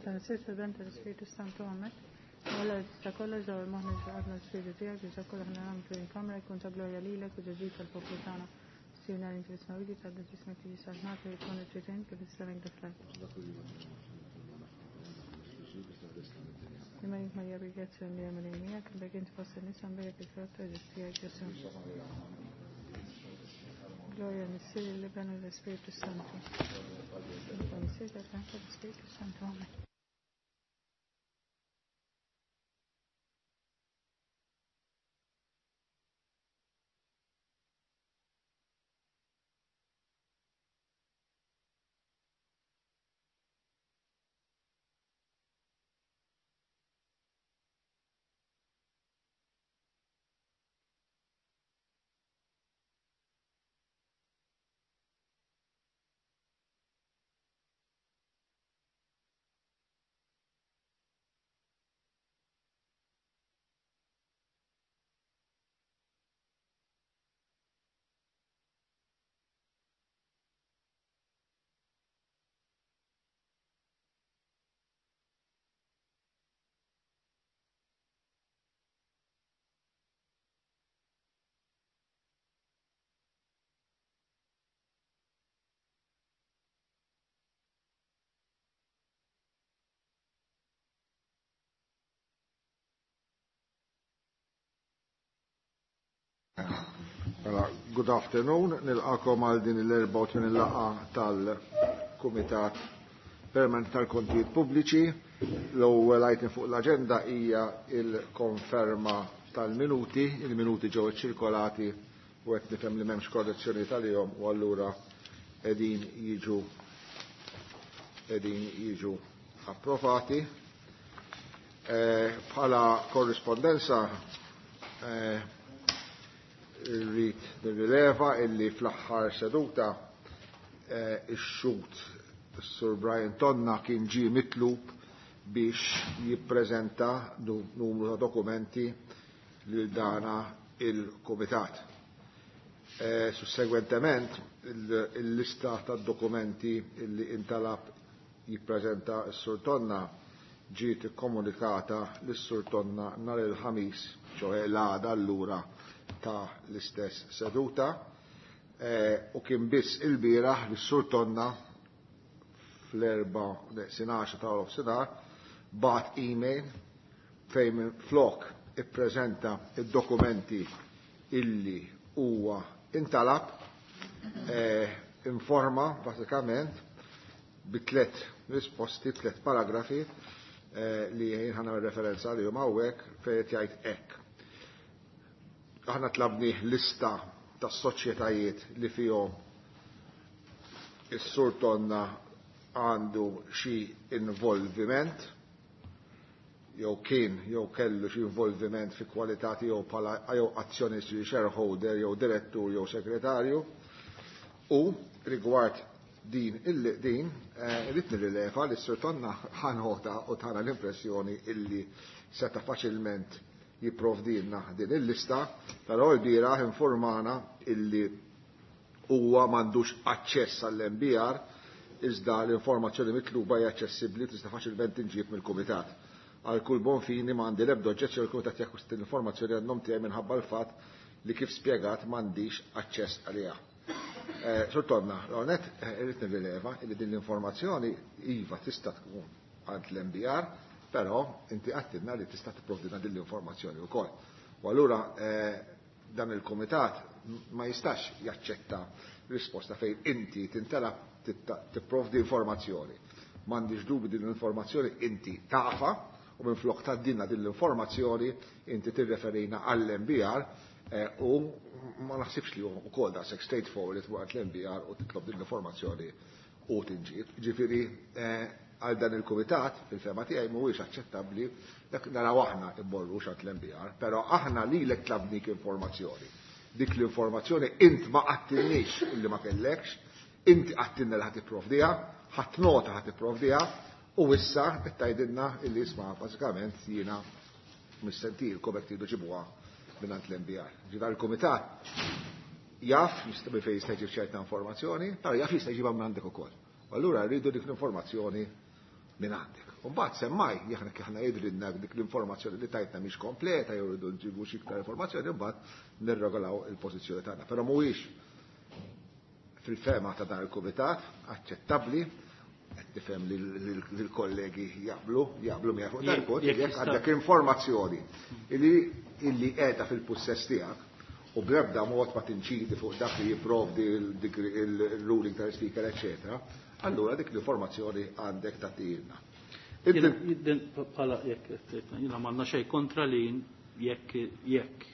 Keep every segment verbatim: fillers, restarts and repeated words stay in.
Tal-Missier, tal-Iben, tal-Ispirtu Santu, Amen. Alla tista' kollox dawwar moħħna x'għadna l-Spiritu tiegħek biex dak kollu aħna nagħmlu fil-kamra jkun ta' glorja lilek u ġeġid tal-poplu tagħna. Sirna li inti fis-smawwiet tgħaddi f'ismek tiġi saltnat u jkun it-tritejn kif is-sema hekk fl-art. Imma Marija bil-grazzja li hemm lejn miegħek, imbagħad inti fost in-nisa mbejjek il-frott ta' ġid tiegħek Ġesù. Gloria Missier, l-Iben u l-Ispiritu Santu. Missier, tal-Iben u l-Ispiritu Santu. Amen. Mela, good afternoon, nilqakom għal din l-erbgħa u tmenin laqgħa tal-Kumitat Permanent tal-Kontijiet Pubbliċi. L-ewwel item fuq l-aġenda hija il-konferma tal-minuti, il-minuti ġew iċċirkolati u qed nifhem li m'hemmx korrezzjoni tal-jom u allura qegħdin jiġu qegħdin jiġu approvati. Bħala korrispondenza irrid nirrileva illi fl-aħħar seduta ix-xhud Sur Brian Tonna kien ġie mitlub biex jippreżenta numru ta' dokumenti lil dana il-Kumitat. Sussegwentement il-lista ta' dokumenti illi intalab jippreżenta s-Sur Tonna ġiet ikkomunikata lis-Sur Tonna nhar il-Ħamis, ċoħe l-għada allura ta' l-istess seduta, u kien biss il-bieraħ li s-Sur Tonna fl-erba' neqsin għaxra ta' nofsinhar bagħat email fejn flok ippreżenta id-dokumenti illi huwa intalab, informa bażikament bi tliet risposti, tliet paragrafi li jien ħa nagħmel referenza għalihom hawnhekk fejn qed jgħid hekk. Aħna tlabni lista ta' soċjetajiet li fihom is-Sur Tonna għandu xi involviment jew kien jew kellu xi involviment fi kwalità tiegħu bħala jew azzjonist jew shareholder jew direttur jew segretarju, u rigward din il din irrid nirrileva li s-Sur Tonna ħanħota u tara l-impressjoni illi seta' faċilment jipprovdilna din il-lista, però l-bieraħ informana illi huwa m'għandux aċċess għall-M B R, iżda l-informazzjoni mitluba hija aċċessibbli tista' faċilment tinġieb mill-Kumitat. Għal kull bon fini m'għandi l-ebda oġġezzjoni l-Kumitat jakkwista l-informazzjoni għan-nom tiegħi minħabba l-fatt li kif spjegat m'għandix aċċess għaliha. Sur Tonna, l-għonet irrid nirrileva li din l-informazzjoni iva tista' tkun għand l-M B R, però inti għattilna li tista' tipprovdina din l-informazzjoni wkoll. U allura dan il-kumitat ma jistax jaċċetta risposta fejn inti tintalab tipprovdi informazzjoni. M'għandix dubi din l-informazzjoni inti tafa u minn flok tgħaddilna din l-informazzjoni inti tirreferina għall-M B R u ma naħsibx li hu wkoll daqshekk straightforward waqt l-M B R u titlob din l-informazzjoni u tinġib. Ġifieri għal dan il-kumitat fil-fema tiegħi mhuwiex aċċettabbli dak naraw aħna immorru x'għand l-M B R, però aħna lilek tlabnik informazzjoni. Dik l-informazzjoni int ma qattilniex illi ma kellekx, inti qattilna li ħadd ipprovdiha, ħadd nota ħadd ipprovdiha, u issa qed tgħidilna illi isma' bażikament jiena missentilkom hekk tridu ġibuha mingħand l-M B R. Ġifieri il-kumitat jaf jista' fejn jista' jġib ċerta informazzjoni, però jaf jista' jġibha minn għandek ukoll. U allura rridu dik l-informazzjoni minn għandek. U mbagħad semmaj, jekk aħna jidhrilna dik l-informazzjoni li tajtna mhix kompleta jew rridu nġibu xi iktar informazzjoni, mbagħad nirregolaw il-pożizzjoni tagħna. Però mhuwiex fil-fema ta' dan il-kumitat aċċettabbli, qed tifhem li l-kollegi jaqblu, jaqblu miegħek fuq dan il-punt, jekk għandek informazzjoni illi illi qiegħda fil-pussess tiegħek u bl-ebda mod ma tinċidi fuq dak li jipprovdi il-ruling tal-speaker, eċċetera, allura dik l-informazzjoni għandek tagħtiilna. Bħala jekk jiena m'għandna xejn kontra li jekk jekk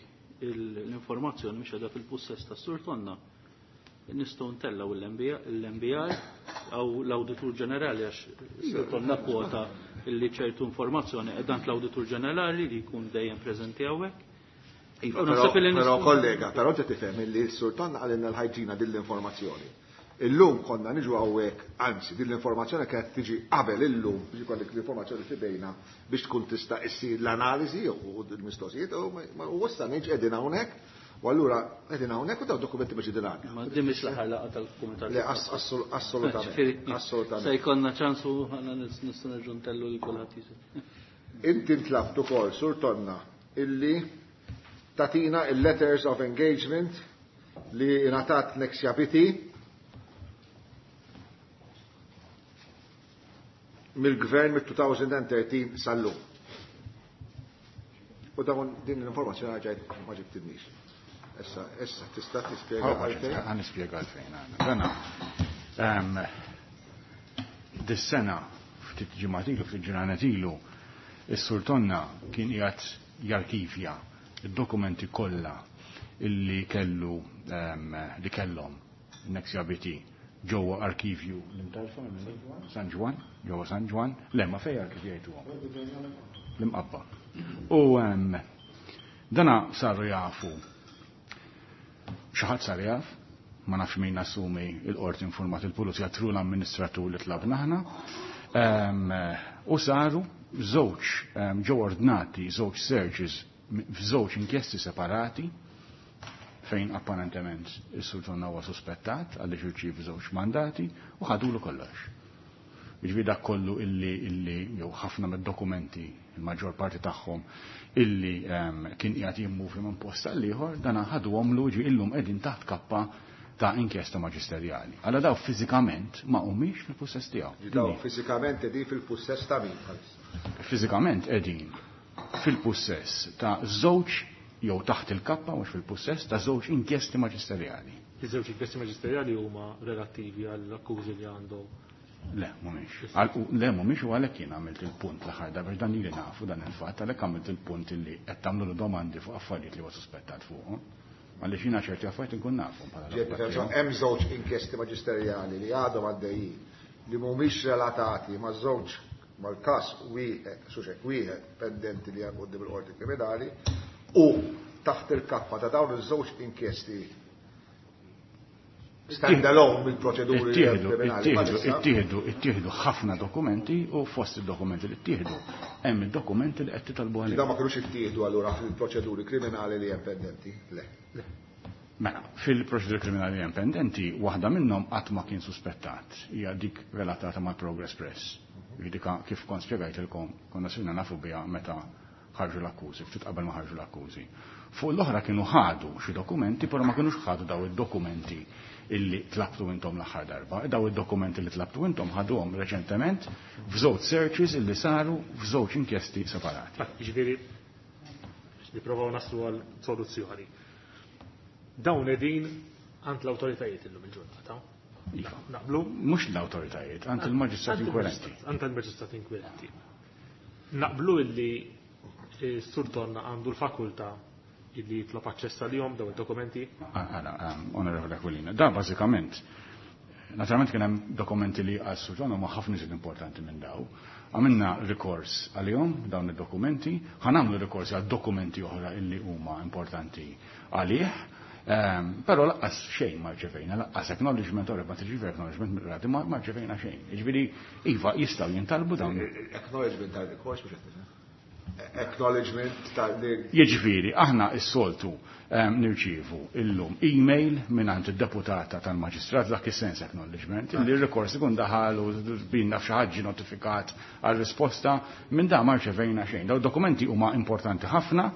l-informazzjoni mhix qiegħda fil-pussess tas-Sur Tonna, nistgħu ntellgħu l-M B I jew l-Awditur Ġenerali, għax Sur Tonna kwota illi ċertu informazzjoni qiegħda l-Awditur Ġenerali li jkun dejjem preżenti hawnhekk. Iva, però kollega, però ġa tifhem illi s-Sur Tonna qalilna l-ħajġina din l-informazzjoni. Illum konna niġu hawnhekk, anzi din l-informazzjoni kienet tiġi qabel illum biex ikollek l-informazzjoni f'idejna biex tkun tista' issir l-analiżi u l-mistoqsijiet, u issa niġi qegħdin hawnhekk, u allura qegħdin hawnhekk u daw dokumenti biex qegħdin għandna. Ma din mhix l-aħħar laqgħa tal-kumitat. Le, assolutament, assolutament. Se jkollna ċansu aħna nistgħu nerġgħu ntellu lil kulħadd jisir. Inti ntlabt ukoll, Sur Tonna, illi tatina il-letters of engagement li ingħatat Nexia B T mill-gvern mit-elfejn u tlettax sal-lum. U dawn din l-informazzjoni ġajt ma ġibtinix. Issa, issa, tista' tispjega għalfejn? Ħa nispjega għalfejn. Dana, dis-sena, ftit ġimgħat ilu, ftit ġranet ilu, is-Sur Tonna kien qiegħed jarkivja id-dokumenti kollha illi kellu li kellhom Nexia B T ġewwa arkivju l-Imtarfa, San Ġwann, ġewwa San Ġwann, le ma fej arkivjajtuhom. L-Imqabba. U dana saru jafu, xi ħadd sar jaf, ma nafx min, assumi il-qorti informat il-pulizija through l-amministratur li tlabna aħna, u saru żewġ, ġew ordnati żewġ searches f'żewġ inkjesti separati fejn apparentement is-Sur Tonna huwa suspettat għaliex irċievi żewġ mandati u ħadulu kollox. Jiġifieri dak kollu illi illi jew ħafna mid-dokumenti, il-maġġor parti tagħhom illi kien qiegħed jimmuvi minn post għal ieħor, dana ħaduhomlu, ġi illum qegħdin taħt kappa ta' inkjesta maġisterjali. Alla daw fiżikament ma humiex fil-pussess tiegħu. Daw fiżikament qegħdin fil-pussess ta' min bħalissa? Fiżikament qegħdin fil-pussess ta' żewġ, jew taħt il-kappa, mhux fil-pussess, ta' żewġ inkjesti maġisterjali. Iż-żewġ inkjesti maġisterjali huma relattivi għall-akkużi li għandu? Le, mhumiex. Le, mhumiex, u għalhekk jien għamilt il-punt l-aħħar darba, dan li nafu dan il-fatt, għalhekk għamilt il-punt illi qed tagħmlu domandi fuq affarijiet li huwa suspettat fuqhom. Għaliex jiena ċerti affarijiet inkun nafu. Hemm żewġ inkjesti maġisterjali li għadhom għaddejjin li mhumiex relatati ma' żewġ mal-każ wieħed, suċek wieħed pendenti li hemm quddiem il-qorti kriminali, u taħt il-kappa ta' dawn iż-żewġ inkjesti stand-alone mill-proċeduri kriminali. Ittieħdu ittieħdu ħafna dokumenti u fost id-dokumenti li ttieħdu hemm id-dokumenti li qed titolbu għalihom. Dawn ma kinux ittieħdu allura fil-proċeduri kriminali li hemm pendenti? Le. Mela, fil-proċeduri kriminali li hemm pendenti, waħda minnhom qatt ma kien suspettat, hija dik relatata mal-Progress Press. Dik kif kont spjegajtilkom, konna sirna nafu biha meta ħarġu l-akkużi, ftit qabel ma ħarġu l-akkużi. Fuq l-oħra kienu ħadu xi dokumenti, però ma kienux ħadu daw id-dokumenti illi tlabtu intom l-aħħar darba. Daw id-dokumenti li tlabtu intom ħaduhom reċentement f'żewġ searches illi saru f'żewġ inkjesti separati. Ġifieri, nipprovaw naslu għal soluzzjoni. Dawn qegħdin għand l-awtoritajiet illum il-ġurnata. Iva. Naqblu? Mhux l-awtoritajiet, għand il-maġistrat inkwirenti. Għand il-maġistrat inkwirenti. Naqblu illi s-Sur Tonna għandu l-fakultà illi jitlob aċċess għalihom daw id-dokumenti? Għala, Onorevole Aquilina, da bażikament, naturalment kien hemm dokumenti li għas-Sur Tonna ma ħafna iżjed importanti minn daw. Għamilna rikors għalihom dawn id-dokumenti, ħa nagħmlu rikors għal dokumenti oħra illi huma importanti għalih, ehm, però lanqas xejn ma rċevejna, lanqas acknowledgement, ora ma tirċivi acknowledgement mill-qrati, ma rċevejna xejn. Jiġifieri iva, jistgħu jintalbu dawn. Acknowledgement tal-rikors biex qed acknowledgement ta' li Jiġifieri, aħna s-soltu nirċievu illum email mingħand id-deputata tal-maġistrat dak is-sens acknowledgement li r-rikors ikun daħal u binna f'xi ħadd notifikat għal risposta minn da ma rċevejna xejn. Daw dokumenti huma importanti ħafna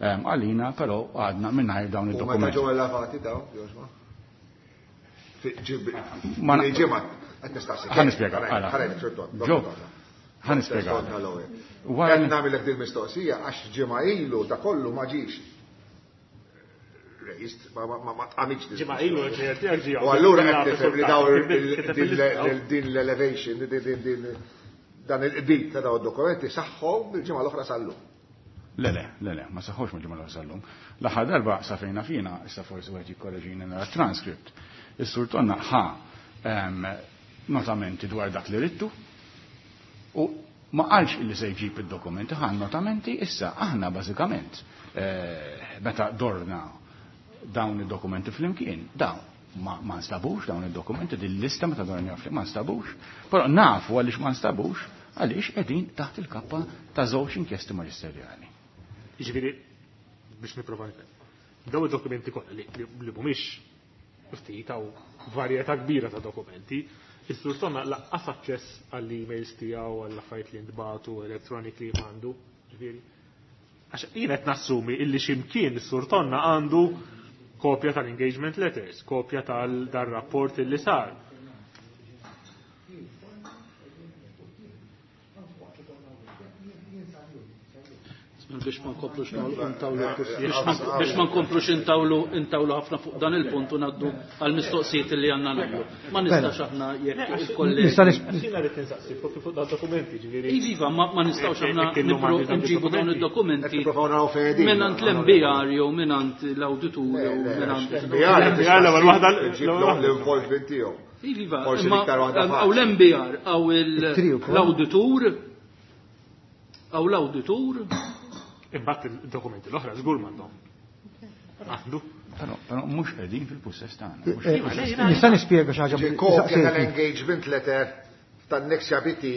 għalina, però għadna mingħajr dawn U meta id-dokumenti. ġew elevati daw, Josma? Ma- Ġimgħa qed nistaqsi. Ħa nispjega, għala. Ġo, ħa nispjega. Wara Qed li- nagħmilek din mistoqsija għax ġimgħa ilu da kollu ma ġiex raised, ma ma ma tqamitx din. Ġimgħa ilu l-ġejer tiegħek ġie U allura qed nifhem li daw din l-elevation, din din dan il-qbit ta' daw id-dokumenti saħħu bil-ġimgħa l-oħra sal-lum. Le, le, le, le, ma saħħux mill-ġimgħa l-oħra sal-lum. L-aħħar darba sa fejna fina, issa forsi wieħed jikkoreġini nara transcript. Is-sur Tonna ħa em, notamenti dwar dak li rittu u ma qalx illi se jġib id-dokumenti, ħa notamenti issa aħna bażikament eh, meta dorna dawn id-dokumenti flimkien, dawn ma, ma nstabux dawn id-dokumenti, din lista meta dorna flimkien ma nstabux, però nafu għaliex ma nstabux għaliex qegħdin taħt il-kappa ta' żewġ inkjesti maġisterjali. Jiġifieri biex nipprova nifhem. Daw id-dokumenti kollha li li mhumiex ftit hawn varjetà kbira ta' dokumenti, is-sur Tonna laqqas aċċess għall-emails tiegħu għall-affarijiet li ntbagħtu electronically għandu, ġifieri. Għax jien qed nassumi illi x'imkien is-sur Tonna għandu kopja tal-engagement letters, kopja tal-rapport illi sar. Biex ma nkomplux intawlu biex ma nkomplux intawlu intawlu ħafna fuq dan il-punt u ngħaddu għall-mistoqsijiet li għandna nagħmlu. Ma nistax aħna jekk il-kollegi. Nista' nis- Jiena rrid insaqsi fuq fuq dal-dokumenti, ġifieri. Iva, ma ma nistgħux aħna Jekk illum nipro għandi dawn nġibu dawn Qed id-dokumenti nipprovaw naraw fejn qegħdin. mingħand l-M B R jew mingħand l-awditur jew mingħand L M B R L M B R l-ewwel waħda- ġib l-ewwel waħda. l-involvement tiegħu. Iva, Forsi imma l-iktar waħda għaw faċli. l-M B R, għaw il- It-tri wkoll. l-awditur, għaw l-awditur, Imbagħad il-dokumenti l-oħra żgur m'għandhom. Għandu. Però però mhux qegħdin fil-pussess tagħna. Mhux Eh, fil-pussess Nista' nispjega xi ħaġa Ġi kopja saqsejtni. tal-engagement letter tan-Nexia B T.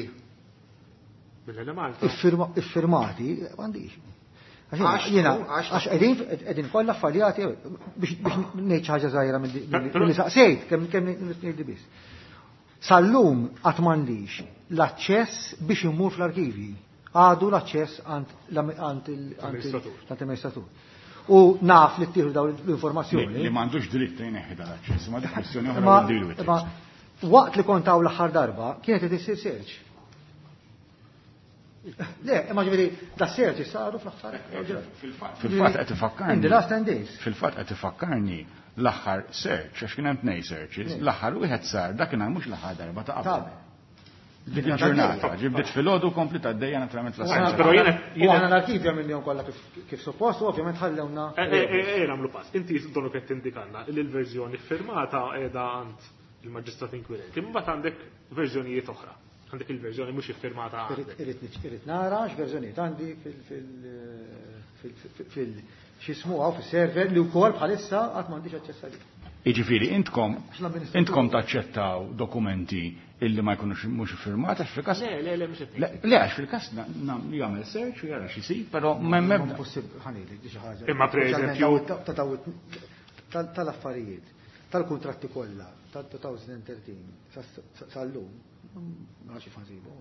Mill-Malta. Iffirma- Iffirmati, m'għandix. Għax Għax jiena, għax- għax qegħdin qegħdin kollha affaljati biex biex ngħid xi ħaġa żgħira Però- milli saqsejt, kemm kemm ngħid biss. Sal-lum qatt m'għandix l-aċċess biex immur fl-arkivi. Għadu l-aċċess għand għand il- għand il- Amministratur. għand l-amministratur. U naf li ttieħdu dawn Li l-informazzjoni. li m'għandux dritt jneħħi dal-aċċess, ma dik kwestjoni oħra Ma we'll deal with it. ma waqt li kont hawn l-aħħar darba kienet qed issir search. Le, imma ġifieri da search saru fl-aħħar. Fil-fatt qed ifakkarni. In the last ten days. Fil-fatt qed ifakkarni l-aħħar search, għax kien hemm tnejn searches, l-aħħar wieħed sar dakinhar mhux l-aħħar darba ta' qabel. Dik il-ġurnata, ġibdiet filgħodu kompli għaddejja naturalment Però l-assenza. jiena U aħna l-arkivja minnhom kollha kif kif suppost u ovvjament ħallewna. Eh, eh, eh, nagħmlu pass. Inti donu qed tindikanna li l-verżjoni firmata qiegħda għand il-maġistrat inkwirenti. Imbagħad għandek verżjonijiet oħra. Għandek il-verżjoni mhux iffirmata għandek. Irrid irrid nara x'verżjonijiet għandi fil fil fil fil x'ismu hawn fis-server li wkoll bħalissa qatt m'għandix aċċess għalih. Jiġifieri intkom Għax l-amministratur- intkom taċċettaw dokumenti illi ma jkunux mhux iffirmati għax fil-każ. Le, le, le, mhux qed Le, le, għax fil-każ na- na- jagħmel search u jara x'isib, però m'hemm ebda. Impossibbli ħanejlek di xi ħaġa. Imma per eżempju- Ta' ta' daw- tal- tal-affarijiet, tal-kuntratti kollha tal-elfejn u tlettax sa- sal-lum, ma nafx kif ħansibu.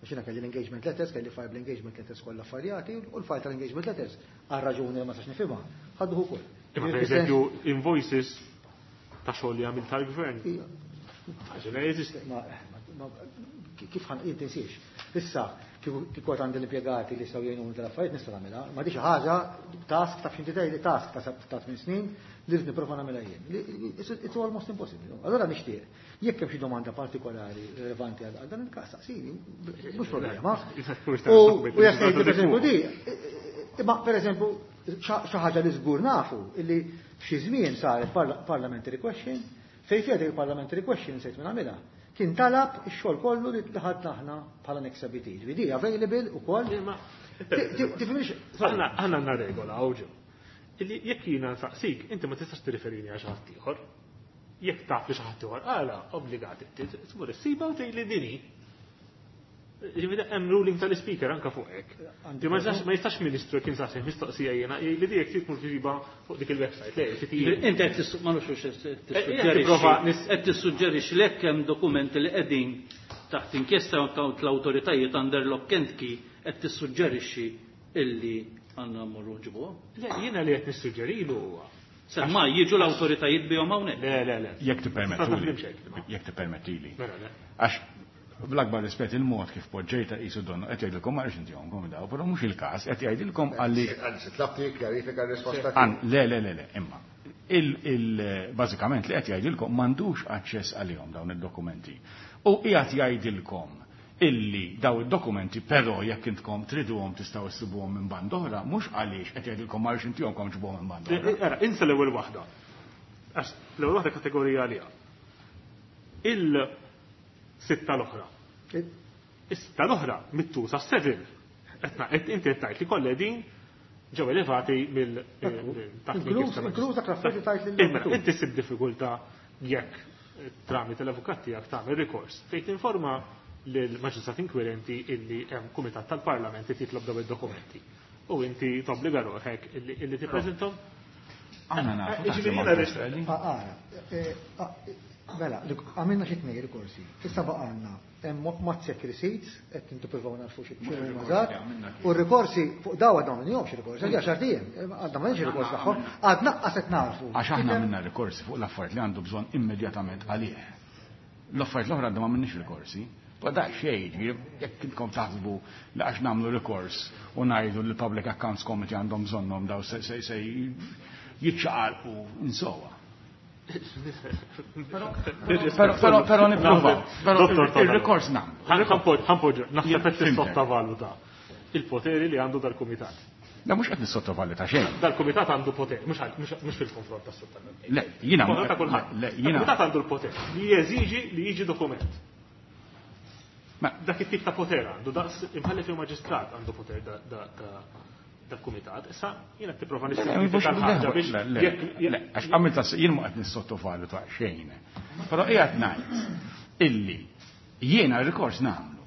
Għax jiena kelli l-engagement letters, kelli file l-engagement letters kollha affaljati u l-file tal-engagement letters għal raġuni li ma sax nifhimha, ħadduh ukoll. Imma per eżempju invoices ta' xogħol li għamil tal-gvern. Ħaġa li jeżisti. Ma, ma, kif ħan intinsiex. Issa, kieku kieku għad għandi l-impjegati li saw jgħinuni tal-affarijiet nista' nagħmilha, ma di xi ħaġa task ta' x'inti tgħidli task ta' ta' tmien snin li rrid nipprova nagħmilha jien. Li- li- It's it's almost impossible. Allora nixtieq, jekk hemm xi domanda partikolari rilevanti għal għal dan il-każ, saqsini, mhux problema. U u jekk tgħidli per eżempju di, imma per eżempju xi ħaġa li żgur nafu illi f'xi żmien saret parla- parliamentary question fejn fiha dik il-parliamentary question sejt minn għamilha. Kien talab ix-xogħol kollu li ħadna aħna bħala Nexia B T. Ġifieri available ukoll. Imma- Ti- ti- Tifhimx? Aħna aħna għandna regola hawn ġew. Illi jekk jiena nsaqsik, inti ma tistax tirriferini għal xi ħadd ieħor. Jekk taf li xi ħadd ieħor għala obbligat inti tmur issiba u tgħidli dini. Ġifieri hemm ruling tal-ispeaker anke fuq hekk. Ma jistax ministru kien saqsi mistoqsija jiena li dik trid tmur tġiba fuq dik il-website. Le, inti qed ma nafx qed tissuġġerixxi li hekk hemm dokumenti li qegħdin taħt inkjesta tal-awtoritajiet under lock and key qed tissuġġerixxi illi għandna mmorru nġibuhom. Le, jiena li qed nissuġġerilu huwa. Semma jiġu l-awtoritajiet bihom hawnhekk. Le, le, le. Jekk tippermettuli. Jekk tippermettili. Għax bl-akbar rispett il-mod kif poġġejta qisu donnu qed jgħidilkom ma rridx intihomkom daw, però mhux il-każ, qed jgħidilkom għalli. Anzi, tlabti kjarifika r-risposta. Le, le, le, le, imma. Bażikament li qed jgħidilkom m'għandux aċċess għalihom dawn id-dokumenti. U qiegħed jgħidilkom illi daw id-dokumenti però jekk intkom triduhom tistgħu issibuhom minn band oħra, mhux għaliex qed jgħidilkom ma rridx intihomkom ġibuhom minn band oħra. Ara, insa l-ewwel waħda. Għax l-ewwel waħda kategorija għaliha. Il sitta l-oħra. Is-sitta l-oħra mittusa seven. Etna, inti qed tgħid li kollha din ġew elevati mill taħt Inkluż dak l-affarijiet tgħid lil. Inti ssib diffikultà jekk tramite l-avukat tiegħek tagħmel rikors fejn tinforma lill-maġistrat inkwirenti illi hemm kumitat tal-Parlament li titlob dawn id-dokumenti. U inti tobbliga ruħek illi tippreżenthom. Aħna nafu. Mela, għamilna xi tnejn rikorsi. Issa baqgħna hemm mazzek receipts qed nippruvaw narfu xi mażat. U r-rikorsi fuq daw għadna m'għandhomx rikorsi, għal għaxar ijiem, għadna m'għandniex rikors tagħhom, għadna qas qed narfu. Għax aħna għamilna rikorsi fuq l-affarijiet li għandu bżonn immedjatament għalih. L-affarijiet l-oħra għadna m'għamilniex rikorsi. Ma da xejn, jekk intkom taħsbu li għax nagħmlu rikors u ngħidu li l-Public Accounts Committee għandhom bżonnhom daw se se jiċċaqalqu insowa. Però però nipprova. Però il-rikors nagħmlu. Ħanpoġġu, naħseb qed tissottovaluta il-poteri li għandu dal-kumitat. La mhux qed nissottovaluta xejn. Dal-kumitat għandu poter, mhux fil-konfront tas-sottovaluta. Le, jiena. Il-kumitat għandu l-poter li jeżiġi li jiġi dokument. Dak it-tip ta' poter għandu, daqs imħallef jew maġistrat għandu poter dal-kumitat. Issa jiena tipprova nissimplifika l-ħaġa biex għax għamilta jien ma qed nissottovaluta xejn. Però qiegħed ngħid illi jiena r-rikors nagħmlu.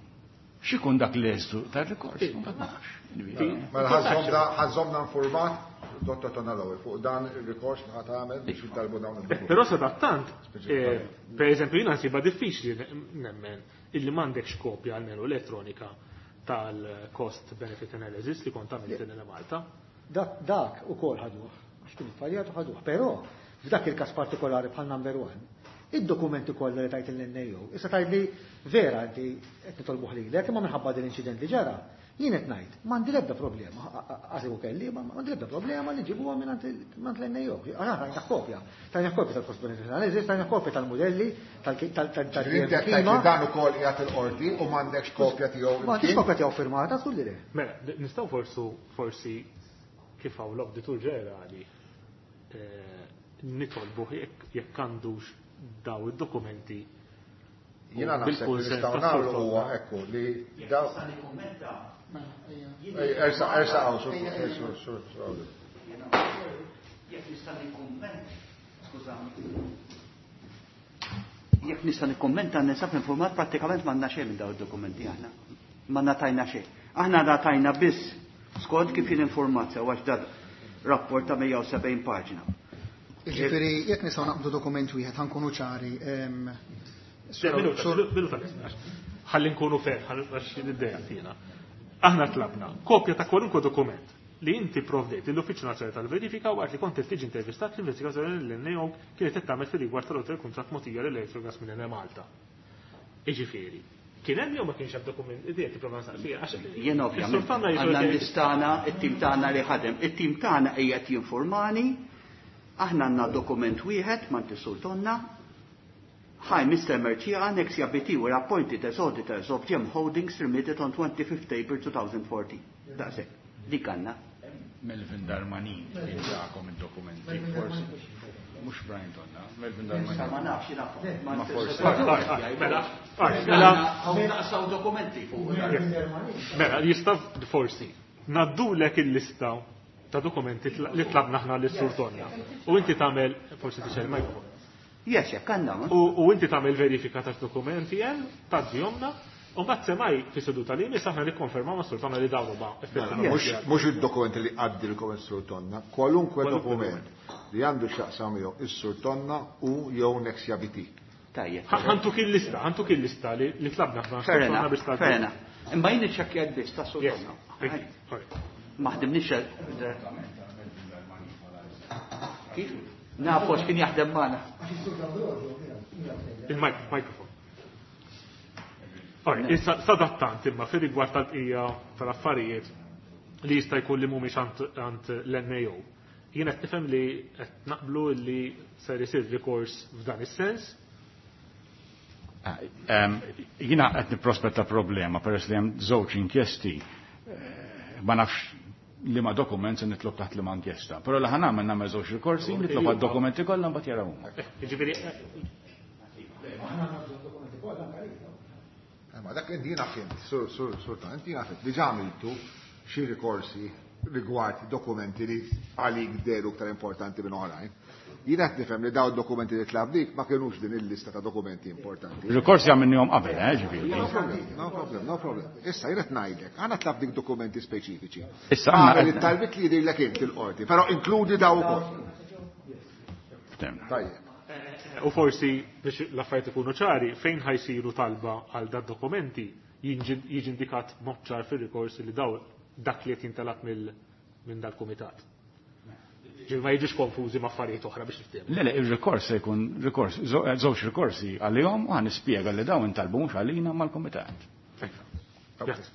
X'ikun dak l-eżdu tar-rikors? Ma nafx. Mela ħażomna informat Dottor Tonallowi fuq dan ir-rikors li ħadd għamel biex jitalbu dawn id-dokumenti. Però sadattant, per eżempju jiena nsibha diffiċli nemmen illi m'għandekx kopja almenu elettronika tal-cost benefit analysis li kont għamilt in Malta. Dak ukoll ħaduh, għax kien iffaljat u ħaduh, però f'dak il-każ partikolari bħal number one, id-dokumenti kollha li tajt il-N A O, issa tgħid li vera inti qed nitolbuh lilek, imma minħabba din l-inċident li ġara, jien qed ngħid, m'għandi l-ebda problema, għasibu kelli, ma m'għandi l-ebda problema li ġibuha mingħand l-N A O. Aħna tajna kopja, tajna kopja tal-cost benefit analysis, tajna kopja tal-modelli, tal-klima. Dan ukoll qiegħed il-qorti u m'għandekx kopja tiegħu. M'għandix kopja tiegħu firmata, żgur li le. Mela, nistgħu forsu forsi kif hawn l-Awditur Ġenerali nitolbu jekk għandux daw id-dokumenti. Jiena naħseb li nistgħu nagħmlu huwa ekku li daw. Ersa, ersa, għaw, sur, sur, sur, sur. Jekk nista' nikkumment, skużani. Jekk nista' nikkummenta ninsab informat prattikament m'għandna xejn minn dawn id-dokumenti aħna. Ma tajna xejn. Aħna tajna biss skont kif jien informat sew għax dad rapport ta' mija u sebgħin paġna. Jiġifieri jekk nistgħu naqbdu dokument wieħed ħankunu ċari. Ħalli nkunu fer, għax id-idea tina. Aħna tlabna kopja ta' kwalunkwe dokument li inti provdejt l-Uffiċċju Nazzjonali tal-Verifika waqt li kont tiġi intervistat l-investigazzjoni li l-N A O kienet qed tagħmel fir-rigward tal-hotel kuntratt mogħtija lil Electrogas minn Enemalta. Jiġifieri, kien hemm jew ma kienx hemm dokument, idea tipprova nsaqsija għax Jien ovvjament għandna nistana it-tim tagħna li ħadem, it-tim tagħna qiegħed jinformani, aħna għandna dokument wieħed ma Sur Tonna. Hi, Mister Mercieca, Nexia B T were appointed as auditors of Gem Holdings Limited on twenty-fifth April two thousand fourteen. That's it. Dik għandna. Melvin Darmanin, ġakom id-dokumenti, forsi. Mux Brian Tonna, Melvin Darmanin. Ma nafx, naf. Ma forsi. Mela, mela. Naqsaw dokumenti fuq. Mela, jista' forsi. Naddulek il-lista ta' dokumenti li tlabna aħna lis-Sur Tonna. U inti tagħmel, forsi tixel mikrofon. Yes, jekk għandna. U inti tagħmel verifika ta' dokumenti hemm, tgħaddihomna, U mbagħad semmai fis-seduta li jmiss aħna nikkonfermaw mas-Sur Tonna li dawn huma effettivament. Mhux id-dokumenti li għaddilkom is-Sur Tonna, kwalunkwe dokument li għandu x'jaqsam jew is-Sur Tonna u jew Nexia B T. Tajjeb. Ħa ntuk il-lista, ħa ntuk il-lista li li tlabna aħna Fair Sur Tonna enough, biex fair tgħaddi. Enough. Imma jien iċċekkjat biss ta' Sur Yes. Tonna. Thank you. All right. Ma ħdimniex direttament. Kif? Nafu għax kien jaħdem magħna. Il-mikrofon. Alright, issa sadattant imma fir rigward tal-bqija tal-affarijiet li jista' jkun li mhumiex għand l-N A O. Jien qed nifhem li qed naqblu li ser isir rikors f'dan is-sens. Jiena qed nipprospetta problema peress li hemm żewġ inkjesti, eh, ma nafx li ma dokument se nitlob taħt li ma inkjesta. Però li ħa nagħmel, nagħmel żewġ rikorsi, nitlob għad-dokumenti kollha, mbagħad jaraw huma. Eh, Jiġifieri Eh, Ma dak inti jiena fhimt, sur sur sur ta' inti jiena fhimt, diġà għamiltu xi rikorsi rigward dokumenti li għalik dehru iktar importanti minn oħrajn. Jiena qed nifhem li dawn dokumenti li tlabnik ma kienux din il-lista ta' dokumenti importanti. Rikorsi għamilnihom qabel, eh, ġifieri. No problem, no problem, no problem. Issa jien qed ngħidlek, aħna tlabnik dokumenti speċifiċi. Issa aħna Għamel it-talbit li jidhirlek inti l-qorti, però inkludi daw ukoll. Ftemna. Tajjeb. U forsi biex l-affarijiet ikunu ċari, fejn ħa jsiru talba għal dat dokumenti jiġi jiġi indikat mod ċar fir-rikors li daw dak li qed jintalab mill minn dal-kumitat. Ġifieri ma jiġux konfużi ma' affarijiet oħra biex niftehmu. Le, le, il-rikors se jkun rikors, żewġ rikorsi għalihom u ħa nispjega li dawn intalbu mhux għalina mal-kumitat. Grazzi.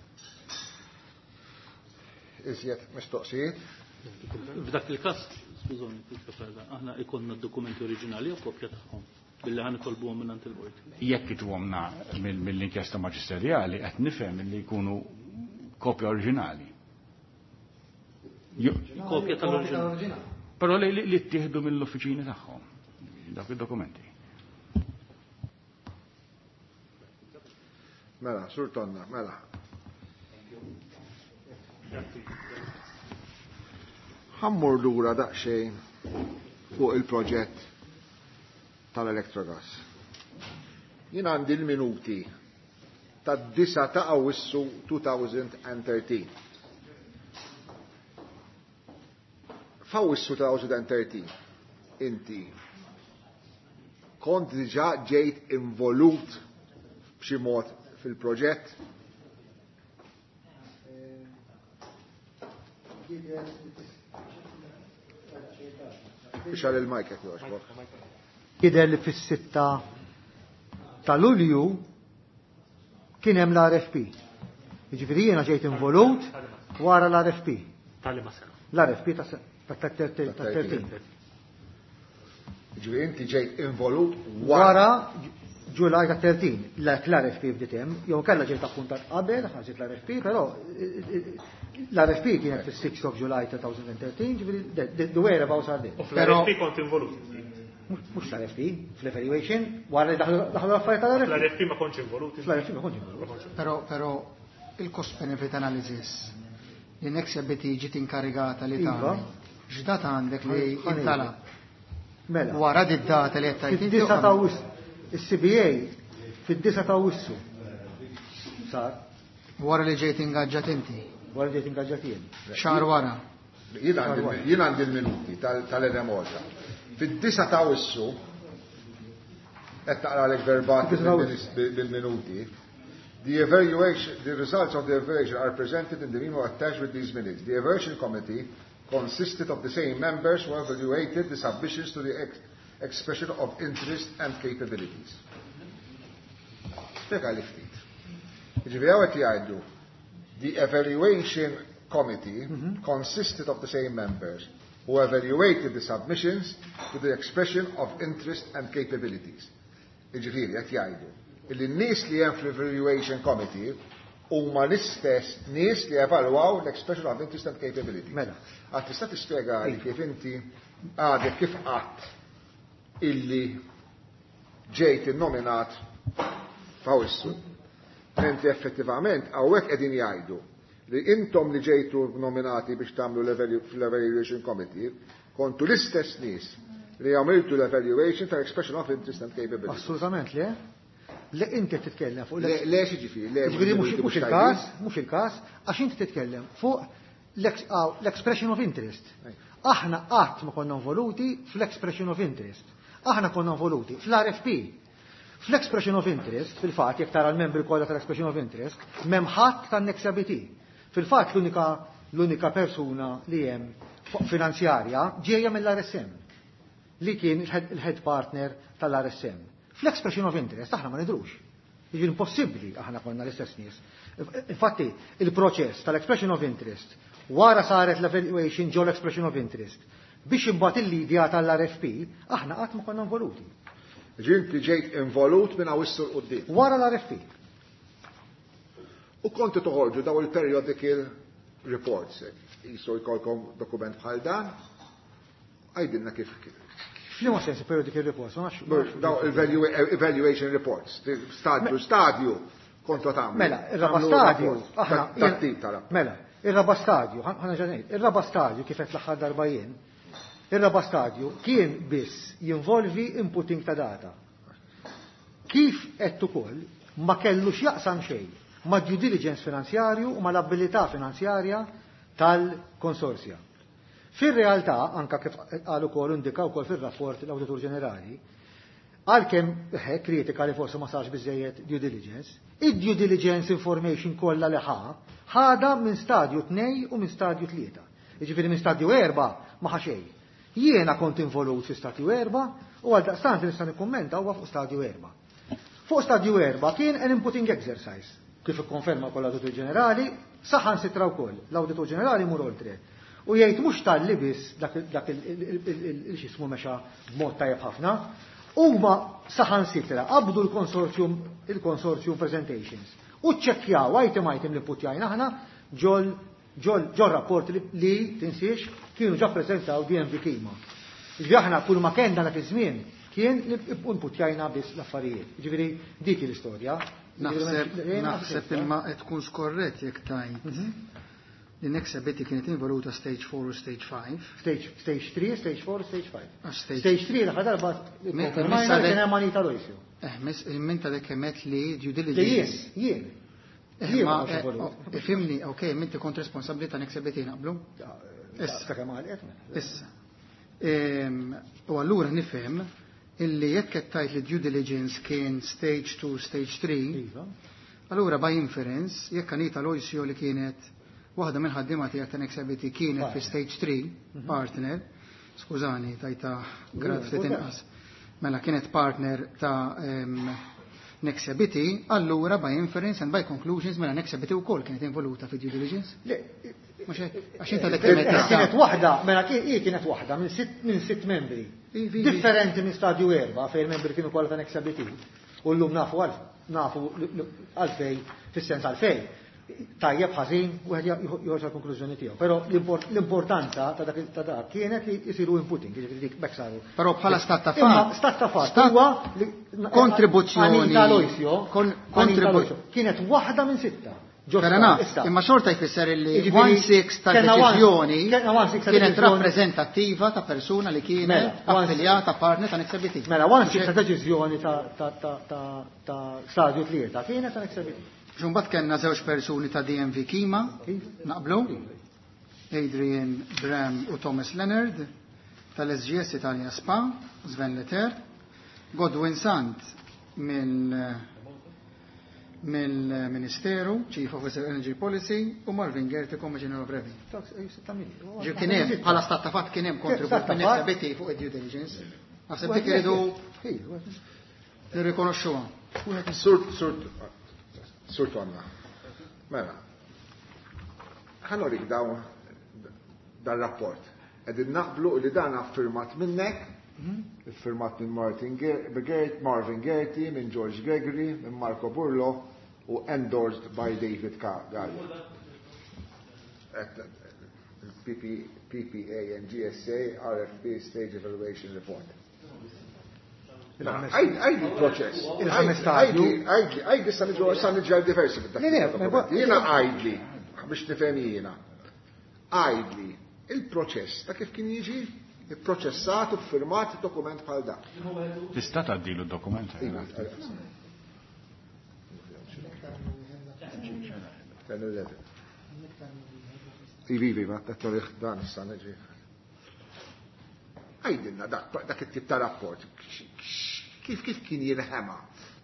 Iżjed mistoqsijiet? F'dak il-każ, skużoni, aħna ikollna d-dokumenti oriġinali u kopja tagħhom billi ħa nitolbuhom minn il-qorti. Jekk ituhomna mill-inkjesta maġisterjali, qed nifhem li jkunu kopja oriġinali. Kopja tal-oriġinali. Però li li ttieħdu mill-uffiċini tagħhom dak id-dokumenti. Mela, Sur Tonna, mela. Ħa mmur lura daqsxejn fuq il-proġett tal-Electrogas. Jien għandi l-minuti tad-disgħa ta' Awwissu elfejn u tlettax. F'Awwissu elfejn u tlettax inti kont diġà ġejt involut b'xi mod fil-proġett? Ixgħel il-mic jekk jogħġbok. Jidher li fis-sitta ta' Lulju kien hemm l-R F P. Jiġifieri jiena ġejt involut wara l-R F P. Tal-liema sena. L-R F P ta' tlettax. Ġifieri inti ġejt involut wara. Wara Ġulaj ta' tlettax, l-R F P bdiet hemm, jew kellha ġejt appuntat qabel, ħarġet l-R F P, però l-R F P kienet fis-sixth of July twenty thirteen, ġifieri the whereabouts are there. U fl-R F P kont involut. Mhux l-R F P, fl-evaluation, wara li daħlu l-affarijiet tal-R F P. Fl-R F P ma kontx involut. Fl-R F P ma kontx involut. Però però il-cost benefit analysis li Nexia B T ġiet inkarigata li Iva. tagħmel. X'data għandek li intalab? Mela. Wara di data li qed tgħid inti. Fid-disa ta' Awwissu. Il-C B A fid-disa ta' Awwissu. Sar. Wara li ġejt ingaġġat inti. Wara li ġejt ingaġġat jien. Xahar wara. Jien għandi l-minuti tal-Enemalta. Fid-disa ta' Awwissu, qed naqralek verbatim bil-minuti. The evaluation, the results of the evaluation are presented in the memo attached with these minutes. The evaluation committee consisted of the same members who evaluated the submissions to the ex expression of interest and capabilities. Spjega li ftit. Ġifieri hawn qed jgħidu the evaluation committee mm -hmm. consisted of the same members who evaluated the submissions to the expression of interest and capabilities. Ġifieri qed jgħidu illi n-nies li hemm fl-evaluation committee huma l-istess nies li evalwaw l-expression of interest and capability. Mela. Għad tista' tispjega li kif inti għadek kif qatt illi ġejt innominat f'Awwissu. Mentri effettivament hawnhekk qegħdin jgħidu li intom li ġejtu nominati biex tagħmlu l-evaluation committee kontu l-istess nies li għamiltu l-evaluation tal-expression of interest and capability. Assolutament le. Le inti titkellem fuq Le, le xiġifieri, le Ġifieri mhux mhux il-każ, mhux il-każ, għax inti titkellem fuq l-expression of interest. Aħna qatt ma konna involuti fl-expression of interest. Aħna konna involuti fl-R F P. Fl-expression of interest, fil-fatt, jekk tara l-membri kollha tal-expression of interest, m'hemm ħadd tan-Nexia B T. Fil-fatt l-unika l-unika persuna li hemm finanzjarja ġejja mill-R S M li kien il-head partner tal-R S M. Fl-expression of interest aħna ma nidrux. Jiġi impossibbli aħna konna l-istess nies. Infatti, il-proċess tal-expression of interest wara saret l-evaluation ġo l-expression of interest biex imbagħad il-lidja tal-R F P, aħna qatt ma konna involuti. Ġinti ġejt involut minn hawn 'il quddiem. Wara l-R F P. U konti toħorġu daw il-periodical reports. Jisu jkollkom dokument bħal dan, għajdilna kif. F'liema sens periodical reports? Ma nafx. Daw evaluation reports, stadju, stadju, kontu tagħmlu. Mela, ir-raba stadju, aħna. Tat-tip tara. Mela, ir-raba stadju, ħana ġanejt, ir-raba stadju kif qed l-aħħar darba jien, ir-raba stadju kien biss jinvolvi inputting ta' data. Kif qed ukoll ma kellux jaqsam xejn ma' due diligence finanzjarju u ma' l-abilità finanzjarja tal-konsorzja. Fir-realtà, anka kif qal ukoll indika wkoll fir-rapport l-Awditur Ġenerali, għalkemm kritika li forsi ma sarx biżejjed due diligence, id-due diligence information kollha li ħa, ħada minn stadju tnejn u minn stadju tlieta. Jiġifieri minn stadju erba' ma ħa xejn. Jiena kont involut fi stadju erba' u għal daqstant nista' nikkummenta huwa fuq stadju erba'. Fuq stadju erba' kien an inputting exercise, kif ikkonferma wkoll l-Awditur Ġenerali, saħansitra wkoll l-Awditur Ġenerali mur oltre. U jgħid mhux talli biss dak il-xismu mexa b'mod tajjeb ħafna, huma saħansitra qabdu l-consortium il-consortium presentations u ċċekkjaw item item li putjajna aħna ġol ġol ġol rapport li, li tinsiex kienu ġa prezentaw D N V Kima. Ġifieri aħna kull ma kien dak iż-żmien kien li inputjajna biss l-affarijiet. Ġifieri dik l-istorja. Naħseb naħseb imma qed tkun skorrett jekk tajt li Nexia B T kienet involuta stage four u stage five. Stage, stage three, stage four, stage five. Għax stage Stage three l-aħħar darba konfermajna li kien hemm Anita Loisio. Eh, mis minta dek kemet li due Li jien, diligence. Jien. Eh, Jien ma ma kontx eh, involut. oh, Ifhimni, ok, minti kont responsabbli ta' Nexia B T, naqblu? Issa. Sa kemm għalqet, mela. Issa. Ehm, U allura nifhem illi jekk qed tgħid li due diligence kien stage two, stage three, Iva. allura by inference, jekk Anita Loisio li kienet waħda minn ħaddiema tiegħek ta' Nexia B T kienet fi stage three, partner, skużani, tajta grad ftit inqas. Mela kienet partner ta' em, Nexia B T, allura by inference and by conclusions mela Nexia B T wkoll kienet involuta fi due diligence. Le, Mhux hekk, għax inta dak kienet Kienet waħda, mela kien hi kienet waħda minn sitt minn sitt membri. Ivi, ivi. Differenti minn stadju erba' fejn il-membri kienu kollha ta' Nexia B T. U llum nafu għal nafu għalfej fis-sens għalfej. Tajjeb, ħażin, wieħed joħroġ għall-konklużjoni tiegħu. Però l-import- l-importanza ta' dak ta' dak kienet li jsiru inputting, jiġifieri dik bekk saru. Però bħala stat ta' Imma fatt. stat ta' fatt Stat- huwa li Kontribuzzjoni. Anita Loisio, Kon- Anita kontribu- Loisio kienet waħda minn sitta. Ġo Fair enough, issa. imma xorta jfisser illi Jiġifieri, one six kellna one- tal-deċiżjoni kellna one six kienet tal-deċiżjoni- rappreżentattiva ta' persuna li kienet Mela, one- affiljata partner ta' Nexia B T. Mela, one six ta' deċiżjoni ta' ta' ta' ta' ta' stadju tlieta kienet ta' Nexia B T. Ġumbat kellna żewġ persuni ta' D N V Kima, naqblu, Adrian Bram u Thomas Leonard, tal-S G S Italia Spa, Sven Leter, Godwin Sant mill mill-Ministeru, Chief Officer Energy Policy, u Marvin Gerti, Commissioner of Revenue. Ġi kien hemm, bħala stat ta' fatt kien hemm kontribut Stat ta' minn fatt. Nexia B T fuq id-due diligence. Naħseb dik iridu nirrikonoxxuha. Sur, sur, sur Tonna. Mela, ħa nurik dawn dal-rapport. Qegħdin naqblu li dan affirmat minnek, firmat minn Martin Gert, Marvin Gerti, minn George Gregory, minn Marco Burlo u endorsed by David Gallia. P P, P P A and G S A R F P Stage Evaluation Report. Għajdi il-proċess. Il-ħames stadju. Għajdi, għajdi sa niġu sa niġu diversi Le, le, fid-dokumenti. Jiena għajdli, biex nifhem jiena. Għajdli, il-proċess ta' kif kien jiġi ipproċessat u firmat dokument bħal dak. Tista' tgħaddilu d-dokument? Iva. ten eleven. Ivi, ivi, ma t-torriħ dan issa neġi. Għajdilna dak it-tip ta' rapport, kif kif kien jinħema,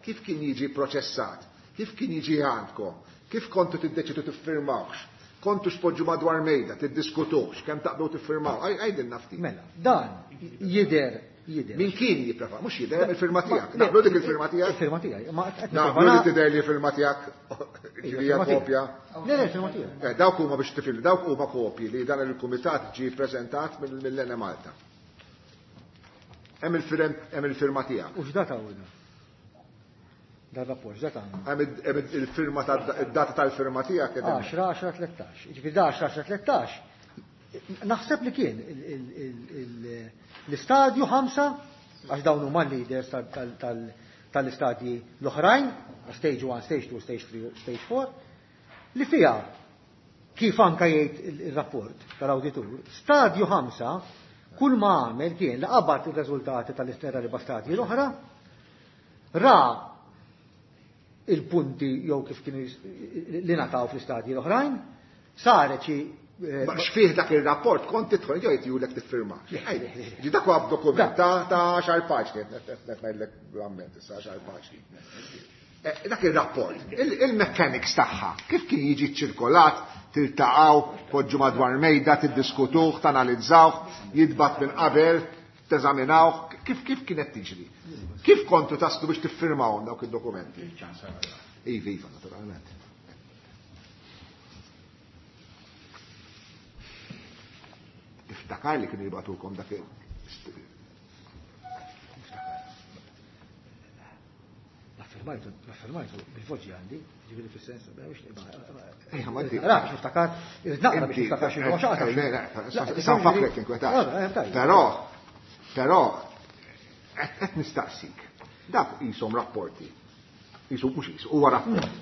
kif kien jiġi proċessat, kif kien jiġi għandkom, kif kontu tiddeċidu tiffirmawx, kontu xpoġġu madwar mejda, tiddiskutux, kemm taqblu tiffirmaw, għajdilna ftit. Mela, dan jidher jidher. Min kien jipprefa, mhux jidher il-firma tiegħek. Naqblu dik il-firma tiegħek? Il-firma tiegħi. Naqblu li tidher li firma tiegħek ġieli kopja. Le, le, il-firma tiegħi. Dawk huma biex tifil, dawk huma kopji li dan il-kumitat ġie ppreżentat mill-Enemalta. Hemm il-firma tiegħek. U x'data hu dan? Dan rapport, x'data għandna? Hemm il-firma tad-data tal-firma tiegħek. għaxra għaxra tlettax. Jiġifieri da għaxra għaxra tlettax. Naħseb li kien l-istadju ħamsa, għax dawn huma l-leaders tal-istadji l-oħrajn, stage one, stage two, stage three, stage four, li fiha kif anka jgħid il-rapport tal-awditur, stadju ħamsa kull ma għamel kien li qabad ir-riżultati tal-erba' stadji l-oħra, ra il-punti jew kif kienu li ngħataw fl-istadji l-oħrajn, saret xi Ma xfih dak il-rapport kont tidħol jew jgħidulek tiffirma. Ġi dak huwa dokument ta' għaxar paġni, qed ngħidlek bl-amment issa għaxar paġni. Dak il-rapport, il-mechanics tagħha, kif kien jiġi ċirkolat, tiltaqgħu, poġġu madwar mejda, tiddiskutuh, tanalizzawh, jitbat minn qabel, teżaminawh, kif kif kienet tiġri? Kif kontu taslu biex tiffirmawhom dawk id-dokumenti? Iva, iva, naturalment. Iftakar li kienu jibgħatukom dak il- L-affirmajtu, l-affirmajtu bil-voċi għandi, ġifieri fis-sens, Ejja, ma inti. Ra, biex niftakar, naqra biex niftakar xi xi Sa nfakrek inkwetat. Però, però, qed nistaqsik. Dak qishom rapporti. Qishom mhux qishom, huwa rapport.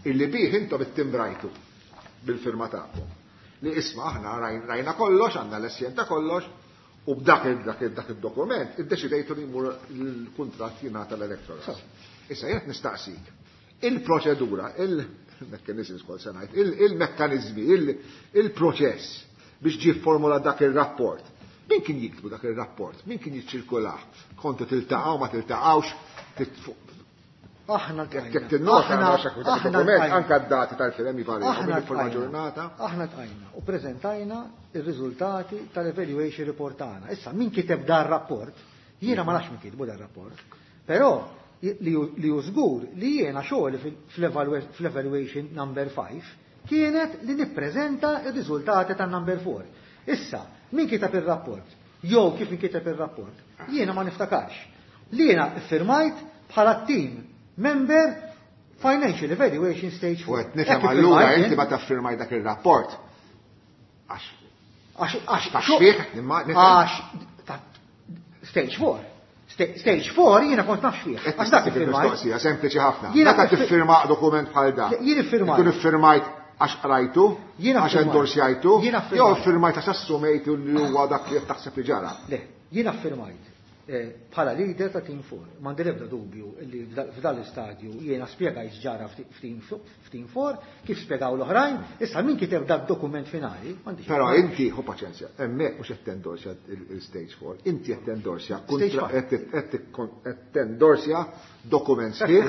Illi bih intom ittimbrajtu bil-firma tagħkom. Li isma' aħna rajna kollox, għandna l-essjen ta' kollox, u b'dak dak id-dokument iddeċidejtu li jmur il-kuntratt jingħata l-Electrogas. Issa jien nistaqsik. Il-proċedura, il-mekkaniżmi skol se ngħid, il-mekkaniżmi, il-proċess biex ġie formula dak ir-rapport. Min kien jiktbu dak ir-rapport? Min kien jiċċirkulah? Kontu tiltaqgħu ma tiltaqgħux? Aħna Jekk tinnota dokument anke d-dati tal-firem jivarjaw forma ġurnata. Aħna tqajna u preżentajna ir-riżultati tal-evaluation report tagħna. Issa min kiteb dar rapport, jiena ma nafx min kitbu dar rapport, però li hu żgur li jiena xogħli fl-evaluation number five kienet li nippreżenta r-riżultati tan-number four. Issa, min kiteb ir-rapport, jew kif inkiteb ir-rapport, jiena ma niftakarx. Li jiena ffirmajt bħala team member Financial Evaluation Stage four. U qed nifhem allura inti ma taffirmaj dak ir-rapport. Għax għax għax fih għax Stage four. Stage four jiena kont nafx fih. Għax dak iffirmajt. Mistoqsija sempliċi ħafna. Meta tiffirma dokument bħal dan. Jien iffirmajt. Ikun iffirmajt għax qrajtu, għax endorsjajtu, jew iffirmajt għax assumejtu li huwa dak li qed taħseb li ġara. Le, jiena ffirmajt bħala leader ta' Team four. M'għandi l-ebda dubju li f'dan l-istadju jiena spjegajt x'ġara f'Team four, kif spjegaw l-oħrajn, issa min kiteb dak dokument finali, m'għandix. Però inti, ħu paċenzja, hemmhekk mhux qed tendorsja il-stage four, inti qed tendorsja qed tendorsja dokument sħiħ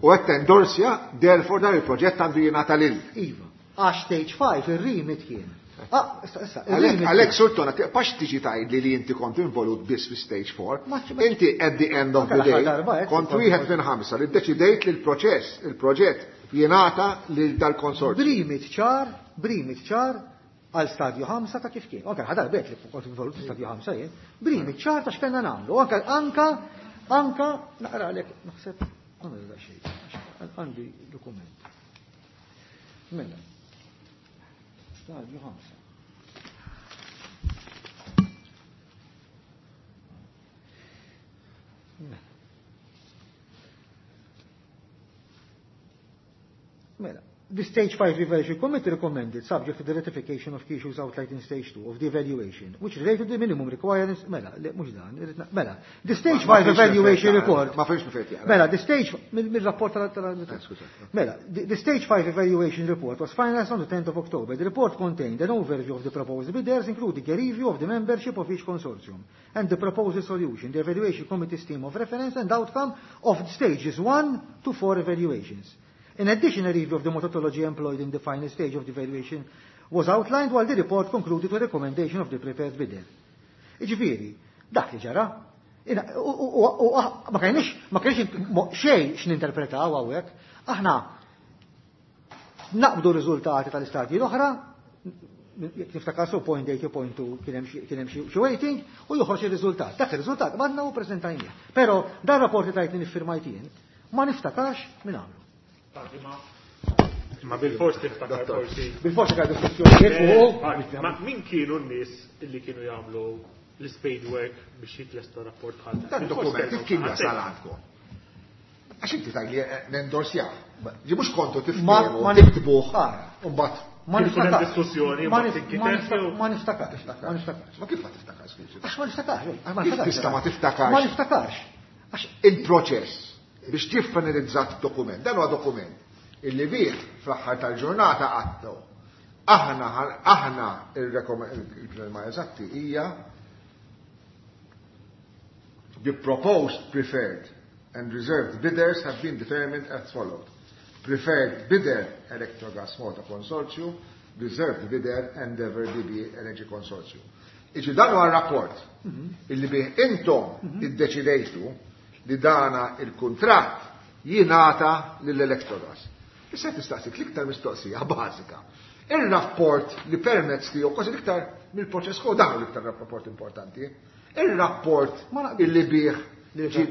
u qed tendorsja therefore dan il-proġett għandu jingħata lil. Iva, għax stage five ir-remit kien. Għalek Sultana, tiqpax tiġi tgħidli li inti kont involut biss fi stage four. Inti at the end of the day kont wieħed minn ħamsa li ddeċidejt li l-proċess, il-proġett jingħata lil dal-konsorzju. Brimit ċar, brimit ċar għal stadju ħamsa ta' kif kien. Anke ħadar bet li kont involut fi stadju ħamsa jien. Brimit ċar ta' x'kellna nagħmlu. Anke anka anka naqra għalek naħseb għandi xejn, għandi dokument. Mela. Stadju ħamsa. Mela, The Stage five Evaluation Committee recommended, subject to the ratification of key issues outlined in Stage two of the evaluation, which related to the minimum requirements, mela, le, mux dan, irrid na-, mela, the Stage Ma five fiex Evaluation nifhem, Report. Ma fiex nifhem, jara. Mela, the Stage, mill-rapport tal-, tal-, Eh, skuża. Mela, the, the Stage five Evaluation Report was finalized on the tenth of October. The report contained an overview of the proposed bidders, including a review of the membership of each consortium and the proposed solution, the evaluation committee's team of reference and outcome of stages one to four evaluations. In addition, a review of the methodology employed in the final stage of the evaluation was outlined, while the report concluded with a recommendation of the preferred bidder. Iġifieri, dak li ġara, ina, u, u, u, u, ah, ma kienx, ma kienx mo-, xejn x'ninterpretaw hawnhekk, aħna naqbdu riżultati tal-istadji l-oħra, jekk niftakar su point eight u point two kien hemm xi, kien hemm xi, xi waiting u joħroġ ir-riżultat. Dak ir-riżultat għandna u preżentajnieh. Però dan rapport li tajtni niffirmajt jien, ma niftakarx minn għamlu. Ma bil-fors tiftakar Dottor. forsi. Bil-fors tiftakar diskussjonijiet fuq. Eh, ma min kienu n-nies illi kienu jagħmlu l-spade work biex jitlesta rapport bħal dan? Dan Bil-fors dokument kif kien kellhom jasal għandkom? Għax inti tgħid li, eh, nendorsjah. Ġi mhux kontu tiftiehmu, Ma-, ma tiktbuh. Ara. U mbagħad Ma Kien ikun hemm niftakarx. diskussjoni, Ma ma nif-, tinkiteb ma niftakar-, jew- ma niftakarx, ma niftakarx. Ma kif ma tiftakarx, skużi? Għax ma niftakarx, għax ma Kif niftakarx. tista' ma tiftakarx? Ma niftakarx. Għax il-proċess biex tiffinalizzat dokument, dan huwa dokument illi bih fl-aħħar tal-ġurnata għattu. Aħna, aħna il-rekom-, il-kelma eżatti hija the proposed preferred and reserved bidders have been determined as followed. Preferred bidder Electrogas Malta Consortium, reserved bidder Endeavour D B Energy Consortium. Iġi dan huwa rapport illi bih intom iddeċidejtu li dana il-kuntratt jingħata lill-Electrogas. Issa tistaqsik l-iktar mistoqsija bażika. Ir-rapport li permezz tiegħu kważi l-iktar mill-proċess kod dan l-iktar rapport importanti. Ir-rapport Ma naqbilx. illi bih Li ġi-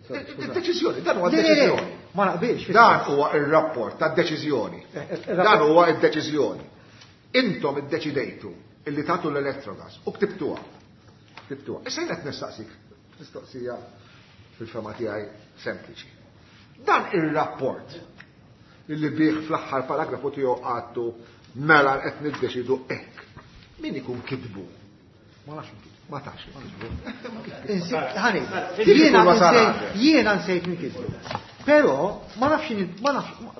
Sorry, skuża. id-deċiżjoni, dan huwa Le, le, le, d-deċiżjoni. ma naqbilx. Dan huwa ir-rapport tad-deċiżjoni. Eh, eh, Dan rapport- huwa id-deċiżjoni. Intom iddeċidejtu illi tagħtu l-Electrogas u ktibtuha. Ktibtuha. Issa jien qed nistaqsik mistoqsija fil-fema tiegħi sempliċi. Dan ir-rapport illi bih fl-aħħar paragrafu tiegħu għadtu mela qed niddeċidu hekk. Min ikun kitbu? Ma nafx min kitbu. Ma tafx min kitbu. Insi-, ħani, Kif jiena ikun wasal nsejt, għandek? jiena nsejt min kitbu. Però ma nafx min, ma nafx, ma-,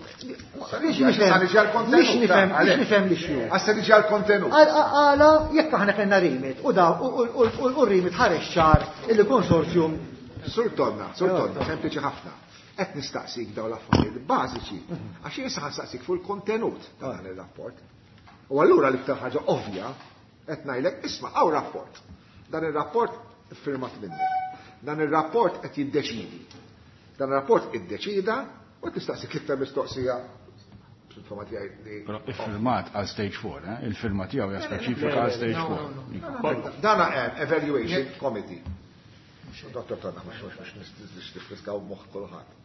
Sa biex niġi nifhem, sa niġi għall-kontenut, biex nifhem, għalhekk. biex nifhem li xju. Għassa niġi għall-kontenut. Għal-, għala, jekk aħna kellna rimit, u da, u, u, u, u, u rimit ħareġ ċar il-konsorzjum. Sur Tonna, Sur Tonna, sempliċi ħafna. Qed nistaqsik dawn l-affarijiet bażiċi, għax jien issa ħansaqsik fuq il-kontenut ta' dan ir-rapport. U allura l-iktar ħaġa ovvja qed ngħidlek isma' hawn rapport. Dan ir-rapport iffirmat minnek. Dan ir-rapport qed jiddeċidi. Dan ir-rapport iddeċida u tistaqsik l-iktar mistoqsija fil-fema tiegħi li Però iffirmat għal stage four, eh? Il-firma tiegħu hija speċifika għal stage four. Dan hemm evaluation committee. Dottor Tonna, mhux mhux mhux nifriskaw moħħ kulħadd.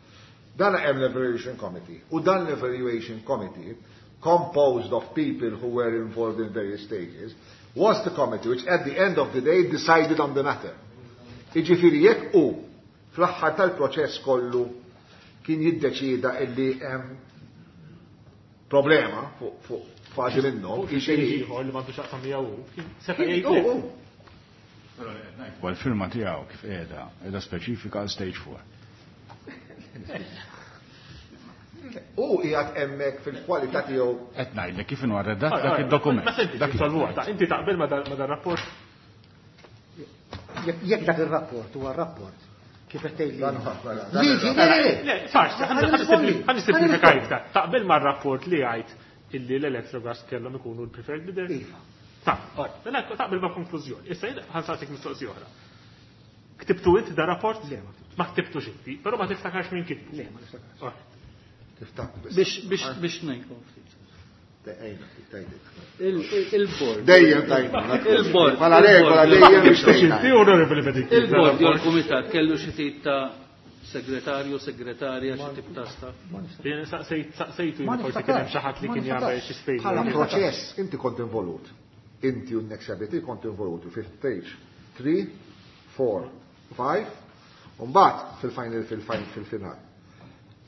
Dan hemm l-evaluation committee. U dan l-evaluation committee, composed of people who were involved in various stages, was the committee which at the end of the day decided on the matter. Iġifieri jekk hu fl-aħħar tal-proċess kollu kien jiddeċida illi hemm problema fuq fuq fażi minnhom, Fuq xi jiġifieri ieħor li m'għandux x'jaqsam miegħu hu, kien seta' Kien jgħid hu, le. hu. U l-firma tiegħu kif qiegħda, qiegħda speċifika għal stage four. U qiegħed hemmhekk fil-kwalità tiegħu. Qed ngħidlek kif inhu redatt Ah, dak ah, id-dokument. Ma senti, Dak solvuha, id-dokument. ta' inti taqbel ma dan ma dan rapport? Jekk, jekk dak ir-rapport huwa rapport kif qed tgħidli. Dan huwa, mela, dan Liġi, huwa. le, le, le. Le, sarx, Ħalli nirrispondi. ħa nisimplifika iktar. Taqbel ma' rapport li għajt illi l-Electrogas kellhom ikunu l-preferred bidder? Iva. Ta' mela taqbel ma' konklużjoni. Issa jien ħansaqsik mistoqsija oħra. Ktibtu int da rapport? Le, ma ktibtux. Ma ktibtux inti, però ma tiftakarx min kitbu. Le, ma niftakarx. Alright. Tiftakar biss. Biex, biex, biex ngħidkom ftit. Ejna, tgħidlek. Il-, il-, il-board. Dejjem tgħidna. Il-board. Bħala regola Il-board. dejjem biex Ktibtux tgħidna. inti, onorevoli Bedicki. Il-board jew il-kumitat kellu xi tip ta' segretarju, segretarja, xi tip ta' staff. Jien saqsejt saqsejtu Ma jien forsi kien hemm niftakarx. xi ħadd li Ma kien jagħmel niftakarx. xi spejjeż. Bħala proċess inti kont involut. Inti u Nexia B T kont involuti fi stage three, four, five, u mbagħad fil-final, fil-final, fil-final.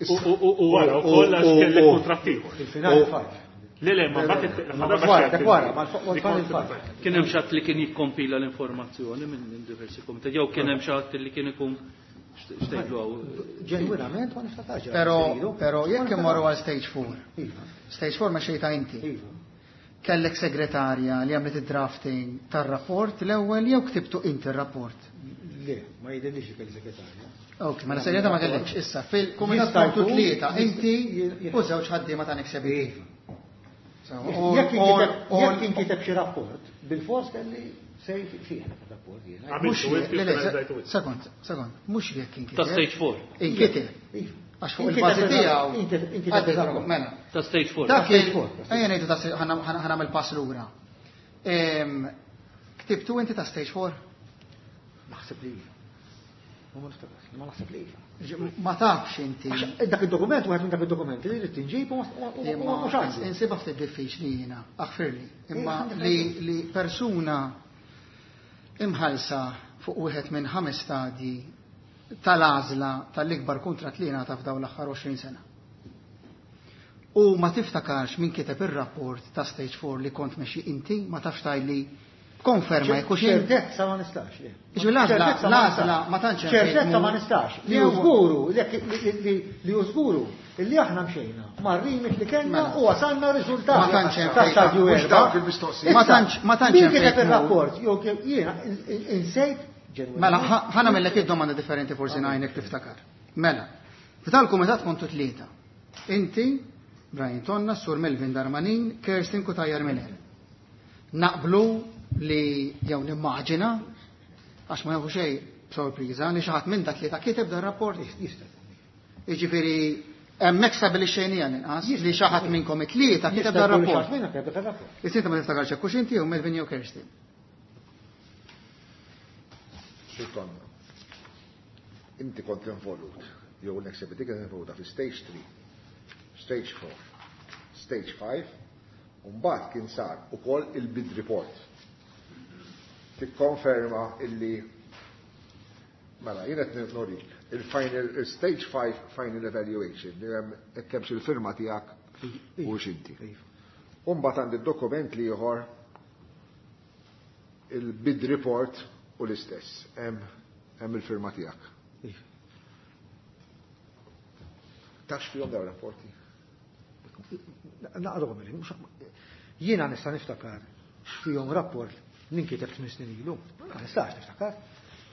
U wara wkoll għax kellek kuntratt ieħor. Il-finali five. Le le, ma mbagħad wara, ma Kien hemm xi li kien jikkompila l-informazzjoni minn diversi komitat, jew kien hemm xi ħadd li kien ikun xtejdu għaw. Ġenwinament ma niftakarx. Però però jekk immorru għal stage four. Stage four ma xejta inti. Kellek segretarja li għamlet id-drafting tar-rapport l-ewwel jew ktibtu inti r-rapport? Le, ma jidhirlix li kelli segretarja. Ok, mela segretarja ma kellekx. Issa fil-kumitat kontu tlieta, inti u żewġ ħaddiema ta' Next Iva. Jekk inkiteb xi rapport, bil-fors kelli sej fih rapport jiena. Sekond, sekond, mhux jekk inkiteb. Ta' stage four. Inkiteb. Għax fuq il-bażi tiegħu. Mela. Ta' stage four. Ta' stage four. Ejja ngħidu ta' ħa nagħmel pass lura. Ktibtu inti ta' stage four? Naħseb li iva. Ma niftakarx, ma naħseb li iva. Ma tafx inti. Dak id-dokument, wieħed minn dak id-dokumenti li rrid inġib u mhux għandi. Insibha ftit diffiċli jiena, aħfirli. Imma li persuna imħallsa fuq wieħed minn ħames stadji tal-għażla tal-ikbar kuntratt li ngħata f'dawn l-aħħar għoxrin sena. U ma tiftakarx min kiteb ir-rapport ta' stage four li kont mexi inti, ma tafx tgħidli konferma jekk hux Ċertezza ma nistax. Jiġifieri l-għażla, l-għażla ma tantx hemm Ċertezza ma nistax. Li hu żguru, li hu żguru li aħna mxejna mar-rimit li kellna u wasalna riżultati. Ma tantx hemm ta' stadju Mhux erba'. dawk il-mistoqsijiet. Ma tantx, ma tantx Min hemm kiteb fejn tmur. ir-rapport, jew jiena insejt ġenwinament. Mela, ħa nagħmellek id-domanda differenti forsi ngħinek tiftakar. Mela, f'dal-kumitat kontu tlieta. Inti, Brian Tonna, Sur Melvin Darmanin, Kerstin Cutajar Miller. Naqblu li jew nimmaġina, għax ma jafu xejn b'sorpriża, li xi ħadd minn dak tlieta kiteb dan rapport. Jista'. Jiġifieri hemmhekk stabilixxejnija l-inqas li xi ħadd minnkom it-tlieta kiteb dan rapport. Xi ħadd minnkom kiteb dan rapport. Issa inti ma tiftakarx hekk hux inti jew Melvin jew Kerstin. Sur Tonna, inti kont involut, jew l-Next kien involuta fi stage three, stage four, stage five, u mbagħad kien sar ukoll il-bid report. Tikkonferma illi mela jien qed norik il-final il-stage five final evaluation li hemm hekk hemmx il-firma tiegħek u x'inti. U mbagħad għandi dokument li ieħor il-bid report u l-istess, hemm il-firma tiegħek. Tafx fihom dawn rapporti? Naqrahom li mhux jiena nista' niftakar x'fihom rapport li nkiteb tmien snin ilu. Ma nistax niftakar.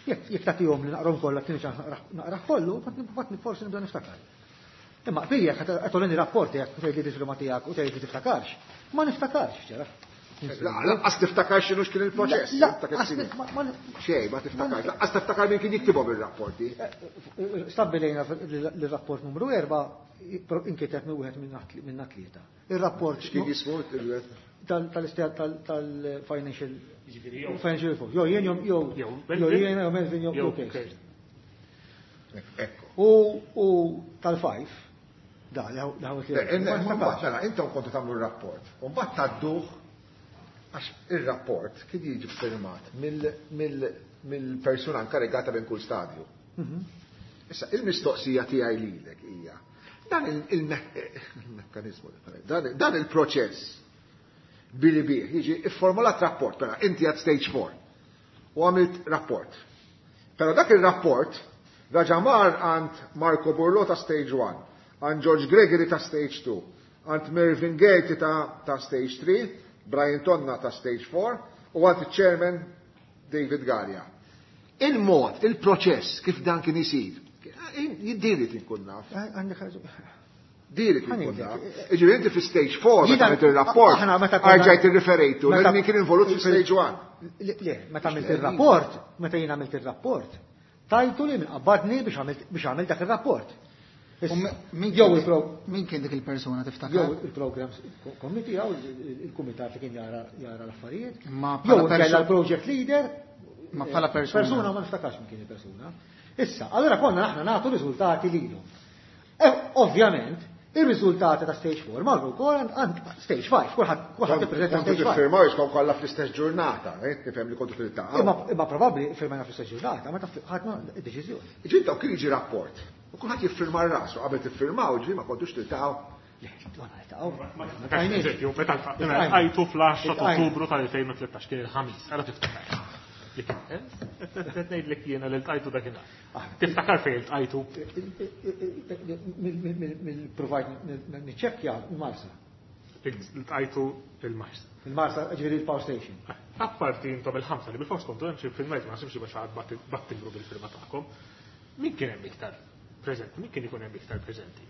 Jekk jekk tagħtihom li naqrahom kollha tieni ċans naqrah kollu, fatt forsi nibda niftakar. Imma fija qed tolini rapporti jekk tgħid li firma tiegħek u tgħid li tiftakarx. Ma niftakarx ġara. Lanqas tiftakar x'inhu x'kien il-proċess. Xejn, ma tiftakarx. Lanqas tiftakar min kien jiktibhom ir-rapporti. Stabbilejna l-rapport numru erba' inkiteb minn wieħed minn tlieta. Ir-rapport x'kien jismu tal-financial financial report. Jo jien jew jew jien jew Melvin jew Kerstin. U u tal-five da li ħawet li. Mela, intom kontu tagħmlu r-rapport. U mbagħad tgħadduh għax ir-rapport kien jiġi firmat mill-persuna inkarigata minn kull stadju. Issa, il-mistoqsija tiegħi lilek hija dan il-mekkanizmu, dan il-proċess billi bih jiġi ifformulat rapport, però inti għad stage four u għamilt rapport. Però dak il-rapport raġa mar għand Marco Burlo ta' stage one, għand George Gregory ta' stage two, għand Mervyn Gate ta', ta' stage three, Brian Tonna ta' stage four, u għand il-chairman David Galea. Il-mod, il-proċess kif dan kien isir, jiddiri tinkun naf. Diri tinkun naf. Iġifieri inti fi stage four, meta għamilt il-rapport, għarġajt irriferejtu, li kien involut fi stage one. Le, meta għamilt il-rapport, meta jien għamilt il-rapport, tajtu li minn qabbadni biex għamilt dak il-rapport. Min kien dik il-persuna tiftakar? Jew il-program committee, jew il-kumitat li kien jara l-affarijiet. Jew kella l-project leader. Ma bħala persuna. Persuna ma niftakarx min kien il-persuna. Issa, allora konna aħna nagħtu riżultati lilhom. Ovvjament, ir-riżultati ta' stage four marru wkoll għand stage five, kulħadd kulħadd ippreżenta stage five. Kontu tiffirmaw jiskom kollha fl-istess ġurnata, nifhem li kontu tiltaqgħu. Imma probabbli firmajna fl-istess ġurnata, meta ħadna d-deċiżjoni. Ġinta kien jiġi rapport. U kulħadd jiffirma rasu, qabel tiffirmaw, ġifieri ma kontux tiltaqgħu. Eżempju, meta għajtu fl-għaxra ta' Ottubru tal-elfejn u tlettax kien il-ħamis, għara tiftakar. Qed ngħidlek jiena li ltqajtu dakinhar. Tiftakar fejn ltqajtu? Mill-provajt niċċekkja il-Marsa. Ltqajtu il-Marsa. Il-Marsa, ġifieri il-Power Station. Apparti intom il-ħamsa li bil-fors kontu hemm xi filmajt ma nasibx biex għad battimbru bil-firma tagħkom. Min kien hemm iktar preżenti? Min kien ikun hemm iktar preżenti?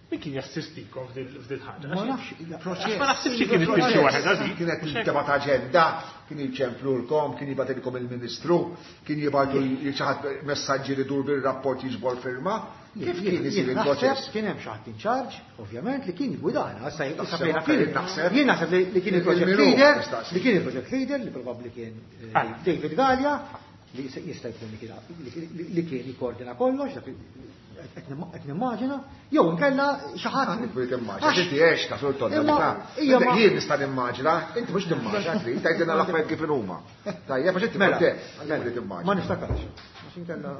Min kien jassistikom f'dil ħaġa? Ma nafx, proċess. Ma naħsibx li kien itfixxi waħedha dik. Kienet tema ta' aġenda, kien jiċemplulkom, kien jibgħatilkom il-Ministru, kien jibgħatu xi ħadd messaġġi li dur bir-rapport jiġbor firma. Kif kien isir il-proċess? Kien hemm xi ħadd in charge, ovvjament, li kien jiggwidana. Issa Naħseb fejna kien kien. naħseb. Jien naħseb li kien il-project Il-Minu, leader, nistaqsi. li kien il-project leader, li probabbli kien eh, David Galea, li jista' jkun li kien li kien jikkoordina kollox, dak qed nimmaġina, jew inkella xi ħadd. Inti timmaġina, inti għex ta' sur tonna. Imma hija ma- Jien nista' nimmaġina, inti mhux timmaġina, trid tgħidilna l-affarijiet kif huma. Tajjeb, għax inti Mela, kont hemm, mela, inti timmaġina. Ma niftakarx. Għax inkella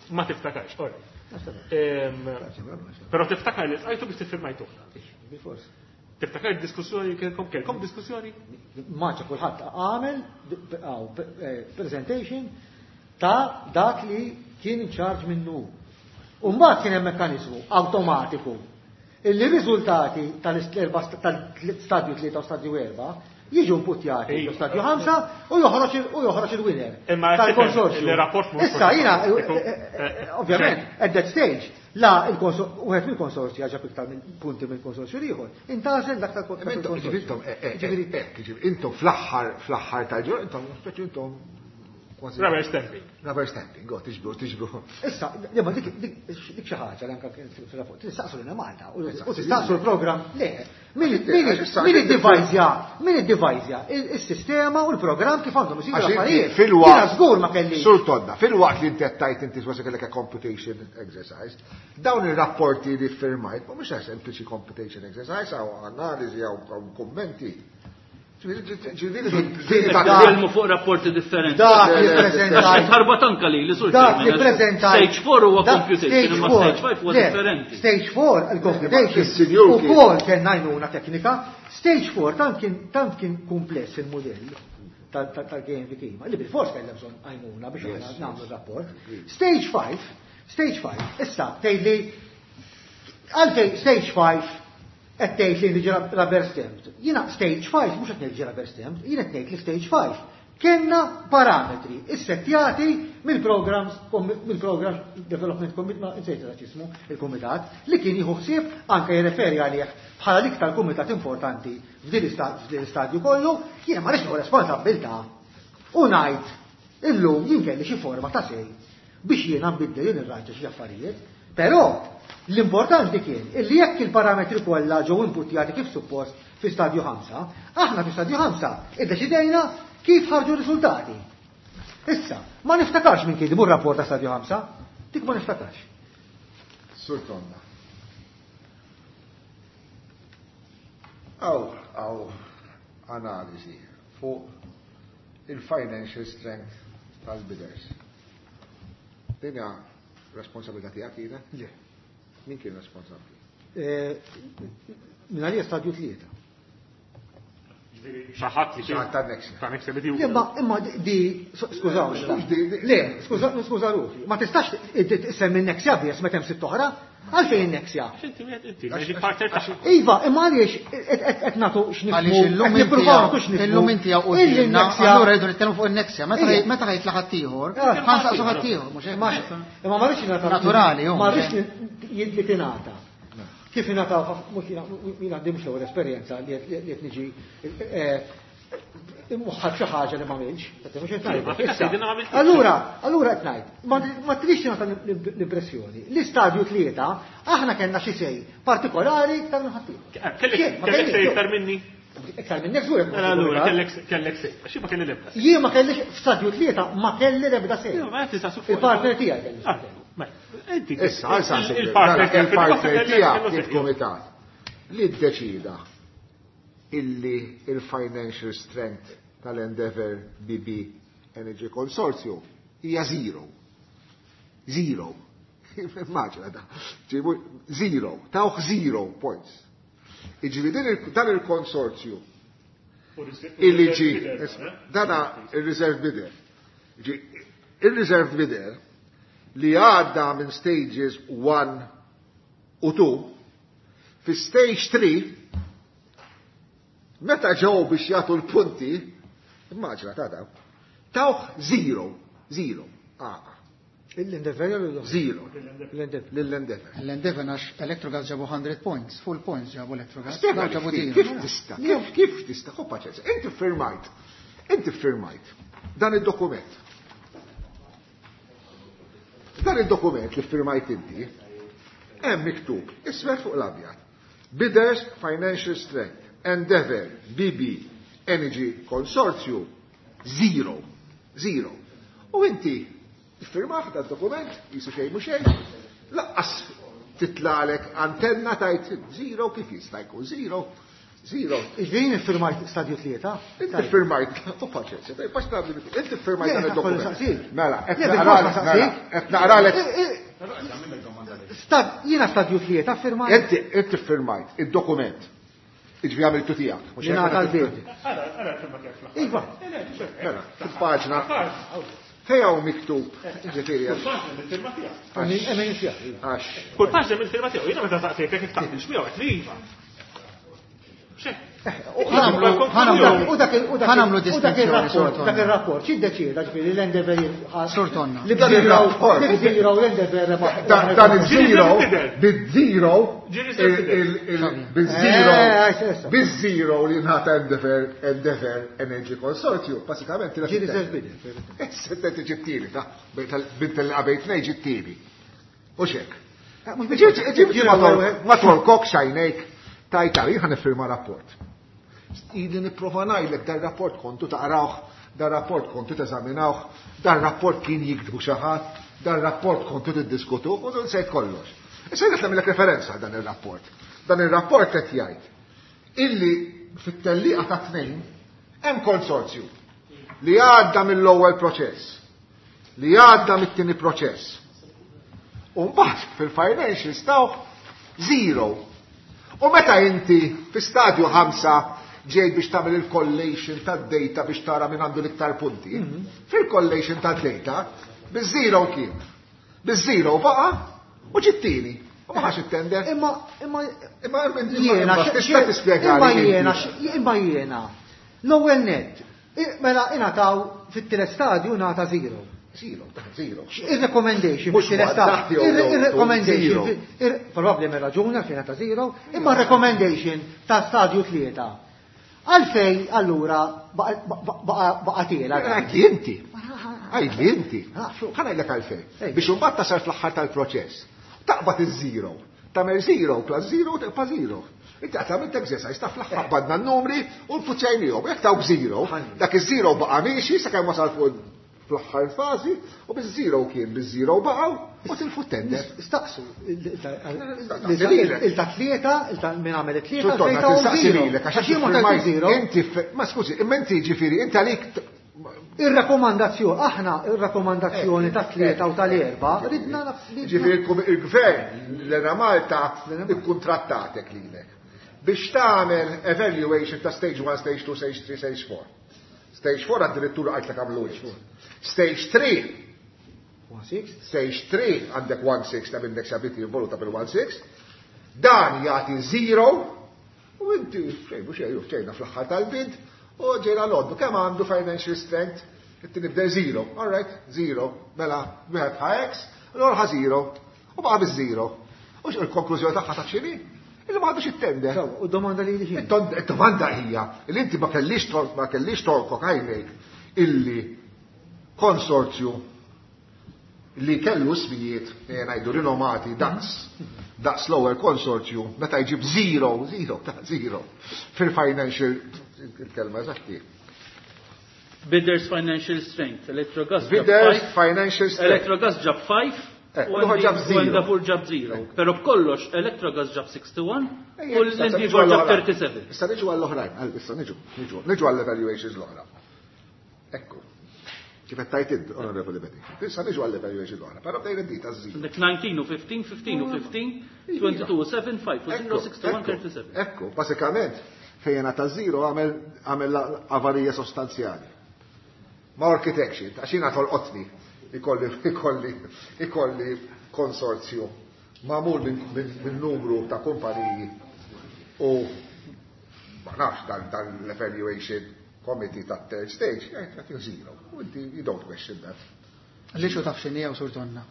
Ma tiftakarx, all right. Ehm, Però tiftakar li tqajtu biex tiffirmajtu. Bil-fors. Tiftakar id-diskussjoni kelkom kelkom diskussjoni? Maċa kulħadd għamel għaw, eh, presentation ta' dak li kien in charge minnu. U mbagħad kien hemm mekkaniżmu awtomatiku illi riżultati tal-stadju tlieta u stadju erba' jiġu imputjati Ejja. ġo stadju ħamsa u joħroġ il- u joħroġ il-winner Imma tal-konsorzju. il-rapport mhux Issa jiena Iku- eh, eh, eh, ovvjament at that stage la il-konsor- wieħed mill-konsorzju ġab iktar minn punti mill-konsorzju ieħor. Intażel dak Intom, tal-konsorzju. intom, eh, eh, eh, ġifieri, intom fl-aħħar fl-aħħar tal-ġur, intom speċi intom kważi Rubber stamping. Rubber stamping, go, tiġbru, tiġbru. Issa, imma dik dik dik xi ħaġa li anke kien fil-rapport, tistaqsu lilna Malta u u tistaqsu l-programm le. Min min min iddivajżja, min iddivajżja is-sistema u l-programm kif għandhom isiru Għax inti l-affarijiet. fil-waqt. Jiena żgur ma kelli. Sur tonna, fil-waqt li inti qed tgħid inti kważi kellek a computation exercise, dawn ir-rapporti li firmajt mhumiex sempliċi computation exercise, hawn analiżi hawn kummenti. Nitkellmu fuq rapporti differenti. Dak li Le, le, le, preżentajt. Ħarba tanka li li sur Dak li Chairman, preżentajt. Stage four huwa dak computation, stage imma four. stage five huwa Le, differenti. Stage four, il-computation, Il-sinjur kien- ukoll kien għajnuna teknika. Stage four tant kien tant kien kumpless il-modell tal-K M V Kima, li bil-fors kellha bżonn għajnuna biex aħna nagħmlu rapport. Stage five, stage five, issa tgħidli għalfejn stage five qed tgħid li niġi rubber stamped. Jiena stage five mhux qed ngħid rubber stamped, jiena qed ngħid li stage five kellna parametri issettjati mill-programs mill-program development committee, ma insejt x'ismu il-kumitat li kien jieħu ħsieb anke jirreferi għalih bħala l-iktar kumitat importanti f'din l-istadju kollu, jiena ma rridx nieħu responsabbiltà u ngħid illum jien kelli xi forma ta' sej biex jiena nbiddel jien irranġa xi affarijiet, però l-importanti kien illi jekk il-parametri kollha ġew inputjati kif suppost fi stadju ħamsa, aħna fi stadju ħamsa iddeċidejna kif ħarġu r-riżultati. Issa, ma niftakarx minn kien rapport ta' stadju ħamsa, dik ma niftakarx. Sur Tonna. Aw, aw, analiżi fuq il-financial strength tal-bidders. Din hija responsabilità tiegħek kienet? Le. Min kien responsabbli? Eh, Minn għalija stadju tlieta. Ġifieri xi ħadd li Xi ħadd ta' Nexia. Ta' Nexia li di- Imma, imma di, skużawni, Mhux di- di- le, skuża, skuża ruħi, ma tistax issemmi Nexia biss meta hemm sitt oħra, għalfejn Nexia? Għax inti wieħed inti, managing partner tagħha. Iva, imma għaliex qed nagħtu x'nifhmu, Għaliex illum qed inti nippruvaw hawn- nagħtu x'nifhmu. illum inti hawn Illi qudiemna, Nexia- allura rridu nitkellmu fuq in-Nexia. Meta Ija. meta ħajtla ħaddieħor, Ah. ħansaqsu ħaddieħor, mhux hekk. Ma imma ma rridx ingħata Naturali, hu. Ma rridx li tingħata. Kif ingħataw mhux jiena jiena għandi mhux l-ewwel esperjenza li qed li qed niġi eh, immuħħad xi ħaġa li ma għamilx, qed mhux qed ngħid. Ma fil-każ Issa, tgħidilna ma għamiltx. Allura, allura qed ngħid, ma ma tridx tingħata l-impressjoni. L-istadju tlieta aħna kellna xi sej partikolari iktar minn ħaddieħor. Kellek Xejn, ma kellek kellix, sej iktar minni? Iktar minnek żgur jekk ma Mela allura kellek. kellek kellek sej. Għax jien ma kelli l-ebda sej. Jien ma kellix f'stadju tlieta ma kelli l-ebda sej. Ija, ma qed tistaqsu fuq. Il-partner tiegħi kelli Ah, sej. mela, inti Issa, għal san il-partner tiegħek il-partner kellu tiegħek sej. il-kumitat li ddeċida illi il-financial strength tal-Endeavour B B Energy Consortium hija zero. Zero. Immaġina da. Ġibu zero, tawh zero points. Iġifieri dan il-konsorzju illi ġi, dana il-reserve bidder. Il-reserve bidder li għadda minn stages one u two, fi stage three, meta ġew biex jagħtu l-punti, immaġina ta' daw, tawh zero, zero, ah. L-Endeavour? Zero. L-Endeavour. L-Endeavour għax Electrogas ġabu hundred points, full points ġabu Electrogas. Spjega kif tista', kif kif tista', ħu paċenza. Inti firmajt, inti firmajt dan id-dokument. Dan id-dokument li firmajt inti, hemm miktub, ismer fuq l-abjad. Bidders Financial Strength, Endeavour, B B, Energy Consortium, zero, zero. U inti firmaħ da dokument, jisu xejn mhu xejn, laqqas titlalek antenna tajt zero, kif jista' jkun zero, zero. Iġvien firmajt stadju tlieta? Inti firmajt, u paċenza, tajt, paċ tagħmlu li inti firmajt dan id-dokument. Mela, qed naqralek. Jiena stadju tlieta firmajt. Inti inti firmajt id-dokument. Iġvi għamiltu tiegħek. Jiena tal-bid. Iva. Mela, fil-paġna. Fejn miktub, ġifieri. Kull paġna mill-firma tiegħek. Kull paġna mill-firma tiegħu, jiena meta saqsejtek kif taqbilx miegħu qed li iva. Ħanamlu distinzjoni. Dak ir-rapport x'iddeċieda ġifieri l-Endeavour Sur Tonna. Li bżiraw l-Endeavour dan iż-zero bid-zero bil-zero bil-zero li ngħata Endeavour Endeavour Energy Consortium basikament ġi reserve bidder. Issa ġibtieli ta' bint li qabejt nej ġibtieli. U xek. Ġibti ma tolkok xajnejk tajtali ħa nifirma rapport. Ili nipprova ngħidlek dar rapport kontu taqrawh, dar rapport kontu teżaminawh, dar rapport kien jiktbu xi ħadd, dar rapport kontu tiddiskutuh u nsejt kollox. Issa qed nagħmilek referenza dan ir-rapport. Dan ir-rapport qed jgħid illi fit-tellieqa ta' tnejn hemm konsorzju li għadda mill-ewwel proċess, li għadda mit-tieni proċess. U mbagħad fil-financials tawh zero. U meta inti fi stadju ħamsa ġejt biex tagħmel il-collation tad-data biex tara min għandu l-iktar punti, fil-collation tad-data biż-zero kien. Biż-zero baqa' u ġittini. U ma ħax it-tender. Imma imma imma jiena tista' tispjega imma jiena imma jiena l-ewwel nett mela ingħataw fit-tielet stadju ngħata zero. Zero, zero. Il-recommendation, il-recommendation, probabbli me raġuna fejn ta' zero, imma recommendation ta' stadju tlieta. Għalfej, allura, baqa tiela. Għidli inti. Għidli inti. Ħa ngħidlek għalfej. Biex imbagħad tasal fl-aħħar tal-proċess. Taqbad iż-zero. Tagħmel zero plus zero tibqa' zero. Inti qed tagħmel exercise ta' fl-aħħar badna n-numri u nfuċċajnihom. Jekk tawk zero, dak iż-zero baqa' miexi sakemm wasal fuq fl-aħħar fażi u biż-zero kien biż-zero baqgħu u tilfu tender. Staqsu il ta' tlieta, il ta' min għamel it-tlieta, għax jien ma zero. Inti ma skużi, imma inti ġifieri inti għalik ir-rakkomandazzjoni, aħna ir-rakkomandazzjoni ta' tlieta u tal-erba' ridna ġifieri il-gvern l-Era Malta ikkuntrattatek lilek biex tagħmel evaluation ta' stage one, stage two, stage three, stage four. Stage four addirittura għajtlek għamlu iġ. Stage three. Stage three għandek one six ta' minnek sabiti involuta bil one six. Dan jagħti zero u inti xejn mhux xejn ġejna fl-aħħar tal-bid u ġejna l-għoddu kemm għandu financial strength inti nibda zero. All right, zero. Mela wieħed ħa X, l-oħra ħa zero u baqa' biż-zero. U il-konklużjoni tagħha ta' x'inhi? Illi ma għadux it-tender. U domanda li li Il-domanda hija li inti ma kellix ma kellix tolkok għajnejk illi konsorzju li kellu ismijiet ngħidu rinomati daqs daqs l-ewwel konsorzju meta jġib zero, zero, ta' zero fil-financial il-kelma eżatti. Bidders Financial Strength, Electrogas ġab Bidders Financial Strength. Electrogas ġab five. U ġab zero. U Endeavour ġab zero. Pero b'kollox Electrogas ġab sixty-one u l-Endeavour ġab thirty-seven. Issa niġu għall-oħrajn, issa niġu, niġu, niġu għall-evaluations l-oħra. Ekku. Kif qed tgħid int, Onorevoli Bedingfield. Issa niġu għall-evaluation l-oħra, però bdejna d-dita żżid. Għandek nineteen u fifteen, fifteen u fifteen, twenty-two u seven, five u zero, sixty-one, thirty-seven. Ekku, basikament, fejn ta' zero għamel avarija sostanzjali. Ma' architecture, għax jiena tolqotni, ikolli, ikolli, ikolli konsorzju magħmul minn numru ta' kumpaniji u ma nafx dan l-evaluation committee ta' third stage, jgħid zero. U inti you don't question that. Għaliex u taf x'inhi jew Sur Tonna?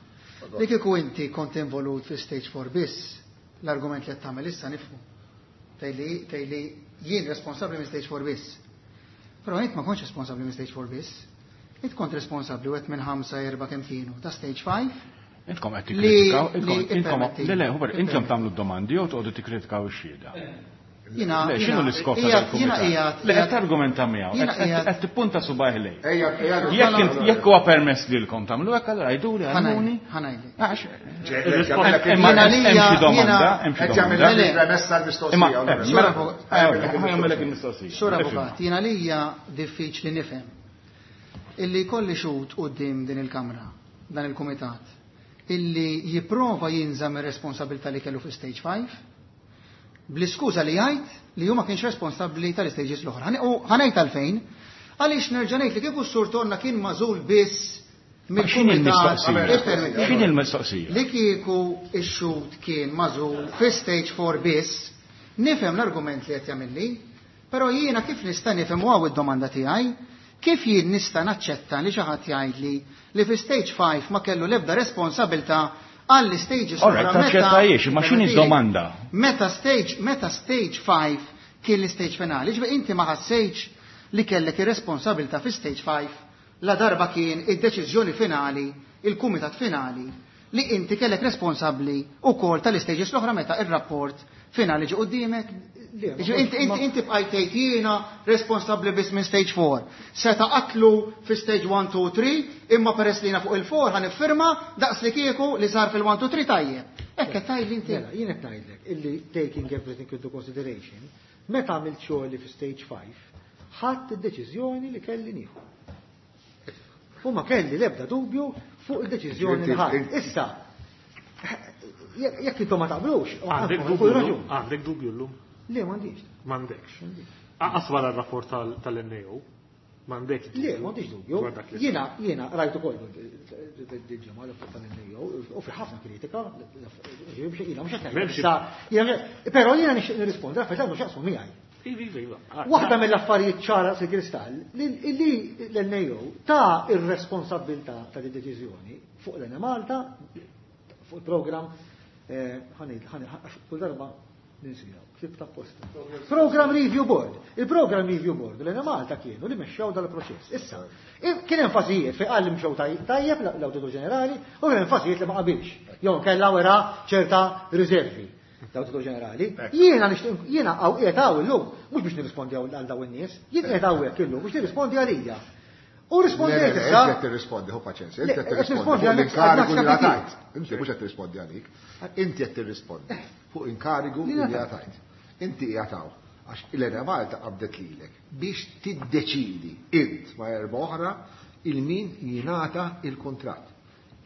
Li kieku inti kont involut fi stage four biss, l-argument li qed tagħmel issa nifhmu. Tgħidli jien responsabbli minn stage four biss. Però int ma kontx responsabbli minn stage four biss. Int kont responsabbli wieħed minn ħamsa erba' kemm kienu ta' stage five. Intkom qed tikkritikaw, intkom le le, intom tagħmlu d-domandi jew toqgħodu tikkritikaw ix-xhieda. Jiena, Le, x'inhu l-iskop ta' dal-kumitat? Le, qed targumenta miegħu, qed tippunta subgħajh lejn. Jekk jekk huwa permess lilkom tagħmlu hekk, allura għiduli, għallmuni. Ħanajli. Għax imma hemm xi domanda, hemm xi domanda. Premessa l-mistoqsija. Jagħmellek il-mistoqsija. Sur Avukat, jiena lija diffiċli nifhem illi kolli xhud quddiem din il-Kamra, dan il-Kumitat, illi jipprova jinżam ir-responsabilità li kellu fi stage five, bl-iskuża li jgħid li hu ma kienx responsabbli tal-istages l-oħra. U ħanejt għalfejn, għaliex nerġa' ngħid li kieku s-Sur Tonna kien magħżul biss mill-kumitat. X'inhi l-mistoqsija? Li kieku x-xhud kien magħżul fi stage four biss, nifhem l-argument li qed jagħmilli, però jiena kif nista' nifhem u hawn id-domanda tiegħi, kif jien nista' naċċetta li xi ħadd jgħidli li fi stage five ma kellu l-ebda responsabilità għall-stages oħra? Alright, taċċettajiex, ma x'inhi d-domanda? Meta stage, meta stage five kien l-stage finali, ġifieri inti ma ħassejtx li kellek ir-responsabilità fi stage five la darba kien id-deċiżjoni finali, il-kumitat finali, li inti kellek responsabbli wkoll tal-istages l-oħra meta ir-rapport finali ġie quddiemek. Inti inti bqajt tgħid jiena responsabbli biss minn stage four. Seta qatlu fi stage one, two, three, imma peress li jiena fuq il-four ħa niffirma daqs li kieku li sar fil-one, two, three tajjeb. Hekk qed tgħidli inti. Mela, jien qed ngħidlek illi taking everything into consideration, meta għamilt xogħli fi stage five, ħadt id-deċiżjoni li kelli nieħu. U ma kelli l-ebda dubju fuq il-deċiżjoni li ħadt. Issa, jekk intom ma taqblux, għandek dubju, għandek dubju llum? Le, m'għandix. M'għandekx. Aqas wara r-rapport tal-N A O, m'għandekx. Le, m'għandix dubju. Jiena, jiena rajt ukoll il-ġimgħa l-rapport tal-N A O u fi ħafna kritika, jiena mhux qed ngħid. Però jiena nixtieq nirrispondi, affarijiet għandu x'jaqsmu miegħi. Waħda mill-affarijiet ċara si kristall li l-N A O ta' ir-responsabilità ta' din deċiżjoni fuq l-Enemalta, fuq il-programm, ħanid, ħanid, kull darba ninsija, ktib ta' posta. Program Review Board. Il-Program Review Board l-Enemalta kienu li mexxew dal-proċess. Issa, kien hemm fażijiet fejn qal li mxew tajjeb l-Awditur Ġenerali u kien hemm fażijiet li ma qabilx. Jew kellha wera ċerta riservi l-Awditur Ġenerali. Jiena nixtieq, jiena hawn qiegħed hawn illum, mhux biex nirrispondi għal dawn in-nies, jien qiegħed hawnhekk illum biex nirrispondi għalija. U rispondejt Le, le, issa. inti qed tirrispondi, ħu paċenzja, inti qed Le, qed tirrispondi nirrispondi fuq għal l-inkarigu li għal ngħatajt. Inti mhux qed tirrispondi għalik, inti qed tirrispondi fuq inkarigu li ngħatajt. Inti qiegħed hawn għax l-Enemalta qabdet lilek biex tiddeċidi int ma' erba' oħra il-min jingħata il-kuntratt.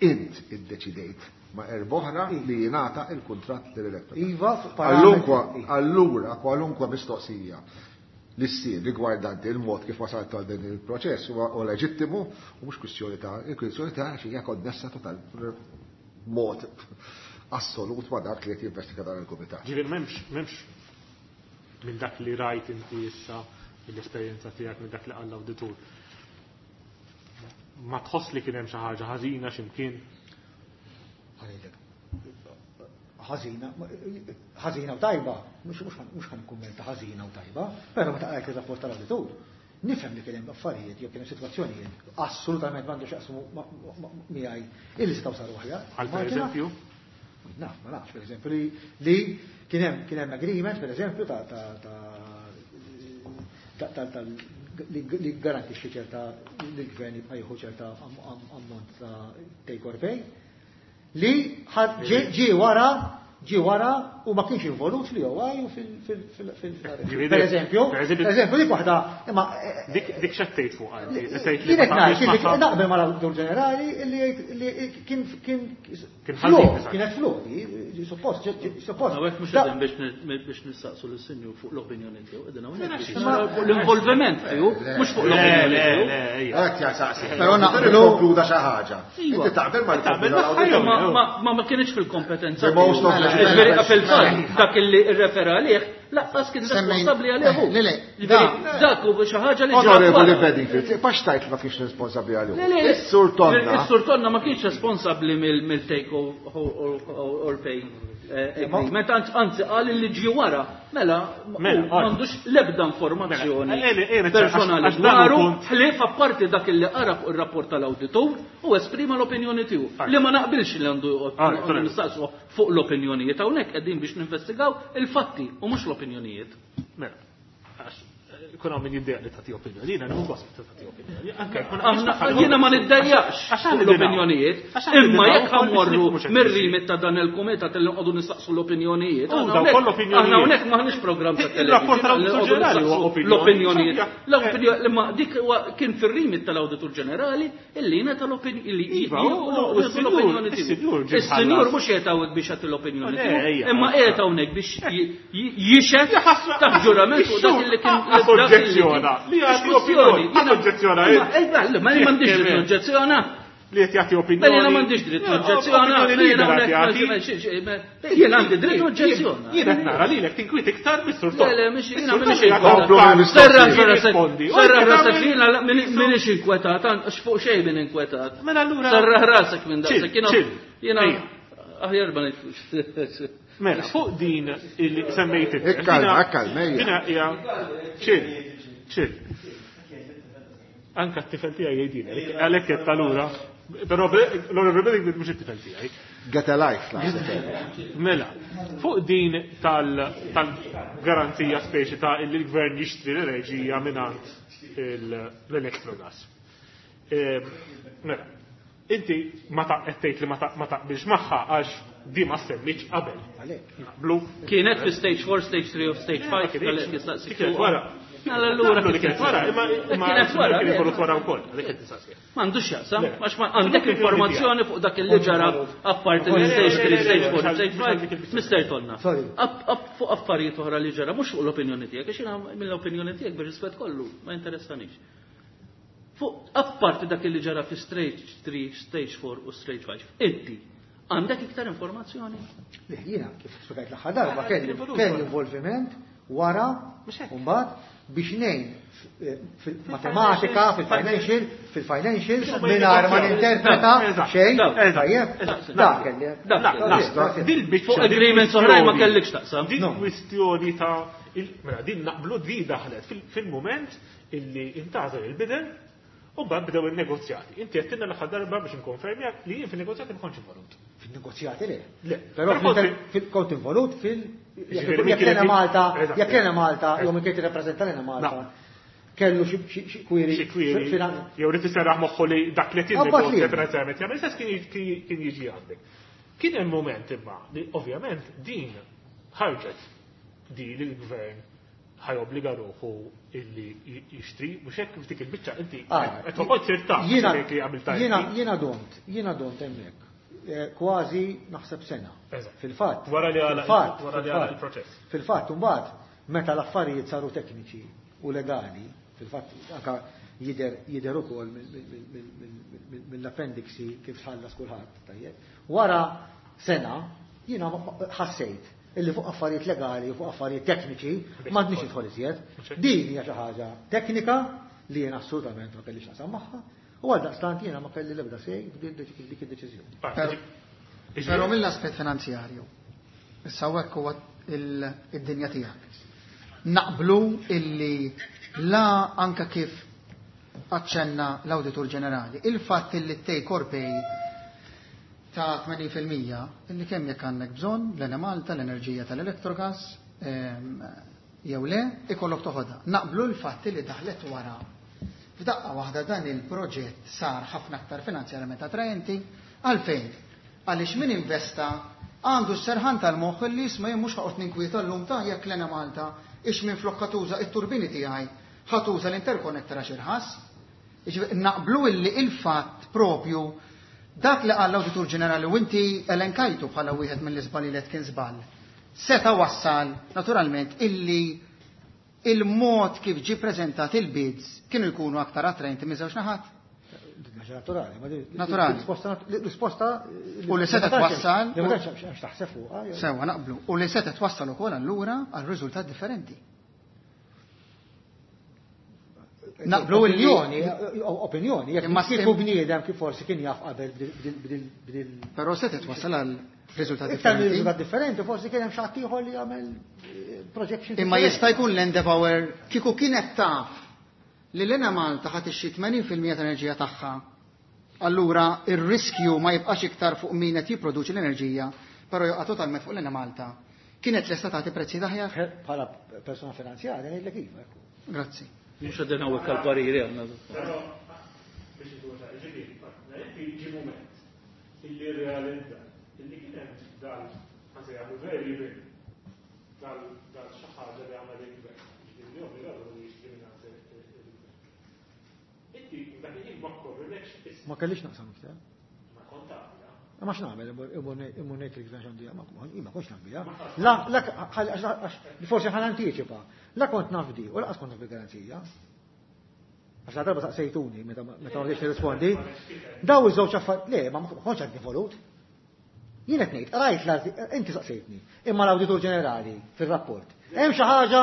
Int iddeċidejt ma' erba' oħra li jingħata il-kuntratt lill-elettorat. Iva, fuq parametri. Allunkwa, allura kwalunkwa mistoqsija li ssir rigwardanti il-mod kif wasalt għal din il-proċess huwa leġittimu u mhux kwistjoni ta' il-kwistjoni ta' xi hija konnessa total mod assolut ma' dak li qed jinvestiga dan il-kumitat. Ġifieri m'hemmx, m'hemmx minn dak li rajt inti issa mill-esperjenza tiegħek minn dak li qal l-awditur. Ma tħoss li kien hemm xi ħaġa ħażina x'imkien? Ħanejlek. Ħażina, ħażina u tajba, mhux, mhux ħan, mhux ħan nikkummenta ħażina u tajba, però meta qrajt ir-rapport tal-awditur, nifhem li kien hemm affarijiet jew kien hemm sitwazzjonijiet assolutament m'għandu x'jaqsmu ma-, ma-, ma-, miegħi illi setgħu saru aħjar. Għal per eżempju? Naf, ma nafx, per eżempju, li, li kien hemm, kien hemm agreement, per eżempju, ta', ta', ta', ta', ta', ta', li, li garantixxi ċerta li l-gvern jibqa' jieħu ċerta am-, am-, ammont ta' take or pay, li ħad-, ġie, ġie wara ġi wara u ma kienx involut fl-E O I u fil- fil- fil- fil- Per eżempju, Per eżempju- per eżempju, dik waħda, imma Dik dik x'għedt fuq inti? Tgħid li Kienet ma ngħid taqbilx li magħha? Naqbel mal-Awditur Ġenerali li jgħid li kien kien Kien flaw, ħażin, eżatt. kienet flaw, di, suppost, suppost. Hawnhekk mhux Da- qegħdin biex ni- biex nistaqsu lis-sinjur fuq l-opinjoni tiegħu, qegħdin hawnhekk biex Ma- naraw fuq l-involviment tiegħu, mhux fuq Le, l-opinjoni le, tiegħu. le, ejja. Għat ja saqsi. Però naqblu- Konkluda xi ħaġa. Iva. Inti taqbel ma Taqbel konkluda magħha l-awditur. jew- Ma ma ma ma kienx fil-kompetenza. The most of tiegħu. the- Ġifieri, fil-fatt dak illi rrefera għalih lanqas kien Semmejn- responsabbli għalih hu. Le, le, Ġifieri, da- dak hu xi ħaġa li ġrat Onorevoli wara. Bedingfield, pax tajt ma kienx responsabbli għalih. Le, le, Is-Sur Tonna. Is-Sur Tonna ma kienx responsabbli mill-take or pay eh, agreement, anzi anzi, qal li ġi wara, mela Mela, hu m'għandux l-ebda informazzjoni Mela, eh, eh, eh, personali għax dan hu dwaru, punt. Ħlief apparti dak li qara fuq ir-rapport tal-awditur u esprima l-opinjoni tiegħu. Ah. Li ma naqbilx li għandu Ah, għandu nistaqsu fuq l-opinjonijiet, hawnhekk qegħdin biex ninvestigaw il-fatti u mhux l-opinjonijiet. Mela, għax eh, kun hawn min jiddejjaq li tagħti opinjoni, jiena nieħu gost li tagħti opinjoni. Anke jkun Aħna jiena ma niddejjaqx Għax fuq aħna l-opinjonijiet, għax aħna imma nidinaw jekk ukoll biex ħammorru nifhmu x'qed mir-rimit ta' dan il-kumitat li nqogħdu nistaqsu l-opinjonijiet. Oh, Aħna dawn hawnhekk- kollha opinjonijiet. Aħna hawnhekk m'aħniex programm ta' Il-rapport television. tal-Awditur li nqogħdu Ġenerali huwa nistaqsu opinjoni. L-opinjonijiet. X'abbja- L-opinjoni imma dik huwa kien fir-rimit tal-Awditur Ġenerali illi ngħata l-opinjoni illi Iva, u- u s-sinjur- l-opinjoni tiegħu. is-sinjur ġie Is-sinjur mħallas. mhux qiegħed hawnhekk biex jagħti l-opinjoni Le, tiegħu, ejja. imma qiegħed hawnhekk biex j- j- jixhed taħt ġurament fuq dak illi kien Għas oġġezzjona. Li jagħti opinjoni. Għas oġġezzjona. Ma m'għandix dritt noġġezzjona. Li qed jagħti opinjoni. Mela jiena m'għandix dritt noġġezzjona. Opinjoni libera jagħti. Jien għandi dritt noġġezzjona. Jien qed nara lilek tinkwit iktar mis-sur Le, le, mhix jiena m'iniex Komplu inkwetat. mill-mistoqsijiet. Serraħ rasek, Jirrispondi. U serraħ inti rasek, tagħmel- jiena m'iniex inkwetat, għax fuq xejn min inkwetat. Mela allura. Serraħ rasek minn daqshekk. Chill, chill. Jiena Ejja. aħjar ma nidħlux. Mela, fuq din illi semmejt inti. Ikkalma, Dina- ikkalma, ejja. Dina hija chill, chill. Anka t-tifel tiegħi jgħidilek, għalhekk qed talura. Però l-Onorevoli Bedingfield mhux it-tifel tiegħi. Get a life, naħseb. Mela, fuq din tal- tal-garanzija speċi ta' illi l-gvern jixtri l-enerġija mingħand l-Electrogas. Ehm, Mela, inti ma ta' qed tgħid li ma ta' ma taqbilx magħha għax di ma semmitx qabel. Naqblu. Kienet fi stage four, stage three u stage five, Ma kienx. tal jistaqsi. Kienet wara. Mela allura Naqblu li kienet wara, imma imma Kienet wara, kien le. involut wara wkoll, għalhekk qed nistaqsi. M'għandux jaqsam, Le. għax ma għandek informazzjoni fuq dak li ġara apparti minn stage three, stage four, stage five, Mister Tonna. Sorry. Up- up fuq affarijiet oħra li ġara, mhux fuq l-opinjoni tiegħek, għax jiena mill-opinjoni tiegħek bir-rispett kollu, ma interessanix. Fuq apparti dak li ġara fi stage three, stage four u stage five, inti għandek iktar informazzjoni? Le, jiena kif spjegajt l-aħħar darba kelli kelli involviment wara mbagħad biex ngħin fil-matematika, fil-financial, fil-financial, mingħajr ma ninterpreta xejn, tajjeb, dak kelli. Dak. Dil-biċċa. Fuq agreements oħrajn ma kellekx taqsam. Din kwistjoni ta' il- mela din naqblu di daħlet fil- fil-moment illi intgħażel il-bidder u mbagħad bdew il-negozjati. Inti qed tinna l-aħħar darba biex nkonfermjak li jien fin-negozjati ma kontx involut. Fil-negozjati le. Le. Però Però kont- fil- kont involut fil- Ġifieri min jekk kienet lena Malta, Eżatt. jekk lena Malta, jew min kien tirrappreżenta lena Malta, No. kellu xi- xi xi query. Xi query, finan- jew rid iserraħ moħħu li dak li qed Abbat li. jinnegozja finanzjarjament jagħmel sens kien kien kien jiġi għandek. Kien hemm moment imma li ovvjament din ħarġet di li l-gvern ħa jobbliga ruħu illi jixtri, mhux hekk f'dik il-biċċa inti Ah, qed toqgħod sir taf Jiena li għamilta jiena inti. jiena domt, jiena domt hemmhekk. Eh, Kważi naħseb sena. Eżatt. Fil-fatt. Wara li għalaq- fil-fatt, wara li fil-fatt. għalaq il-proċess. Fil-fatt, mbagħad meta l-affarijiet saru tekniċi u legali, fil-fatt anka jider jider ukoll mill-appendixi kif tħallas kulħadd, tajjeb. Wara sena jiena ħassejt illi fuq affarijiet legali u fuq affarijiet tekniċi m'għandniex nidħol iżjed. Din hija xi ħaġa teknika li jiena assolutament ma kellix naqsam magħha u għal daqstant jiena ma kelli l-ebda sej f'dik dik id-deċiżjoni. Però mill-aspett finanzjarju, issa hekk huwa il- id-dinja tiegħek. Naqblu illi la anka kif aċċenna l-Awditur Ġenerali, il-fatt illi take or pay ta' tmenin fil-mija illi kemm jekk għandek bżonn l-Enemalta, l-enerġija tal-Electrogas, ehm, jew le, ikollok toħodha. Naqblu l-fatt li daħlet wara. F'daqqa waħda dan il-proġett sar ħafna aktar finanzjarjament attraenti. Għalfejn? Għaliex min investa għandu s-serħan tal-moħħ li jisma' jien mhux ħaqgħod ninkwieta llum ta' jekk l-Enemalta ix minn flokka tuża it-turbini tiegħi ħa tuża l-interconnector għax irħas. Naqblu illi il-fatt propju dak li qal l-Awditur Ġenerali u inti elenkajtu bħala wieħed mill-iżbalji li kien żball. Seta wassal naturalment illi il-mod kif ġi preżentat il-bids kienu jkunu aktar attraenti minn żewġ naħat. Naturali, ma Naturali. Risposta U li seta twassal. Li ma tantx hemmx taħseb fuqha. Sewa naqblu. U li seta twassal ukoll allura għal riżultat differenti. Naqblu illi Opinjoni, opinjoni, jekk Imma kieku bniedem kif forsi kien jaf qabel bdil bdil Però seta twassal għal riżultat Iktar differenti. riżultat differenti, forsi kien hemm xi ħadd ieħor li jagħmel projection. Imma jista' jkun l-Endeavour kieku kienet taf li l-Enemalta ħadd ixxi tmenin fil-mija tal-enerġija tagħha. Allura ir-riskju ma jibqax iktar fuq min qed jipproduċi l-enerġija, però joqa' totalment fuq l-Enemalta. Kienet lesta tagħti prezzi aħjar? Bħala persona finanzjarja ngħidlek iva. Grazzi. Mhux qegħdin hawnhekk għall-pariri għandna. Però biex ikun ċar, ġifieri, inti ġi mument illi realizza illi kien hemm dal ħasejjaħu variable dal dal xi ħaġa li għamel il-gvern. Ġifieri li obbligato li jixtri mingħand il-gvern. Inti dak il-ħin ma korrilekx issa. Ma kellix naqsam iktar. Ma kont taf, ja. Ma x'nagħmel imur ngħid il-gvern x'għandu jagħmel, ma kontx naf biha. La, la, għax forsi ħan antiċipa. La kont naf di, u laqas kont naf bil-garanzija. Għax la darba saqsejtuni meta ma rridx nirrispondi. Daw iż-żewġ affarijiet, le, ma kontx għadni volut. Jien qed ngħid, rajt l-arti, inti saqsejtni, imma l-Awditur Ġenerali fir-rapport. Hemm xi ħaġa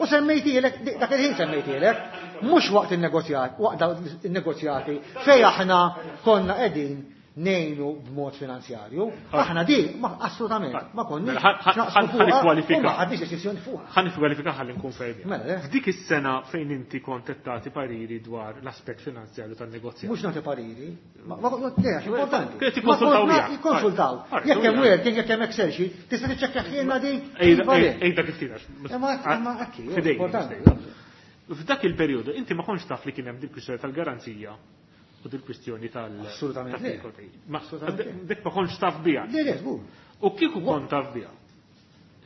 u semmejtielek, dak il-ħin semmejtielek, mhux waqt in-negozjat, waqt in-negozjati fejn aħna konna qegħdin ngħinu b'mod finanzjarju. Aħna di, ma assolutament, ma konniex. Ħa nikkwalifika. Ma ħadniex deċiżjoni fuqha. Ħa nikkwalifika ħalli nkun fejn. Mela, le. F'dik is-sena fejn inti kont qed tagħti pariri dwar l-aspett finanzjarju tan-negozjat. Mhux nagħti pariri. Ma ma le, għax importanti. Kienet ikkonsultaw Ma kont miegħek. Jikkonsultaw. Alright, Jekk hemm alright. working, jekk hemm Excel sheet, tista' tiċċekkja ħielna di. Ejda kif tirax. Imma imma hekk, Fidejn, importanti. F'dak il-perjodu inti ma kontx taf li kien hemm dil-kwistjoni tal-garanzija u dil-kwistjoni tal- Assolutament le. tal-take or pay. Ma Assolutament le. dik ma kontx taf biha. Le, le, żgur. U kieku kont taf biha.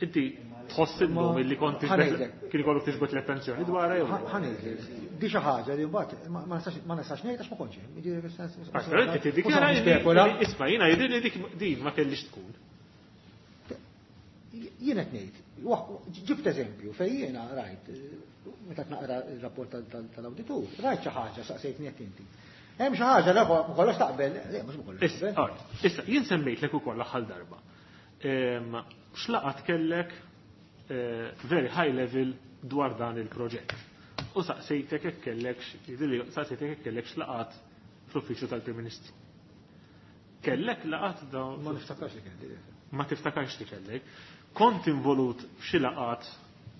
Inti tħoss illum illi kont Ħa ngħidlek. kien ikollok tiġbed l-attenzjoni dwarha jew. Ħa ngħidlek, di xi ħaġa li mbagħad ma ma nistax ma nistax ngħid għax ma kontx hemm. Jiġifieri fis-sens- Ah, Però inti tiddikjara Mhux illi- spekula. illi isma' jiena jidhirli li dik din ma kellix tkun. Jien qed ngħid, ġibt eżempju fejn jiena rajt, meta naqra r-rapport tal-awditur, rajt xi ħaġa saqsejtni jekk inti. Hemm xi ħaġa li ma kollox taqbel, le mhux ma kollox Issa, taqbel. alright, issa, jien semmejtlek ukoll l-aħħar darba. Ehm, X'laqat kellek eh, very high level dwar dan il-proġett. U saqsejtek jekk kellek, jidhirli saqsejtek jekk kellek x'laqat fl-uffiċċju tal-Prim Ministru. Kellek laqat dawn Ma niftakarx li kelli. ma tiftakarx li kellek. Kont involut f'xi laqat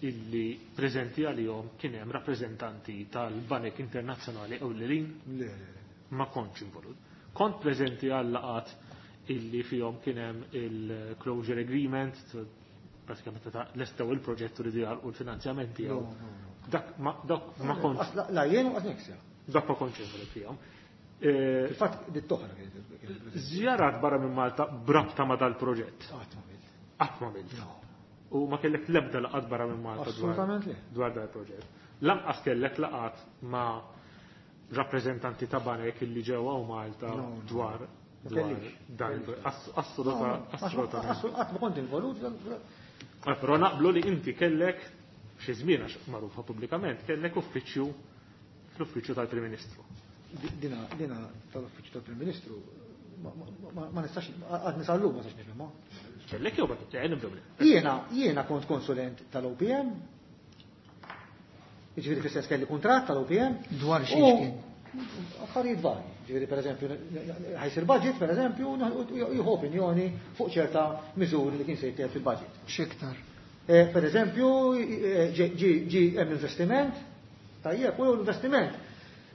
illi preżenti għalihom kien hemm rappreżentanti tal-Banek Internazzjonali ewlenin? Le, le, le. Ma kontx involut. Kont preżenti għal laqat illi fihom kien hemm il-closure agreement, pratikament ta' lestew il-proġett u li u l-finanzjament tiegħu. No, no, no. Dak ma dak ma kontx La- La jien u qas Nexia. dak ma kontx involut fihom. Eh, Fil-fatt dit toħra kienet. Żjarat barra minn Malta brabta ma dal-proġett. Qatt ma għamilt. Qatt ma għamilt. U ma kellek l-ebda laqat barra minn Malta dwar Assolutament le. dwar dal-proġett. Lanqas kellek laqat ma' rappreżentanti ta' banek illi ġew hawn Malta No, no. dwar Ma dwar kellix. dan il- ass- assoluta assolutament. Qatt ma kont involut. Ah, Però naqblu li inti kellek xi żmien għax magħrufa pubblikament, kellek uffiċċju fl-uffiċċju tal-Prim Ministru. Dina dina tal-uffiċċju tal-Prim Ministru ma- ma- ma ma nistax għad nisallu ma nistax nifhimha. Kellek jew ma kellek nibdew le. Jiena jiena kont konsulent tal-O P M. Jiġifieri fis-sens kelli kuntratt tal-O P M. Dwar xiex U kien? Affarijiet varji. Ġifieri pereżempju ħajsir budget pereżempju jieħu opinjoni fuq ċerta miżuri li kien se jittieħed fil-budget. X'iktar? Eh, Per eżempju, ġi ġi hemm investiment, tajjeb, u l-investiment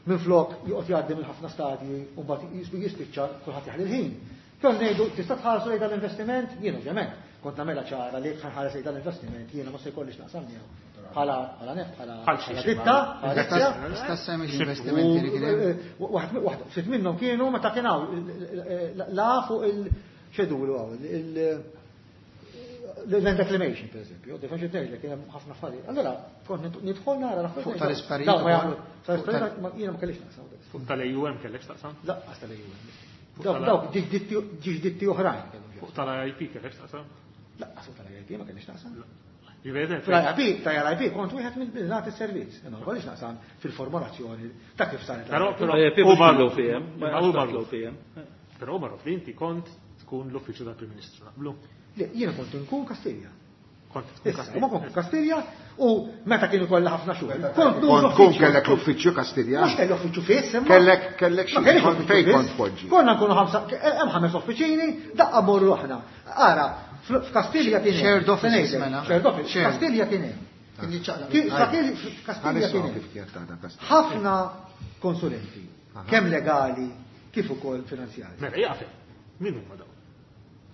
minn flok joqgħod jgħaddi minn ħafna stadji u mbagħad jispiċċa kulħadd jaħli l-ħin. Kien ngħidu tista' tħarsu lejn dan l-investiment, jien ovvjament kont nagħmilha ċara li jekk ħares lejn dan l-investiment jiena ma se jkollix naqsam miegħu. Bħala bħala nef, bħala Bħal xi bħala xi ditta, bħala ditta. Tista' semmi l-investimenti li kien hemm? U Waħd waħd ftit minnhom kienu meta kien hawn la fuq il-xedulu hawn il Land Acclamation, per eżempju, defension tgħidlek kien hemm ħafna affarijiet. Allora, kont nidħol nara l-affarijiet. Fuq tal-isparijiet Dawn ma ukoll. jagħmlu. Tal-isparijiet ma- jiena ma kellix naqsam. Fuq tal-AUM kellek x'taqsam? Laqqas tal-AUM. Dawk dawk ġiġ ditti oħrajn kellhom Fuq tal-IIP kellek x'taqsam? Laqqas fuq tal-IIP ma kellix naqsam. Ġifieri Fl-IIP, tal-IIP kont wieħed mill-nagħti servizz. Ma kellix naqsam fil-formulazzjoni ta' kif saret. Però però IIP u mhux magħruf. l-OPM, ma Imma hu jafx magħruf. l-OPM. Però magħruf li inti kont tkun l-uffiċċju tal-Prim Ministru naqblu. Le, jiena kont inkun Kastilja. Kont tkun Issa, ma kont Kastilja u meta kienu kollha ħafna xogħol. Kont Kont tkun kellek l-uffiċċju Kastilja. Mhux kelli uffiċċju fiss, imma. Kellek kellek xi Ma kellix kont uffiċċju fejn fiss. kont poġġi. Konna nkunu ħamsa, hemm ħames uffiċini, daqqa morru aħna. Ara, fl- f'Kastilja kien hemm. Shared offices, Se ngħidlek, mela. Shared office. Shared. Kastilja kien hemm. Kien jiċċaqlaq. Ki- F'Kastilja f'Kastilja kien Ħanisma' hemm. kif kienet taħdem Kastilja. Ħafna konsulenti, kemm legali kif ukoll finanzjari. Mela jaqaf. Min huma dawn?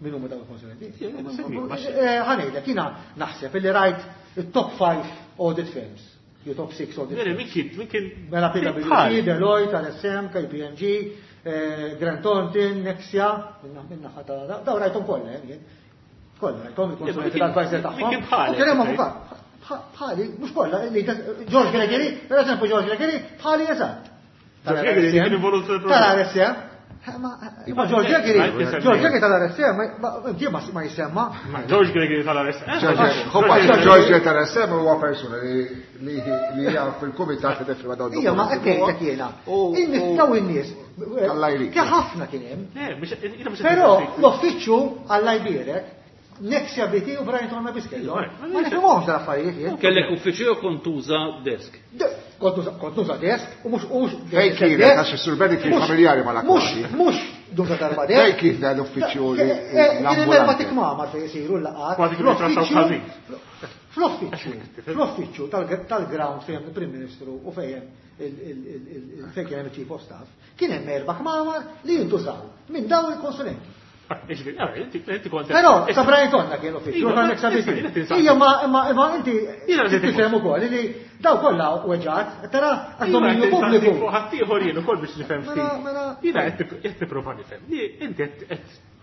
Min huma dawn il-konsulenti? semmi, ma xi- Eh, Ħa ngħidlek, jiena naħseb illi rajt it-top five audit firms, jew top six audit Mela firms. min kien min kien Mela PwC, Bħal. Deloitte, RSM, KPMG, eh, Grant Thornton, Nexia, minna minna ħata, daw rajthom kollha, eh, jien. Kollha rajthom il-konsulenti Min kien- tal-advisor min tagħhom. kien bħalek, U kien hemm ok. avukat. Bħ- Bħali, mhux kollha, li George Gregory, per eżempju George Gregory, bħali eżatt. George Gregory kien involut fil-proġett. Tal-RSM. Ma ma George Gregory, Iva, George Gregory tal-RSM, ma- ma ma ma jisemma. Ma George Gregory tal-RSM. George George tal-RSM huwa persuna li li li hija fil-kumitat li tifrima dawn Ija, ma qed ngħidlek jiena. In-nies daw in-nies. Alla jrid. Kien ħafna kien hemm. Le, mhux jiena mhux Però l-uffiċċju Alla jbierek, Nexia BT u Brian Tonna Biskello. Ma nifhimhomx dal-affarijiet jien. Kellek uffiċċju jew kont tuża desk. De- Kont nuża- kont nuża desk u mhux u mhux Fejn kienet, għax is-Sur Benny kien Mhux- familjari mal-akkwati. Mhux mhux nuża darba desk. Fejn kien dan l-uffiċċju li Eh, eh, Kien hemm erba' l-ambulanti? tikmamar fejn isiru l-laqgħat. Kważi kienu jitrattaw Fl-uffiċċju- ħażin. Fl-uffiċċju, fl-uffiċċju tal- tal-ground fejn hemm il-Prim Ministru u fejn hemm il- il- il- il- fejn kien hemm il-Chief of Staff, kien hemm erba' kmamar li jintużaw minn dawn il-konsulenti. Inti kont. Però sa Brian Tonna kien l-uffiċċju, Iva, ta' ma- Nexa issa, jiena tinsaqsi. Ija ma imma imma inti Jiena rrid tifhem ukoll li daw kollha weġgħat, tara għax dominju pubbliku. Ħaddieħor jien ukoll biex nifhem Mela, ftit. mela. Jiena qed qed nipprova nifhem li inti qed qed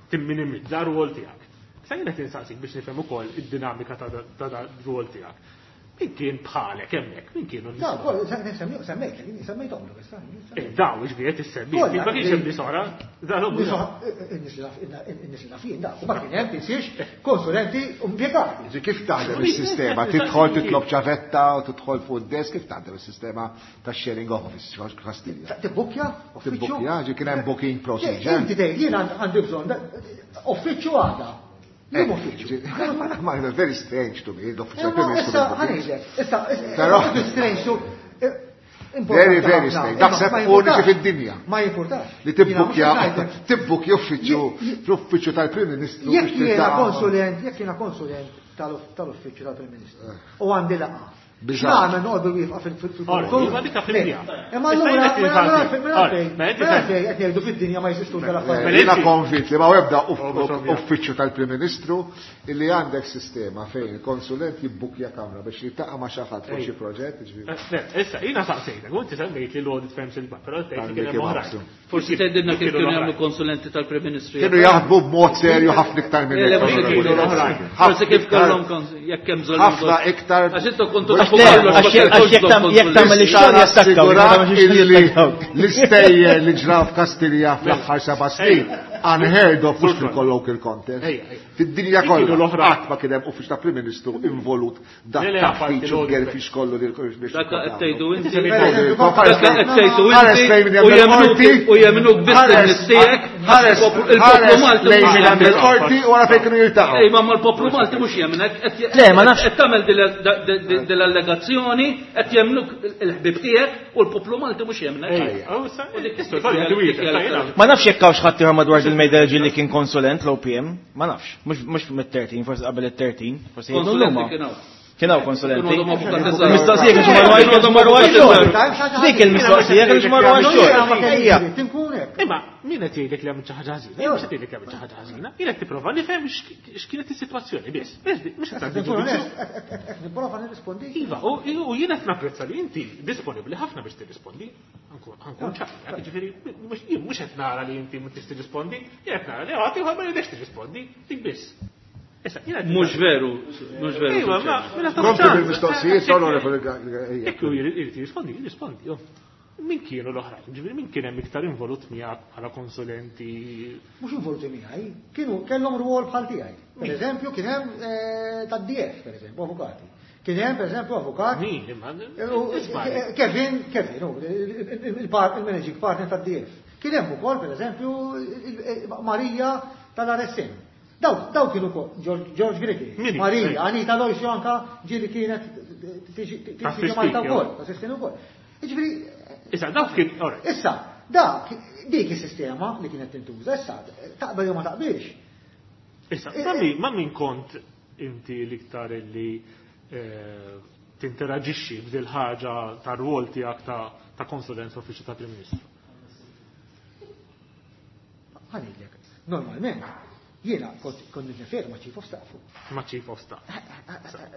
timminimizza r-rwol tiegħek. Sa jiena qed insaqsik biex nifhem ukoll id-dinamika ta' ta' ta' r-rwol tiegħek. Min kien bħalek hemmhekk, min kienu n-nies? Daw koll semmejt, semmejthom issa. Eh, Daw ġifieri qed issemmi. Kollha, Ma kienx hemm nies oħra. Daw Nies li nafin, da, u ma kien hemm tinsiex konsulenti u impjegati. Ġi, Kif taħdem is-sistema? Tidħol titlob ċavetta u tidħol fuq id-desk, kif taħdem is-sistema ta' sharing office Kastilja? Tibbukkja, uffiċċju. Tibbukkja, ġi kien hemm booking procedure. Inti tgħid jien għandi bżonn da- uffiċċju għada. Jien uffiċċju. Eh, Ma ma very strange to me, l-uffiċċju Imma Prim Ministru issa bil-booking. ħa ngħidlek, issa Però- issa strange to eh, Very, very strange. Daħseb uniċi fid-dinja. Ma jimpurtax. Li Jiena mhux tibbukkja, qed ngħidlek. tibbukkja uffiċċju Je- fl-uffiċċju tal-Prim Ministru. Jekk biex jiena tiltaqa' ma- konsulent, jekk jiena konsulent tal-uff- tal-uffiċċju tal-Prim Ministru u għandi laqgħa. Biżgħar. X'nagħmel noqogħdu wieqfa fil-fil-fil. Ora, dik fil-dinja. Imma Issa allura jiena qed mela allura insaqsik. mela Ora, fejn mela inti mela sem- fejn qed jgħidu fid-dinja ma jeżistux dal-affarijiet. Mela Jiena inti- konvint li ma ebda Oh, biex uffiċċju tal-Prim Ministru illi għandek sistema fejn il-konsulent jibbukkja kamra biex jiltaqa' ma' xi ħadd fuq xi proġett, jiġifieri. Le, Issa, jiena saqsejtek, u inti semmejt li l-audit firms il-bar, però tgħid li kien hemm Mickey oħrajn. Mouse. Forsi tgħidilna kif Kienu kienu jagħmlu l-oħrajn. konsulenti tal-Prim Ministru. Kienu jaħdmu b'mod serju ħafna iktar minn Le, le, hekk. mhux kienu l-oħrajn. Forsi kif Ħafna kellhom iktar- kons- jekk hemm bżonn. ħafna iktar- Għax intom kontu tafu Le, kollox, ma għax jekk kellkomx jekk tam- jekk tagħmel bżonn ix-xogħol jastakkaw, ma Nassigurak tagħmel ix-xogħol illi jastakkaw. l-istejjer li ġraw f'Kastilja fl-aħħar seba' snin unheard of mhux fil-colloquial context. Ejja, ejja. Fid-dinja Kienu kollha l-oħrajn. qatt ma kien hemm uffiċċju ta' Prim Ministru involut dak Le, le, apparti taħtiġ u l-audit gerfix kollu li l Dak qed tgħidu inti. Per Dak qed tgħidu Ħares inti lejn minn u jemnuk il-qorti. u jemnuk biss Ħares- in-nies tiegħek. ħares Il-poplu ħares Malti lejn mhux minn jemmek. il-qorti u wara fejn kienu jiltaqgħu. Ej, ma l-poplu Malti mhux jemnek, qed Le, ma nafx. qed tagħmel dil-allegazzjoni, qed jemnuk il-ħbib tiegħek u l-poplu Malti mhux jemnek. Ejja, u issa, U dik- issa, sorry, għandi wieġeb, dik- issa jiena- Ma nafx jekk hawnx ħadd ieħor madwar il-mejda ġi li kien konsulent l-OPM, ma nafx, mhux mhux mit-thirteen, forsi qabel it-thirteen, forsi jgħidu Konsulenti l-huma. kien hawn. Kien hawn konsulenti. Kienu għadhom avukat iżgħar. Il-mistoqsija kienx marru għax Kienu għadhom marru avukat għax-xogħol. iżgħar. Dik il-mistoqsija kienx marru Jiena ma għax-xogħol. kellix Ejja. dritt inkun hekk. Imma min qed jgħidlek li għamilt xi ħaġa ħażina? Jien mhux qed jgħidlek li għamilt xi ħaġa ħażina. Jien qed tipprova nifhem x'kienet is-sitwazzjoni biss. Mhux qed tagħti Nkun ġudizzju. onest, qed- qed nipprova nirrispondi. Iva, u u jien qed napprezza li inti disponibbli ħafna biex tirrispondi. Ankun ħankun ċar, jiġifieri mhux jien mhux qed nara li inti ma tista' tirrispondi, jien qed nara li ħadd ieħor ma jridx tirrispondi, dik biss. Mhux veru, mhux veru. Ejwa, ma mela Kompli bil-mistoqsijiet, onorevoli. Jekk hu jrid jirrispondi, jirrispondi. Min kienu l-oħrajn? Ġifieri min kien hemm iktar involut miegħek bħala konsulenti? Mhux involuti miegħi, kienu kellhom rwol bħal tiegħi. Per eżempju, kien hemm tad-D F, per eżempju, avukati. Kien hemm per eżempju avukat. Min? Imma Kevin, Kevin, il-managing partner tad-D F. Kien hemm ukoll per eżempju Marija tal-R S M. Daw, daw kienu George Grigri, Marija, Anita Loisio anka ġieli kienet tiġi Malta wkoll, tassistini wkoll. Jiġifieri Issa, dawk kien, Issa, dak, dik is-sistema li kienet tintuża, issa, taqbel jew ma taqbilx. Issa, ma min kont inti l-iktar li tinteraġixxi b'dil ħaġa ta' rwol tiegħek ta' konsulenza uffiċċju ta' Prim Ministru? Ħa ngħidlek, normalment, jiena kont kont nirreferi ma' Chief of Staff. Ma' Chief of Staff.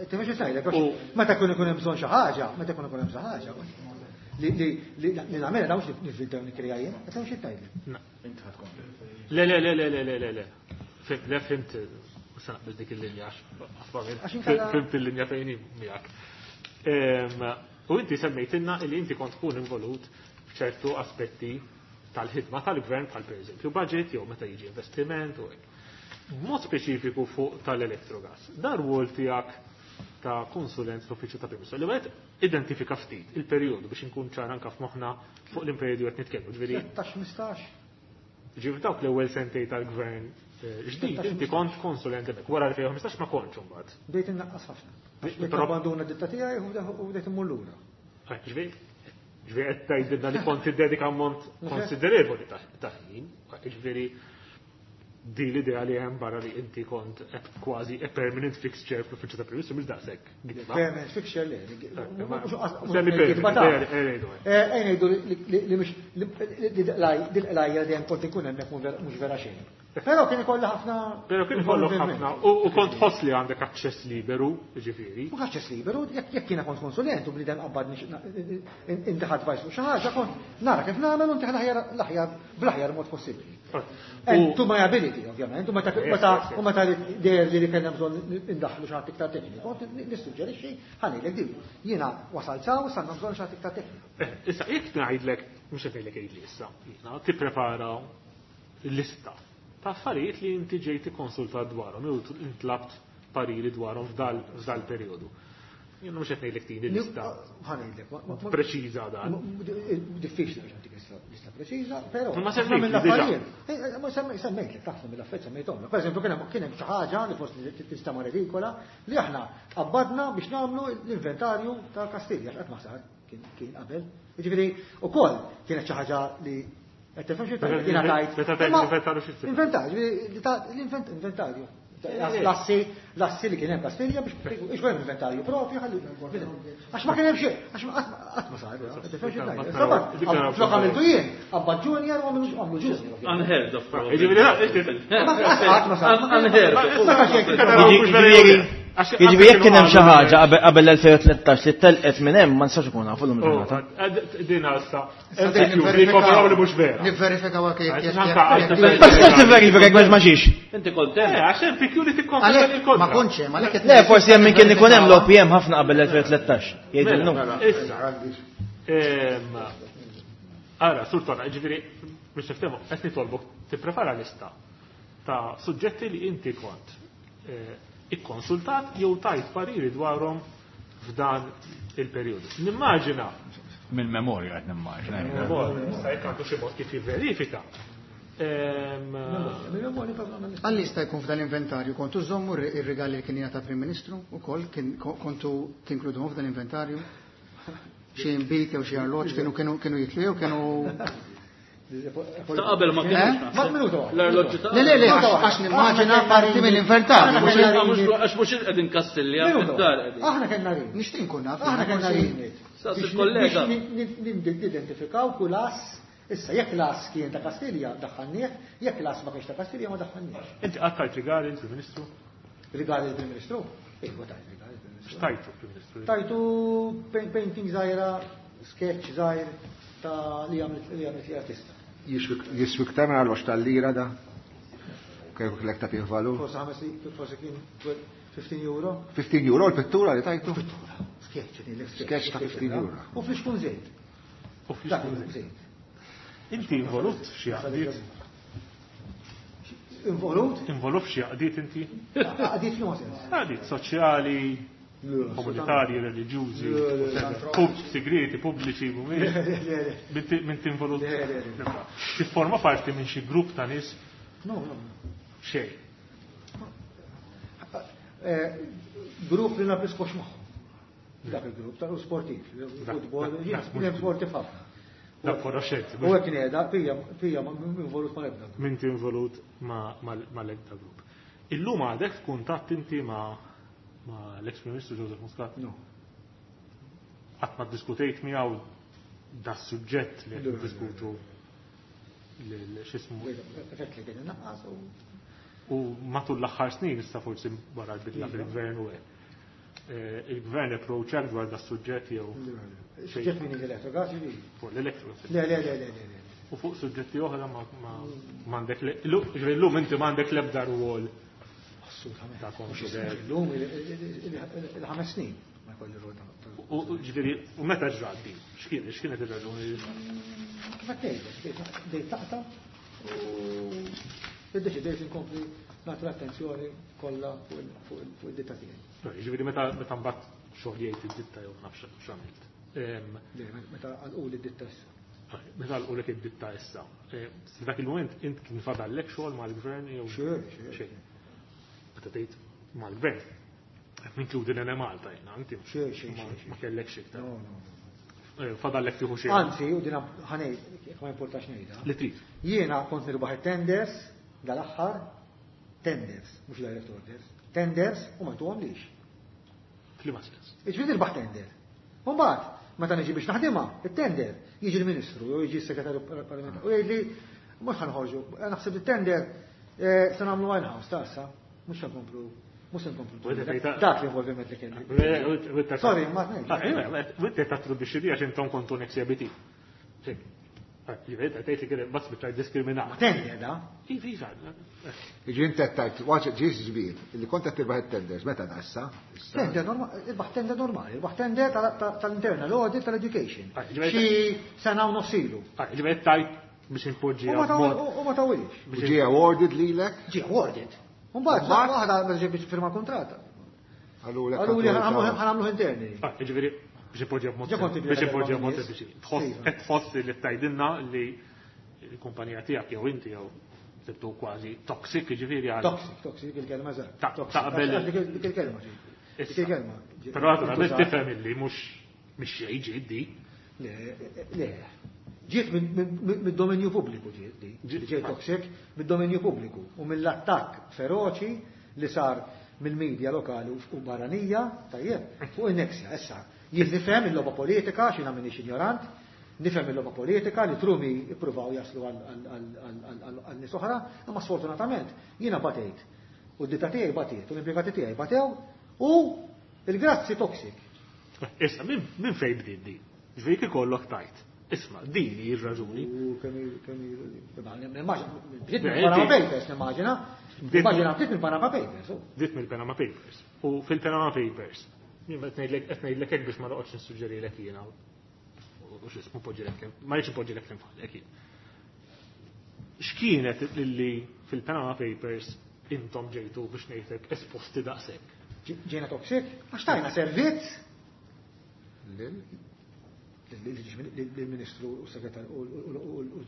Tifhem xi ngħidlek, meta jkun ikun hemm bżonn xi ħaġa, meta jkun ikun hemm xi ħaġa, li li li nagħmilha da mhux nivvintaw nikkrija jien, qed xi tgħidli. Le, le, le, le, le, le, le, le. Le, fimt, sa naqbel dik il-linja, fimt il-linja fejn miegħek. U inti semmejtilna li inti kont tkun involut f'ċertu aspetti tal-ħidma tal-gvern, bħal per eżempju budget jew meta jiġi investiment u hekk. B'mod speċifiku fuq tal-Electrogas. Dar rwol tiegħek ta' konsulent fl-uffiċċju ta' Prim Ministru. Li għed identifika ftit il-perjodu biex inkun ċar anka f'moħħna fuq l-perjodu qed nitkellmu. Ġifieri tlettax, ħmistax. Ġifieri dawk l-ewwel sentej tal-gvern ġdid inti kont konsulent hemmhekk. Wara elfejn u ħmistax ma kontx imbagħad. Bdejt innaqqas ħafna. Bdejt abbanduna d-ditta tiegħi u bdejt immur lura. Ġifieri ġifieri qed tgħidilna li kont tiddedika ammont konsiderevoli ta' ħin. Ġifieri di l-idea li hemm barra li inti kont kważi a permanent fixture fl-uffiċċju ta' Prim Ministru mhux daqshekk. Permanent fixture le. Semi Ngħidu li mhux dil-qlajja dejjem kont ikun hemmhekk mhux vera xejn. Però kien ikolli ħafna. Però kien ikollok ħafna u kont tħoss li għandek aċċess liberu, ġifieri. Mhux aċċess liberu, jekk jiena kont konsulent u bniedem qabbad inti advice fuq xi ħaġa, kont nara kif nagħmel u ntih l-aħjar bl-aħjar mod possibbli. And to my ability, ovvjament, u meta u meta deher li kellna bżonn indaħlu xi ħadd iktar tekniku, kont nissuġġerixxi, ħa ngħidlek din. Jiena wasalt saw, sanna bżonn xi ħadd iktar tekniku. Issa, jekk ngħidlek, mhux qed ngħidlek għidli issa, jiena tipprepara lista ta' affarijiet li inti ġejt ikkonsultat dwarhom jew intlabt pariri dwarhom f'dal perjodu. Jien mhux qed ngħidlek tini lista Ħa ngħidlek, preċiża dan. Diffiċli biex nagħtik lista preċiża, però Ma semmejt mill-affarijiet. Ma semmejtlek ħafna mill-affarijiet semmejthom. Per eżempju kien hemm kien hemm xi ħaġa li forsi tista' redikola li aħna qabbadna biex nagħmlu l-inventarju ta' Kastilja x'qatt ma sar kien qabel. Jiġifieri ukoll kienet xi ħaġa li qed tifhem xi jiena tajt. Inventarju Inventarju. L-assi, l-assi li kien hemm Kastilja biex ikun hemm inventarju propju ħalli. Għax ma kien hemm xejn, għax qatt ma sar, tifhem xi ngħid. Flok għamiltu jien, qabad junior u għamlu junior. Unheard of. Qatt ma sar. Unheard of. Jiġifieri jekk kien hemm xi ħaġa qabel l-elfejn u tlettax li telqet minn hemm, ma nistax ikun nafu llum il-ġurnata. Din issa. Li mhux vera. Nivverifikaw jekk. Ma tistax tivverifika jekk ma xiex. Inti kont hemm. Għax hemm P Q li tikkonferma il-kontra. Ma kontx hemm, għalhekk Le, forsi hemm min kien ikun hemm l-O P M ħafna qabel l-elfejn u tlettax. Jgħidilnu. Issa. Ara, Sur Tonna, ġifieri, biex niftehmu, qed nitolbok tipprepara lista ta' suġġetti li inti kont ikkonsultat jew tajt pariri dwarhom f'dan il-perjodu. Nimmaġina. Mill-memorja qed nimmaġina. Issa jekk għandu xi mod kif jivverifika. Għalli jista' jkun f'dan l-inventarju kontu żommu ir-rigali li kien jagħta Prim Ministru ukoll kien kontu tinkluduhom f'dan l-inventarju? Xi inbid jew xi arloġġ kienu kienu kienu jitlu jew kienu Ta' qabel ma kienx. L-arloġġu ta' Le, le, le, għax nimmaġina parti mill-inventarju. Għax mhux qegħdin Kastilja, fid-dar qegħdin. Aħna kellna rin. Nixtieq nkun naf. Aħna kellna rin. Saqs il-kollega. Nidentifikaw kull ass. Issa, jekk l-ass kien ta' Kastilja, daħħalnieh, jekk l-ass ma kienx ta' Kastilja, ma daħħalnieh. Inti qatt tajt rigali il-Prim Ministru? Rigali il-Prim Ministru? Iva, tajt rigali il-Prim Ministru. X'tajtu Prim Ministru? Tajtu painting żgħira, sketch żgħir ta' li għamlet li għamlet li artista. Jiswi iktar minn arloġġ tal-lira da? Kif kellek tagħtih valur? Forsi ħames, forsi kien fifteen euro. fifteen euro l-pittura li tajtu? Pittura. Sketch, Sketch ta' fifteen euro. U flixkun żejt. U flixkun żejt. Inti involut f'xi għaqdiet? Involut? Involut f'xi għaqdiet inti? Għaqdiet f'liema sens? Għaqdiet soċjali, komunitarji, reliġjużi, segreti, pubbliċi, mhumiex. Minn tinvolut. Tifforma parti minn xi grupp ta' nies? No, no. Xejn. Grupp li napiskox magħhom. Dak il-grupp tal sportiv, futbol, jien sportiv ħafna. Dak konoxxenzi. U hekk ngħidha, pija pija involut ma' l-ebda. Min involut ma' l-ebda grupp. Illum għadek f'kuntatt inti ma' l-ex Prim Ministru Joseph Muscat? No. Qatt ma ddiskutejt miegħu da suġġett li qed niddiskutu x'ismu. Effett li kien innaqqas u U matul l-aħħar snin issa forsi wara l-bidla fil-gvern u hekk. Il-gvern approachak dwar da suġġett jew. Suġġett min l-elettrogas ġifieri. Fuq l-elettrogas. Le, le, le, le, le. U fuq suġġetti oħra ma m'għandek illum inti m'għandek l-ebda rwol. Assolutament. Ta' konsulenza. Illum il-ħames snin ma jkolli rwol ta' U ġifieri u meta ġrat din? X'kien x'kienet ir-raġuni? Kif qed tgħidlek, bdejt taqta' u iddeċidejt inkompli nagħti l-attenzjoni kollha fuq id-ditta tiegħi. Ġifieri meta meta mbagħad xogħol id-ditta jew nafx x'għamilt. Meta għalquli d-ditta issa. Meta għalqulek id-ditta issa. F'dak il-mument int kien fadallek xogħol mal-gvern jew xejn. Xejn. Meta tgħid mal-gvern. Qed ninkludi l-Enemalta jiena, inti ma kellekx iktar. No, no. Fadallek tieħu xejn. Anzi, u din ħanej, jekk ma importax ngħidha. Li trid. Jiena kont nirbaħ it-tenders dal-aħħar, tenders, mhux direct orders, tenders u ma jtuhomlix. F'liema sens? Iġifieri nirbaħ tender. U mbagħad, meta niġi biex naħdimha, it-tender, jiġi l-Ministru jew jiġi s-Segretarju Parlamentari u jgħidli mhux ħanħorġu, naħseb it-tender se nagħmlu in-house ta' issa, mhux se nkomplu, mhux se nkomplu. Dak l-involviment li kelli. Sorry, ma tnejx. U inti tattribwixxi di għax intom kontu Nexia B T. Ġifieri tgħid li kien bas biċċa diskriminat. Ma tender da? Iva, iva. Jiġi inti qed tgħid waġ ġis ġbir li kont qed tirbaħ it-tenders meta da issa? Tender normali, irbaħ tender normali, irbaħ tender tal-internal audit tal-education. Xi sena u nofs ilu. Ġifieri tgħid biex inpoġġi. U ma tawilx. Ġie awarded lilek? Ġie awarded. U mbagħad waħda meta ġie biex firma kuntratt. Għallu li ħanamluh interni. Ġifieri biex ipoġġi b'mod biex ipoġġi b'mod sempliċi. Qed tħoss li tgħidilna li l-kumpanija tiegħek jew inti jew tibtu kważi toxic, jiġifieri għal. Toxic, toxic dik il-kelma eżatt. Taqbel dik il-kelma. Dik il-kelma. Però naturalment tifhem illi mhux mhix xejn ġiet di. Le, le. Ġiet mid-dominju pubbliku ġiet di. Ġiet toxic mid-dominju pubbliku u mill-attakk feroċi li sar mill-medja lokali u barranija, tajjeb, fuq in-Nexia issa. Jien nifhem il-logħba politika, x'jiena m'iniex ignorant, nifhem il-logħba politika li trumi ippruvaw jaslu għal nies oħra, imma sfortunatament jiena batejt. U d-ditta tiegħi batiet, u l-impjegati tiegħi batew, u il-grazzi toxic. Issa, minn fejn bdiet din? Ġifieri kif ikollok tajt. Isma', din hi r-raġuni. U kemm kemm bdiet mill-Panama Papers, nimmaġina. Nimmaġina bdiet mill-Panama Papers. Bdiet mill-Panama Papers. U fil-Panama Papers, jien qed ngħidlek qed ngħidlek hekk biex ma noqgħodx nissuġġerilek jiena. U x'ismu poġġilek ma rridx ipoġġilek l-infallek jien. X'kienet li fil-Panama Papers intom ġejtu biex ngħidlek esposti daqshekk? Ġejna toxic? Għax tajna servizz lill-Ministru u Segretarju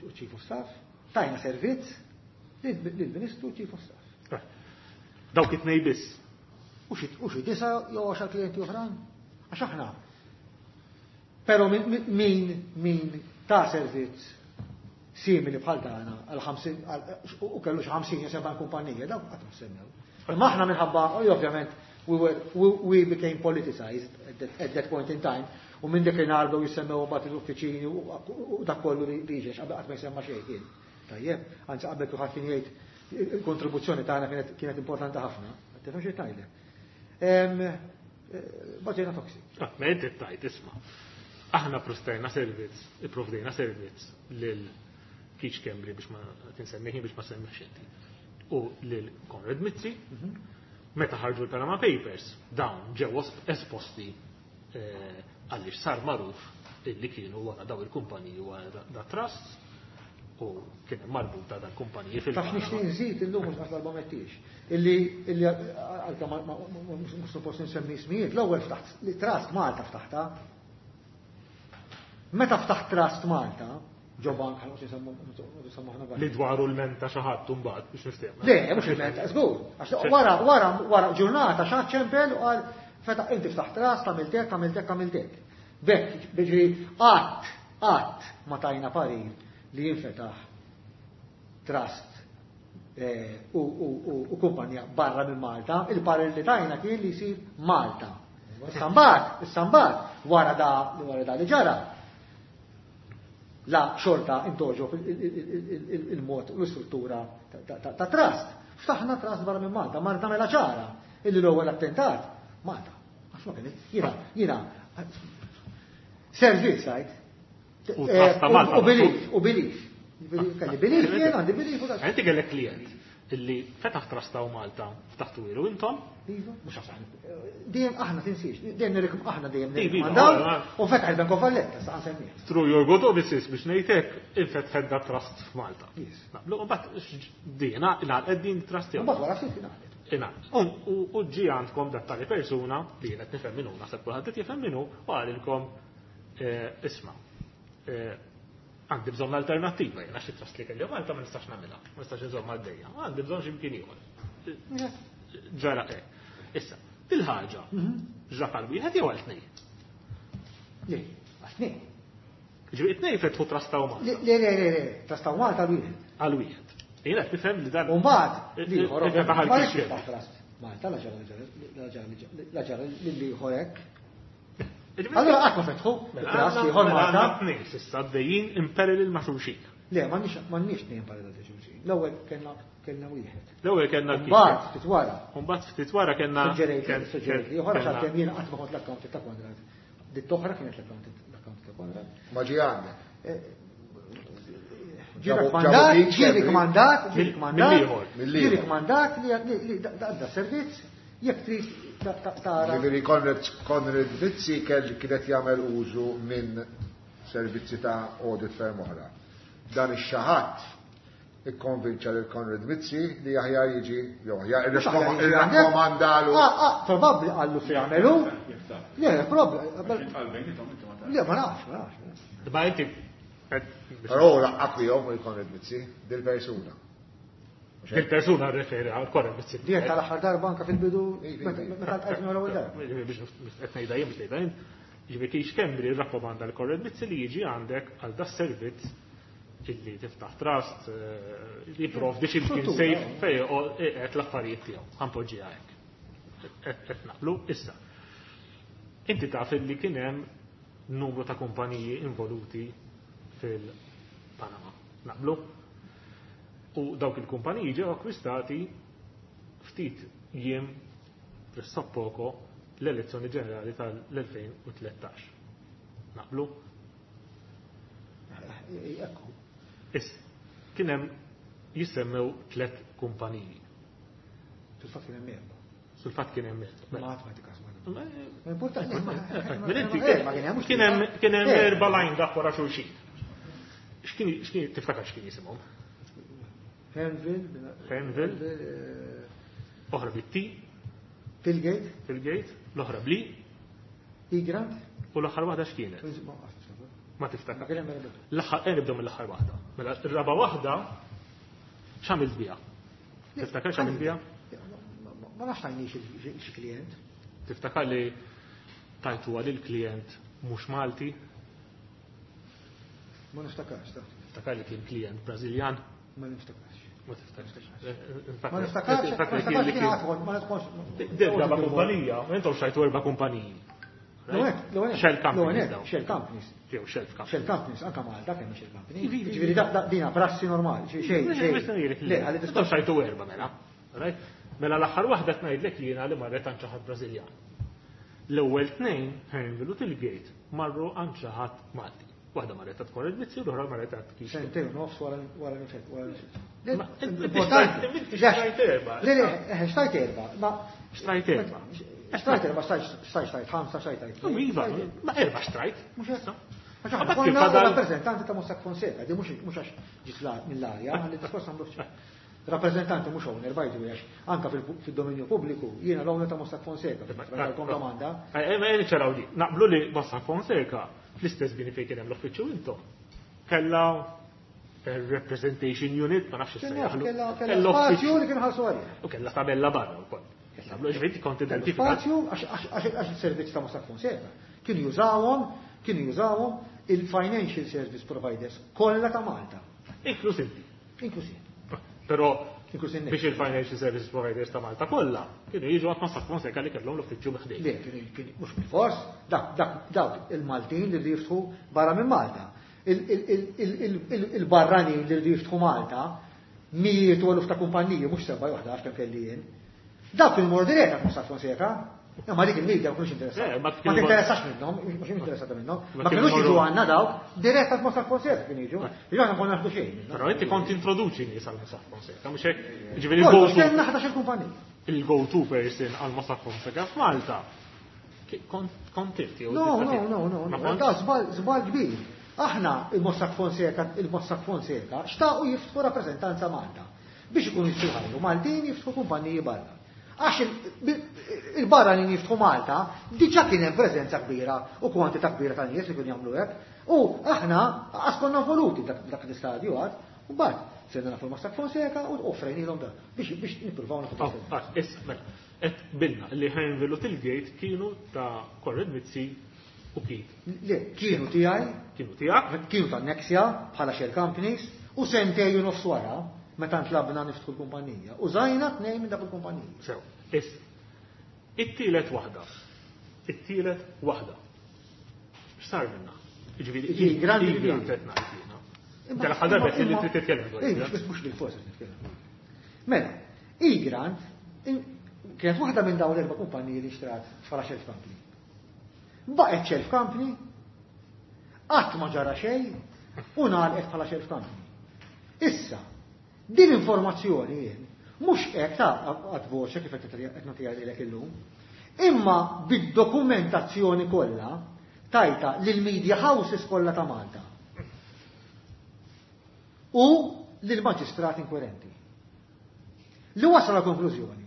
u Chief of Staff. Tajna servizz lill-Ministru u Chief of Staff. Dawk it-tnejn biss. U xi disa jew għaxar klijenti oħrajn. Għax aħna. Però min min ta' servizz simili bħal tagħna għal ħamsin u kellu xi ħamsin jew seba' kumpanija, dawk qatt ma semmew. Imma aħna minħabba ovvjament we were we, we became politicized at that, at that point in time, u minn dak il-nhar bdew jissemmew mbagħad l-uffiċini u dak kollu li jiġi qabel qatt ma jsemma xejn kien. Tajjeb, anzi qabel kulħadd kien jgħid il-kontribuzzjoni tagħna kienet kienet importanti ħafna. Tifhem xi tgħidlek. Baġejna toxic. Ma inti tajt isma'. Aħna prostajna servizz, ipprovdejna servizz lil Keith Schembri biex ma tinsemmiħi biex ma semmiex inti. u lil Konrad Mizzi. Meta ħarġu l-Panama Papers, dawn ġew esposti eh, għaliex sar magħruf illi kienu wara daw il-kumpaniji wara da trust u kien hemm marbuta dan kumpaniji fil Taf nixtieq nżid illum mhux għax darba mettix. Illi illi għalkemm ma- ma- ma- mhux suppost insemmi ismijiet, l-ewwel ftaħt li Trust Malta ftaħta. Meta ftaħt Trust Malta, ġo bank ħa nsemmu nsemmu aħna bank. Li dwaru l-menta xi ħadd mbagħad biex niftehmu. Le, mhux il-menta, żgur. Għax wara wara wara ġurnata xi ċempel u qal feta inti ftaħt trust, għamilt hekk, għamilt hekk, għamilt hekk. Bekk, biġri qatt, qatt ma tajna parir li jinfetaħ trust eh, u, u, u, u kumpanija barra minn Malta, il-parir li tajna kien li jsir Malta. Issa mbagħad, issa mbagħad, wara da wara da li ġara, la xorta intoġob il-mod u l-istruttura ta- ta' ta' trust. Ftaħna trust barra minn Malta, ma nagħmilha ċara illi l-ewwel attentat Malta. Għax ma kien jiena jiena servizz għajt. U trust ta' Malta. U belief, u belief. Kelli belief jien għandi belief u dak. Inti kellek klient illi fetaħ trust ta' Malta ftaħtu ilu intom, Iva, mhux għax aħna. Dejjem aħna tinsiex, dejjem nirrikom aħna dejjem Iva, iva, nirrikomandaw iva. u fetaħ il-Bank of Valletta sa nsemmih. through your good offices biex ngħidlek infetħet da trust f'Malta. Yes. Naqblu, u mbagħad dina ingħalqet din trust jew. Mbagħad wara ftit ingħaqdet. Ingħalqet. U u ġie għandkom dat tali persuna li qed nifhem minnu, naħseb kulħadd qed jifhem minnu u qalilkom eh, isma' eh, għandi bżonn alternattiva, jien għax it-trust li kelli Malta ma nistax nagħmilha, ma nistax inżomm għaddejja, għandi bżonn x'imkien ieħor. Ġara hekk. Issa, dil-ħaġa, ġrat għal wieħed jew għal tnejn? Le, għal tnejn. Ġifieri it-tnejn fetħu trust ta' Malta. Le, le, le, le, trust ta' Malta wieħed. Għal wieħed. Jien qed nifhem li dan. U mbagħad l-ieħor Infetaħ għal ma rridx kixkien. jiftaħ trust. Malta la ġara la ġara la ġara lill-ieħor hekk. Allora qatt ma fetħu trust ieħor Mela Malta. għandna tnejn s'issa għaddejjin in parallel ma' xulxin. Le, m'għandniex m'għandniex tnejn parallel ta' xulxin. L-ewwel kellna kellna wieħed. L-ewwel kellna Mbagħad ftit wara. Mbagħad ftit wara kellna Suġġerejt ken- suġġerejt li ken- oħra kellna- xalkemm jien qatt ma kont l-accountant ta' Konrad. Dit oħra kienet l-accountant l-accountant ta' Konrad. Ma ġie għandek. Ġi Ġabu- rakkomandat, ġabu ġi Keith rikmandat, ġi Mill- rikmandat, mill-ieħor. ġi Mill-ieħor. rikmandat li li da da servizz jekk trid ta- ta- tara. Ġifieri Konrad Konrad Mizzi kell kienet jagħmel użu minn servizzi ta' audit firm oħra. Dan ix-xaħat ikkonvinċa lil Konrad Mizzi li aħjar jiġi jew aħjar irrakkomandalu. Ah, ah, probabbli qallu se jagħmelu. Le, probabbli. Le, ma nafx, ma nafx. Ma inti Però laqqak bihom il Konrad Mizzi dil-persuna. Il-persuna referi għal Konrad Mizzi. Dien tal-aħħar darba anka fil-bidu Iva, meta iva. meta ltqajt miegħu l-ewwel darba. Biex qed ngħidha jien biex ngħidha jien. Ġifieri Keith Schembri rrakkomanda l Konrad Mizzi li jiġi għandek għal da servizz illi tiftaħ trust, eh, li jipprovdi xi mkien Struttura, safe eh. fej qed l-affarijiet tiegħu. Ħanpoġġiha hekk. Qed qed naqblu issa. Inti taf illi kien hemm numru ta' kumpaniji involuti fil-Panama. Naqblu? U dawk il-kumpaniji ġew akkwistati ftit jiem pressappoco l-elezzjoni ġenerali tal-elfejn u tlettax. Naqblu? Ekku. Issa, kien hemm jissemmew tliet kumpaniji. Fil-fatt kien hemm erba'. Sul-fatt kien hemm erba'. Ma qatt ma tikas ma. Ma- Importanti. Mela inti Eh, ma kien hemm kien hemm kien hemm Eh. erba' line dak wara xulxin. X'kien x'kien tiftakar x'kien jisimhom? Henville, Henville. Oħra bit-T, Tilgate, fil-gate, l-oħra bli, Egrant. u l-aħħar waħda x'kienet? Ma Ma tiftakar. kien hemm erba'. L-aħħar eh, nibdew mill-aħħar waħda. Mela r-raba waħda x'għamilt biha? Tiftakar x'għamilt biha? Ma nafx tajniex xi klient. Tiftakar li tajtuha lil klient mhux Malti? Ma niftakarx, ta' Tiftakar li kien klient Brażiljan? Ma niftakarx. Ma tiftakarx. Ma niftakarx, ma niftakarx kien għadħol, ma niftakarx. Erba' kumpanija, intom xajtu erba' kumpaniji. Shell companies dawn. Shell companies. Jew Shell companies. Shell companies, anka Malta kemm Shell companies. Ġifieri da- da- dina prassi normali, xejn, xejn. Le, għalli Intom xajtu erba' mela. Right? Mela l-aħħar waħda tngħidlek jiena li marret għand xi ħadd Brażiljan. L-ewwel tnejn, Henville u Tilgate, marru għand xi ħadd Malti. Waħda marret ta' Konrad Mizzi u l-oħra marret ta' Keith. Sentejn u nofs wara wara l-infett, wara l-infett. Ma inti xtrajt- inti xtrajt erba'. Le, le, eh, xtrajt erba', ma Xtrajt erba'. Xtrajt erba', xtrajt xtrajt xtrajt ħamsa, xtrajt xtrajt. U Iva, ma erba' xtrajt. Mhux hekk. Għax aħna Mbagħad kien konna fadal- rappreżentanti ta' Mossack Fonseca, di mhux mhux għax ġiet la- mill-arja, għalli diskors għamlu fċ. Rappreżentanti mhux owner, by the way, għax anka fil- fil-dominju pubbliku jiena l-owner ta' Mossack Fonseca, għalkom domanda. Eh, Ma niċċaraw di. Naqblu li Mossack Fonseca fl-istess bini fejn kien hemm l-uffiċċju intom. Kella eh, representation unit, ma nafx Kella issejjaħlu. kella kella spazju li kien ħalsu għalih. U kella tabella barra wkoll. Naqblu ġifieri kont identifikat. Spazju għax- għax għax- għax il-servizz ta' Mossack Fonseca. Kienu jużawhom, kienu jużawhom il-financial service providers kollha ta' Malta, Inkluż inti. inkluż jien. Però Inkluż in biex il-financial service providers ta' Malta kollha kienu jiġu għand Mossack Fonseca li kellhom l-uffiċċju ħdejn. Le, kienu kienu mhux bil-fors, dak dak dawk il-Maltin li rridu jiftħu barra minn Malta. Il- il- il- il- il- il- Il-barranin li rridu jiftħu Malta, mijiet u eluf ta' kumpaniji, mhux seba' waħda għax kemm kelli jien. Dawk kienu morru dirett għand Mossack Fonseca, imma dik il-media ma kienux Eh, interessati. ma Ma kienu- tinteressax minnhom, mhux interessata minnhom. Ma Ma kienu kienux jiġu morru- għandna dawk, dirett għand Mossack Fonseca kienu jiġu. Jiġu aħna konna naħdu xejn. minnhom. Però inti kont introduċi nies għal Mossack Fonseca, mhux hekk ġifieri Kollox, il-go-to kellna ħdax-il kumpanija. il-go-to person għal Mossack Fonseca f'Malta. Ki- Kont kont inti jew No, tista' no, tgħid? no, no, Ma no. kontx? Da żball żball kbir. Aħna il-Mossack Fonseca, il-Mossack Fonseca xtaqu jiftħu rappreżentanza Malta biex ikunu jistgħu jħajru Maltin jiftħu kumpaniji barra. Għax il- il-barranin jiftħu Malta diġà kien hemm preżenza kbira u kwantità kbira ta' nies li kienu jagħmlu hekk. U aħna qas konna involuti dak dak l-istadju għad. U mbagħad sirna nafu l-Mossack Fonseca u offrejnilhom da biex biex nippruvaw nafu. Oh, ah, issa, mela, qed bilna li Hearnville u Tilgate kienu ta' Konrad Mizzi u Keith. Le, kienu tiegħi Kienu tiegħek, kienu ta' Nexia bħala shell companies u sentej u nofs wara meta ntlabna niftħu l-kumpanija. Użajna tnejn minn dak il-kumpaniji. sew. Issa, it-tielet waħda. It-tielet waħda. X'sar minna? Ġifieri, Ġi, grandi i- grandi. qed ngħid jiena. Inti l-aħħar darba qed li trid titkellem dwar Ej, Egrant. mhux mhux bil-fors qed nitkellem. Mela, Egrant in- kienet waħda minn dawn l-erba' kumpaniji li xtrat bħala shelf company. Baqgħet shelf company, qatt ma ġara xejn u ngħalqet bħala shelf company. Issa, din informazzjoni jien mhux hekk ta' għad voċe kif qed qed nagħtiha lilek illum, imma bid-dokumentazzjoni kollha tajta lil media houses kollha ta' Malta u lil maġistrat inkwirenti. Li wasal la konklużjoni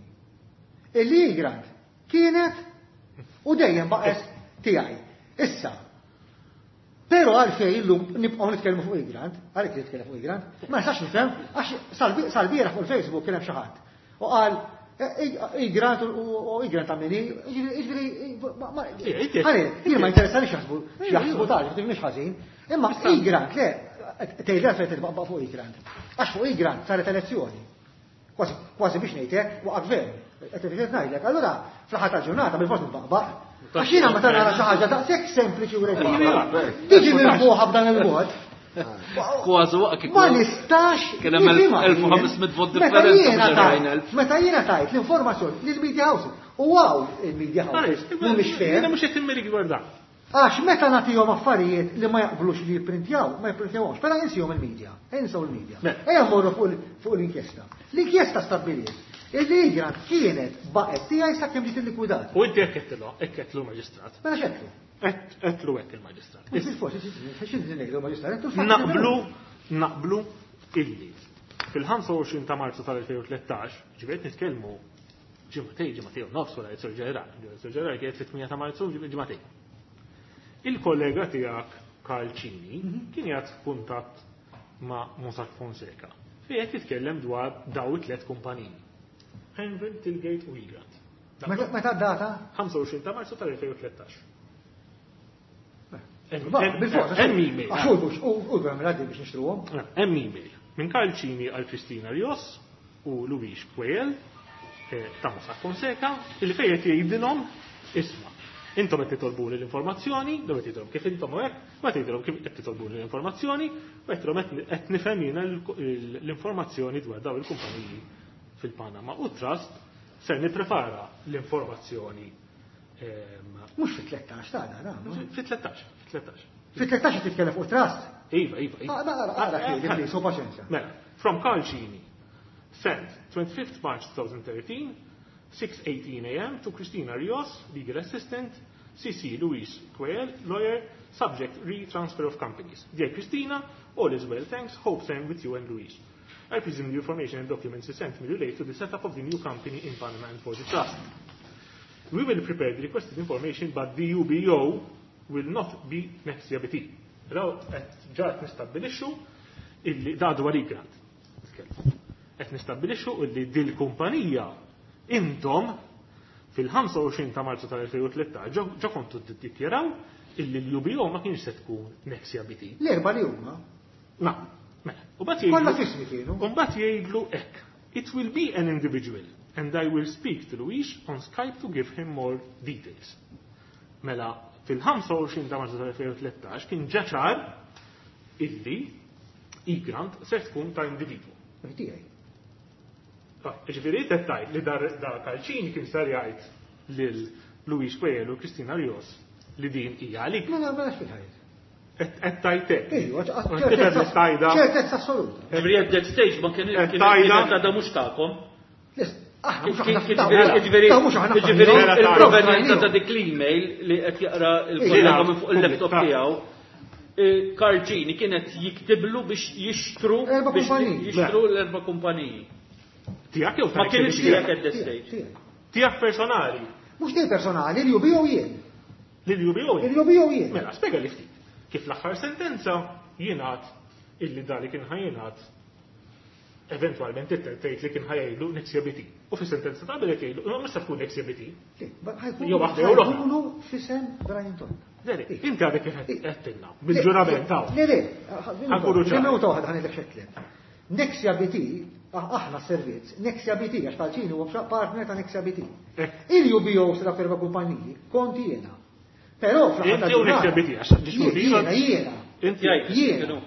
illi Egrant kienet u dejjem baqgħet tiegħi. Issa, però għalfejn illum nibqgħu nitkellmu fuq Egrant, għalhekk nitkellem fuq Egrant, ma nistax nifhem għax salbi- sal-bieraħ fuq il-Facebook kien hemm xi ħadd. U qal Egrant u Egrant ta' minni, jiġifieri ma- ma- Ija, inti- ħalli, jien ma interessani x'jaħsbu x'jaħsbu tal, mhux ħażin, imma Egrant le, tgħid għalfejn titbaqbaq fuq Egrant. Għax fuq Egrant saret elezzjoni. Kważi kważi biex ngħid hekk waqa' gvern. Qed qed ngħidlek, allura fl-aħħar tal-ġurnata bil-fors nitbaqbaq. Għax jiena meta nara xi ħaġa daqshekk sempliċi u regolari. Tiġi mirbuħa b'dan il-mod. Kważi waqt kieku. Ma nistax. Kien hemm nifhimha elf u ħames mitt vot Meta differenza jiena mhux tajt- erbgħin elf. Meta jiena tajt l-informazzjoni lill-media houses. U għaw il-media houses mhumiex fair. Jiena mhux qed immirik dwar dan. Għax meta nagħtihom affarijiet li ma jaqblux li jipprintjaw, ma jipprintjawhomx, però insihom il-medja, insew il-medja. Mela. Ejja mmorru fuq il- fuq l-inkjesta. L-inkjesta stabbiliet illi Egrant kienet baqgħet tiegħi sakemm ġiet illikwidat. U inti hekk qedtilha, hekk qedtlu l-maġistrat. Mela x'għedtlu? Qed- Qedtlu hekk il-maġistrat. Mhux bil-forsi, x'inhi ngħidu maġistrat? Qedtlu l-fatti Naqblu, naqblu illi fil-ħamsa u għoxrin ta' Marzu tal-elfejn u tlettax, ġifieri nitkellmu ġimgħatej, ġimgħatej u nofs wara l-Sur Ġenerali, l-Sur Ġenerali kienet fit-tmienja ta' Marzu, ġimgħatej. Il-kollega tiegħek Karl Cini kien qiegħed f'kuntatt ma' Mossack Fonseca fejn qed jitkellem dwar daw it-tliet kumpaniji. Hearnville, Tilgate u Egrant. Meta meta data? ħamsa u għoxrin ta' Marzu tal-elfejn u tlettax. Ba, bil-fors. Hemm email. Għax u mhux u u għamil għaddi biex nixtruhom. Hemm email minn Karl Cini għal Kristina Rios u Luis Puel eh, ta' Mossack Fonseca illi fejn qed jgħidilhom isma' intom qed titolbuni l-informazzjoni, dom qed tgħidilhom kif intom u hekk, ma tgħidilhom kif qed titolbuni l-informazzjoni, u qed tgħidilhom qed nifhem jiena l-informazzjoni dwar dawn il-kumpaniji fil-Panama u Trust ser nipprepara l-informazzjoni ehm, Mhux fit-tlettax ta' da, fit-tlettax, fit-tlettax. Fit-tlettax titkellem fuq trust. Iva, iva, iva. Ah, Ara, ara, please, u paċenzja. Mela, from Karl Cini, sent twenty-fifth March twenty thirteen, six eighteen a m to Christina Rios, legal assistant, C C Luis Quayle, lawyer, subject re-transfer of companies. Dear Christina, all is well, thanks, hope same with you and Luis. I presume the information and documents you sent me relate to the setup of the new company in Panama and for the trust. We will prepare the requested information, but the U B O will not be Nexia B T. Raw, qed ġa nistabbilixxu illi da dwar Egrant. Qed nistabbilixxu illi dil-kumpanija intom fil-ħamsa u għoxrin ta' Marzu tal-elfejn u tlettax ġa kontu tiddikjaraw illi l-U B O ma kienx se tkun Nexia B T. L-erba li huma. Na, mela. U bat Kollha fismi kienu. U mbagħad jgħidlu hekk. It will be an individual and I will speak to Luis on Skype to give him more details. Mela, fil-ħamsa u għoxrin ta' Marzu tal-elfejn u tlettax kien ġa ċar illi Egrant se tkun ta' individwu. Tiegħi. Ġifieri tettajt li dar da Karl Cini kien sar jgħid lil Luis Coelho u Kristina Rios li din hija għalik. Mela, mela fil-ħajt. Qed tajtek. Ejwa, Tifhem l-istajda. ċertezza assoluta. Ġifieri at that stage ma kien Qed kien tajda. kienet għadha mhux tagħkom. Aħna mhux aħna Ġifieri ta' mhux aħna ġifieri Vera tajda. il-provenjenza ta' dik l-email li qed jaqra il-kollega minn fuq il-laptop tiegħu, Karl Cini kienet jiktiblu biex jixtru Erba' biex kumpaniji. jixtru l-erba' kumpaniji. Tiegħek jew Ma kienx tiegħek at that stage. Tiegħek personali. Mhux tiegħi personali, l-U B O jien. Lil U B O. Il-U B O jien. Mela, spjega li ftit. Kif l-aħħar sentenza jingħad illi dali kien ħa jingħad eventwalment tgħid li kien ħa jgħidlu Nexia B T. U fis-sentenza ta' qabel qed jgħidlu imma mhux se tkun Nexia B T. Jew waħda jew l-oħra. Ħajkunu fisem Brian Tonna. Deri, inti għadek kif qed bil-ġurament hawn. Le, le, Ħa nkunu ċari. Minuta waħda ħa ngħidlek x'għedtlek. Nexia B T, ah, aħna servizz, Nexia B T, għax Karl Cini huwa partner ta' Nexia B T. Eh. Il-U B O sa erba' kumpaniji, konti jiena. Però fl-aħħar Inti u Nexia B T, għax ġiex Jiena, jiena. Inti Jiena.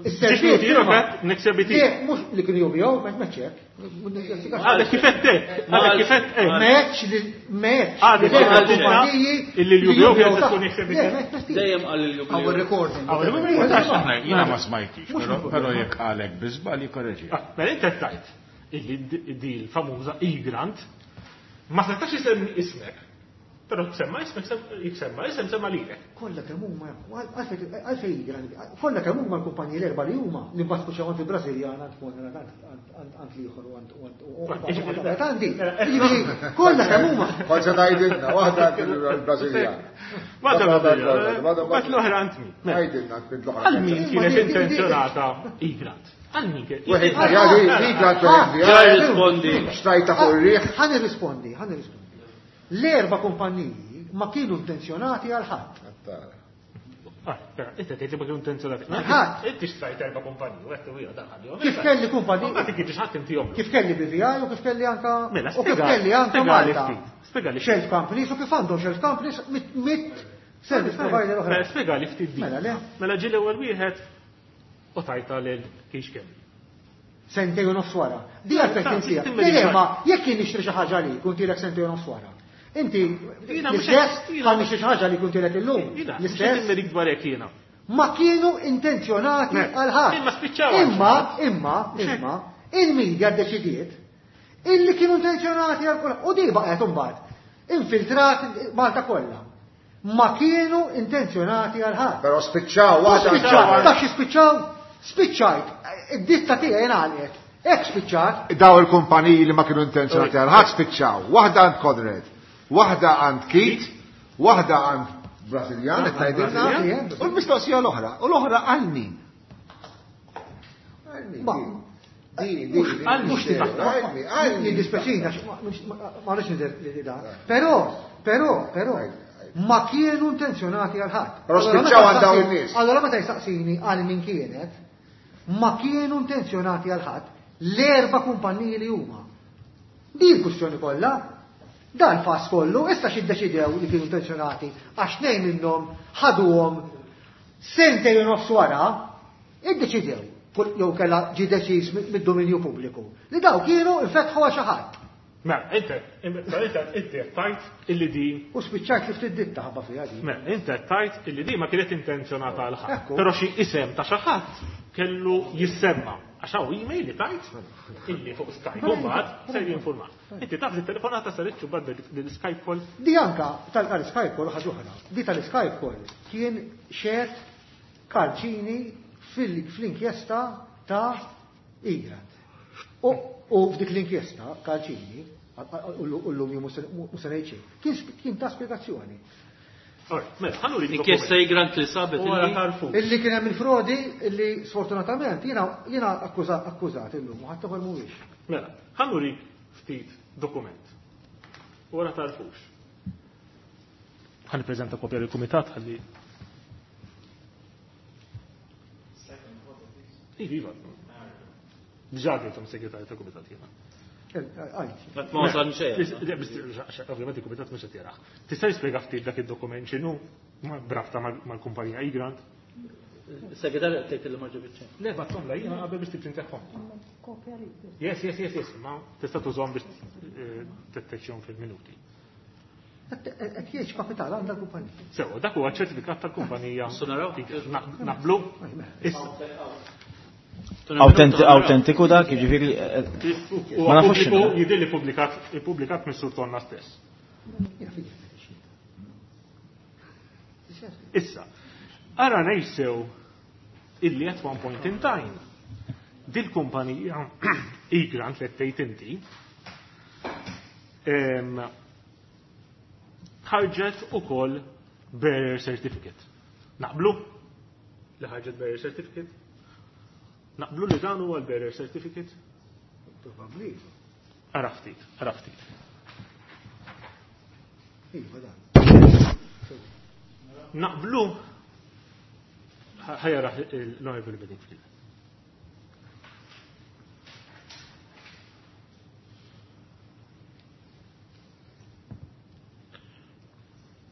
Ġiex qed Nexia B T. Le, mhux li kienu U B O, ma meċċek. Għadek kif qed hekk, għadek kif qed hekk. Meċ li meċ. Għadek li kif qed kumpaniji illi l-U B O kienet tkun Nexia B T. Le, meċ, Dejjem qal il-U B O. Għaw recording. Aħna jiena ma smajtix, però però jekk għalek bi żball jikkoreġi. Ah, mela inti qed tgħid illi di di l-famuża Egrant ma setax isemmi ismek, però semma ismek, jekk isem semma lilek. Kollha kemm huma, għalfejn grandi, kollha kemm huma l-kumpaniji l-erba' li huma li mbagħad spiċċaw għand il-Brażiljan, għand Konrad, għand għand l-ieħor u għand u għand u għand għandi. Jiġifieri, kollha kemm huma. Kont se tgħidilna, waħda għand il-Brażiljan. Waħda l-Brażiljan, mbagħad l-oħra għand min? Mela, Għidilna għand l-oħra. Għal min kienet intenzjonata Egrant? Għal min kienet? Wieħed Egrant wieħed Ġa rispondi. Xtrajta fuq ir-riħ. Ħa nirrispondi, ħa nirrispondi. L-erba' kumpaniji ma kienu intenzjonati għal ħadd. Ah, però, inti tgħid li ma kienu intenzjonati. Ħadd. Inti xtrajt erba' kumpaniji, u qed u daħal. Kif kelli kumpaniji? Ma kienx ħadd intihom. Kif kelli B V I u kif kelli anka Mela, u kif spiega- kelli anka spiega li Malta. ftit, spiega li ftit. Shelf companies u kif għandhom shelf companies mit mit service provider oħra. Mela, spiega li ftit din. Mela, le. Mela ġie l-ewwel wieħed u tajta lil kiex kemm. Sentej u nofs wara. Di għalfejn Sa- tinsija. timmeri Le, le, ġar. ma jekk jien nixtri xi ħaġa li kun tilek sentej u nofs wara. Inti Jiena mhux l-istess qed- jiena ħa nixtri xi ħaġa li kun tilek illum. Jiena, mhux qed L-istess immerik dwar hekk jiena. ma kienu intenzjonati Ne. għal ħadd. Imma spiċċaw għal Imma, imma, imma, il-media ddeċidiet illi kienu intenzjonati għal kulħadd. U di baqgħet imbagħad infiltrat Malta kollha. Ma kienu intenzjonati għal ħadd. Però spiċċaw, waħda. Spiċċaw, taf xi spiċċaw? Spiċċajt, id-ditta tiegħi ngħalqet. Hekk spiċċat. Daw il-kumpaniji li ma kienu intenzjonati għal ħadd spiċċaw. Waħda għand Conrad, waħda għand Keith, waħda għand Brażiljan, qed tgħidilna, Brażiljan. u l-mistoqsija l-oħra, u l-oħra għal min? Għal min? Ma- Din, din, din, Għal mhux din, tibaħ. għal min, għal min. Jiddispjaċina, ma rridx nidher li da. Però, però, però, ma kienu intenzjonati għal ħadd. Però Allora, spiċċaw meta għal dawn jistaqsini- in-nies. Allora meta jistaqsini għal min kienet, ma kienu intenzjonati għal ħadd l-erba' kumpanniji li huma. Din il-kwistjoni kollha, dan fas kollu, issa xi ddeċidew li kienu intenzjonati għax tnejn minnhom ħaduhom sentejn u nofs wara, iddeċidew kull- jew kella ġi deċiż mid-dominju pubbliku li daw kienu infetħu għal xi ħadd. Mela, inti, inti, inti tajt illi din. U spiċċajt li ftit ditta ħabba fiha din. Mela, inti tajt illi din ma kienet intenzjonata għal ħadd. Però xi isem ta' xi ħadd kellu jissemma. Għax hawn email li tajt illi fuq Skype u mbagħad ser jinforma. Inti taf li telefonata saret xi bad l-Skype call. Di anka tal-Skype call ħaġa oħra. Di tal-Skype call kien xed Karċini fl-inkjesta ta' Egrant. U f'dik l-inkjesta Karċini u l-lum mhux se ngħid xejn, kien ta' spjegazzjoni. Inkjesta Egrant li sabet illi kien hemm il-frodi illi sfortunatament jiena jiena akkużat illum u ħadd ieħor mhuwiex. Mela, ħa nurik ftit dokument. Wara tarfux. Ħa nippreżenta kopja lill-kumitat ħalli. Iva, diġà għedthom segretarju tal-kumitat jiena. Ma wasal xejn. Ovvjament il-kumitat mhux qed jarah. Tista' jispjega ftit dak id-dokument x'inhu b'rabta mal-kumpanija Egrant? Segretarju qed tgħid li ma ġibitx. Le, bagħthom la jiena qabel biex tipprintahom. Yes, yes, yes, yes, ma tista' tużhom biex titteċċihom fil-minuti. Qed jgħid kapital għandha l-kumpanija. Sewa, dak huwa ċertifikat tal-kumpanija. Naqblu? Autentiku dak, jiġifieri ma nafux. Jidher li pubblikat ippubblikat minn Sur Tonna stess. Issa, ara ngħid illi at one point in time dil-kumpanija Egrant li tgħid inti ħarġet ukoll bearer certificate. Naqblu li ħarġet bearer certificate? Naqblu li dan huwa l-bearer certificate? Probabbli. Ara ftit, ara ftit. Iva dan. Naqblu ħajja l-Honorable Bedingfield.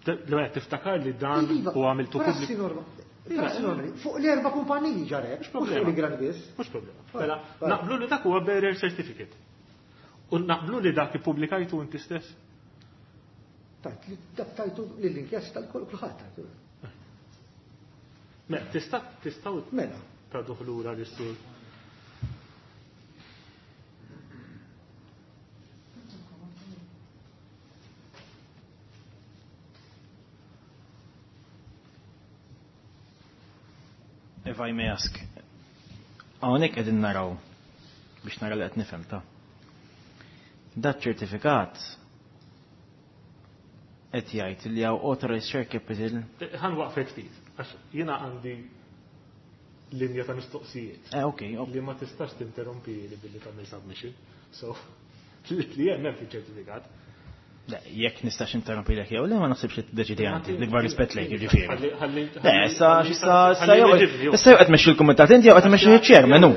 L-għed tiftakar li dan u għamiltu pubbliku. Fuq l-erba kumpaniji ġarek, mhux fuq l-Egrant biss. Mhux problema. Mela, naqblu li dak huwa bearer certificate. U naqblu li dak ippubblikajtu inti stess? Tajt, dak tajtu lill-inkjesta kulħadd tajtu. Mela, tista' tistgħu mela traduħ lura lis-sur. If I may ask, hawnhekk qegħdin naraw biex nara li qed nifhem ta' dat ċertifikat qed jgħid li hawn authorized share capital. Ħan waqfek ftit, għax jiena għandi linja ta' mistoqsijiet. Eh, okay, okay. Li ma tistax tinterrompi li billi tagħmel submission. So, li hemm hemm fiċ-ċertifikat. Jekk nistax interrompi lek jew le ma naħsibx li tiddeċidi għandi, l-ikbar rispett lejk jiġifieri. Le, issa issa issa jew issa jew qed tmexxi l-kumitat inti jew qed tmexxi ċ-chairman hu.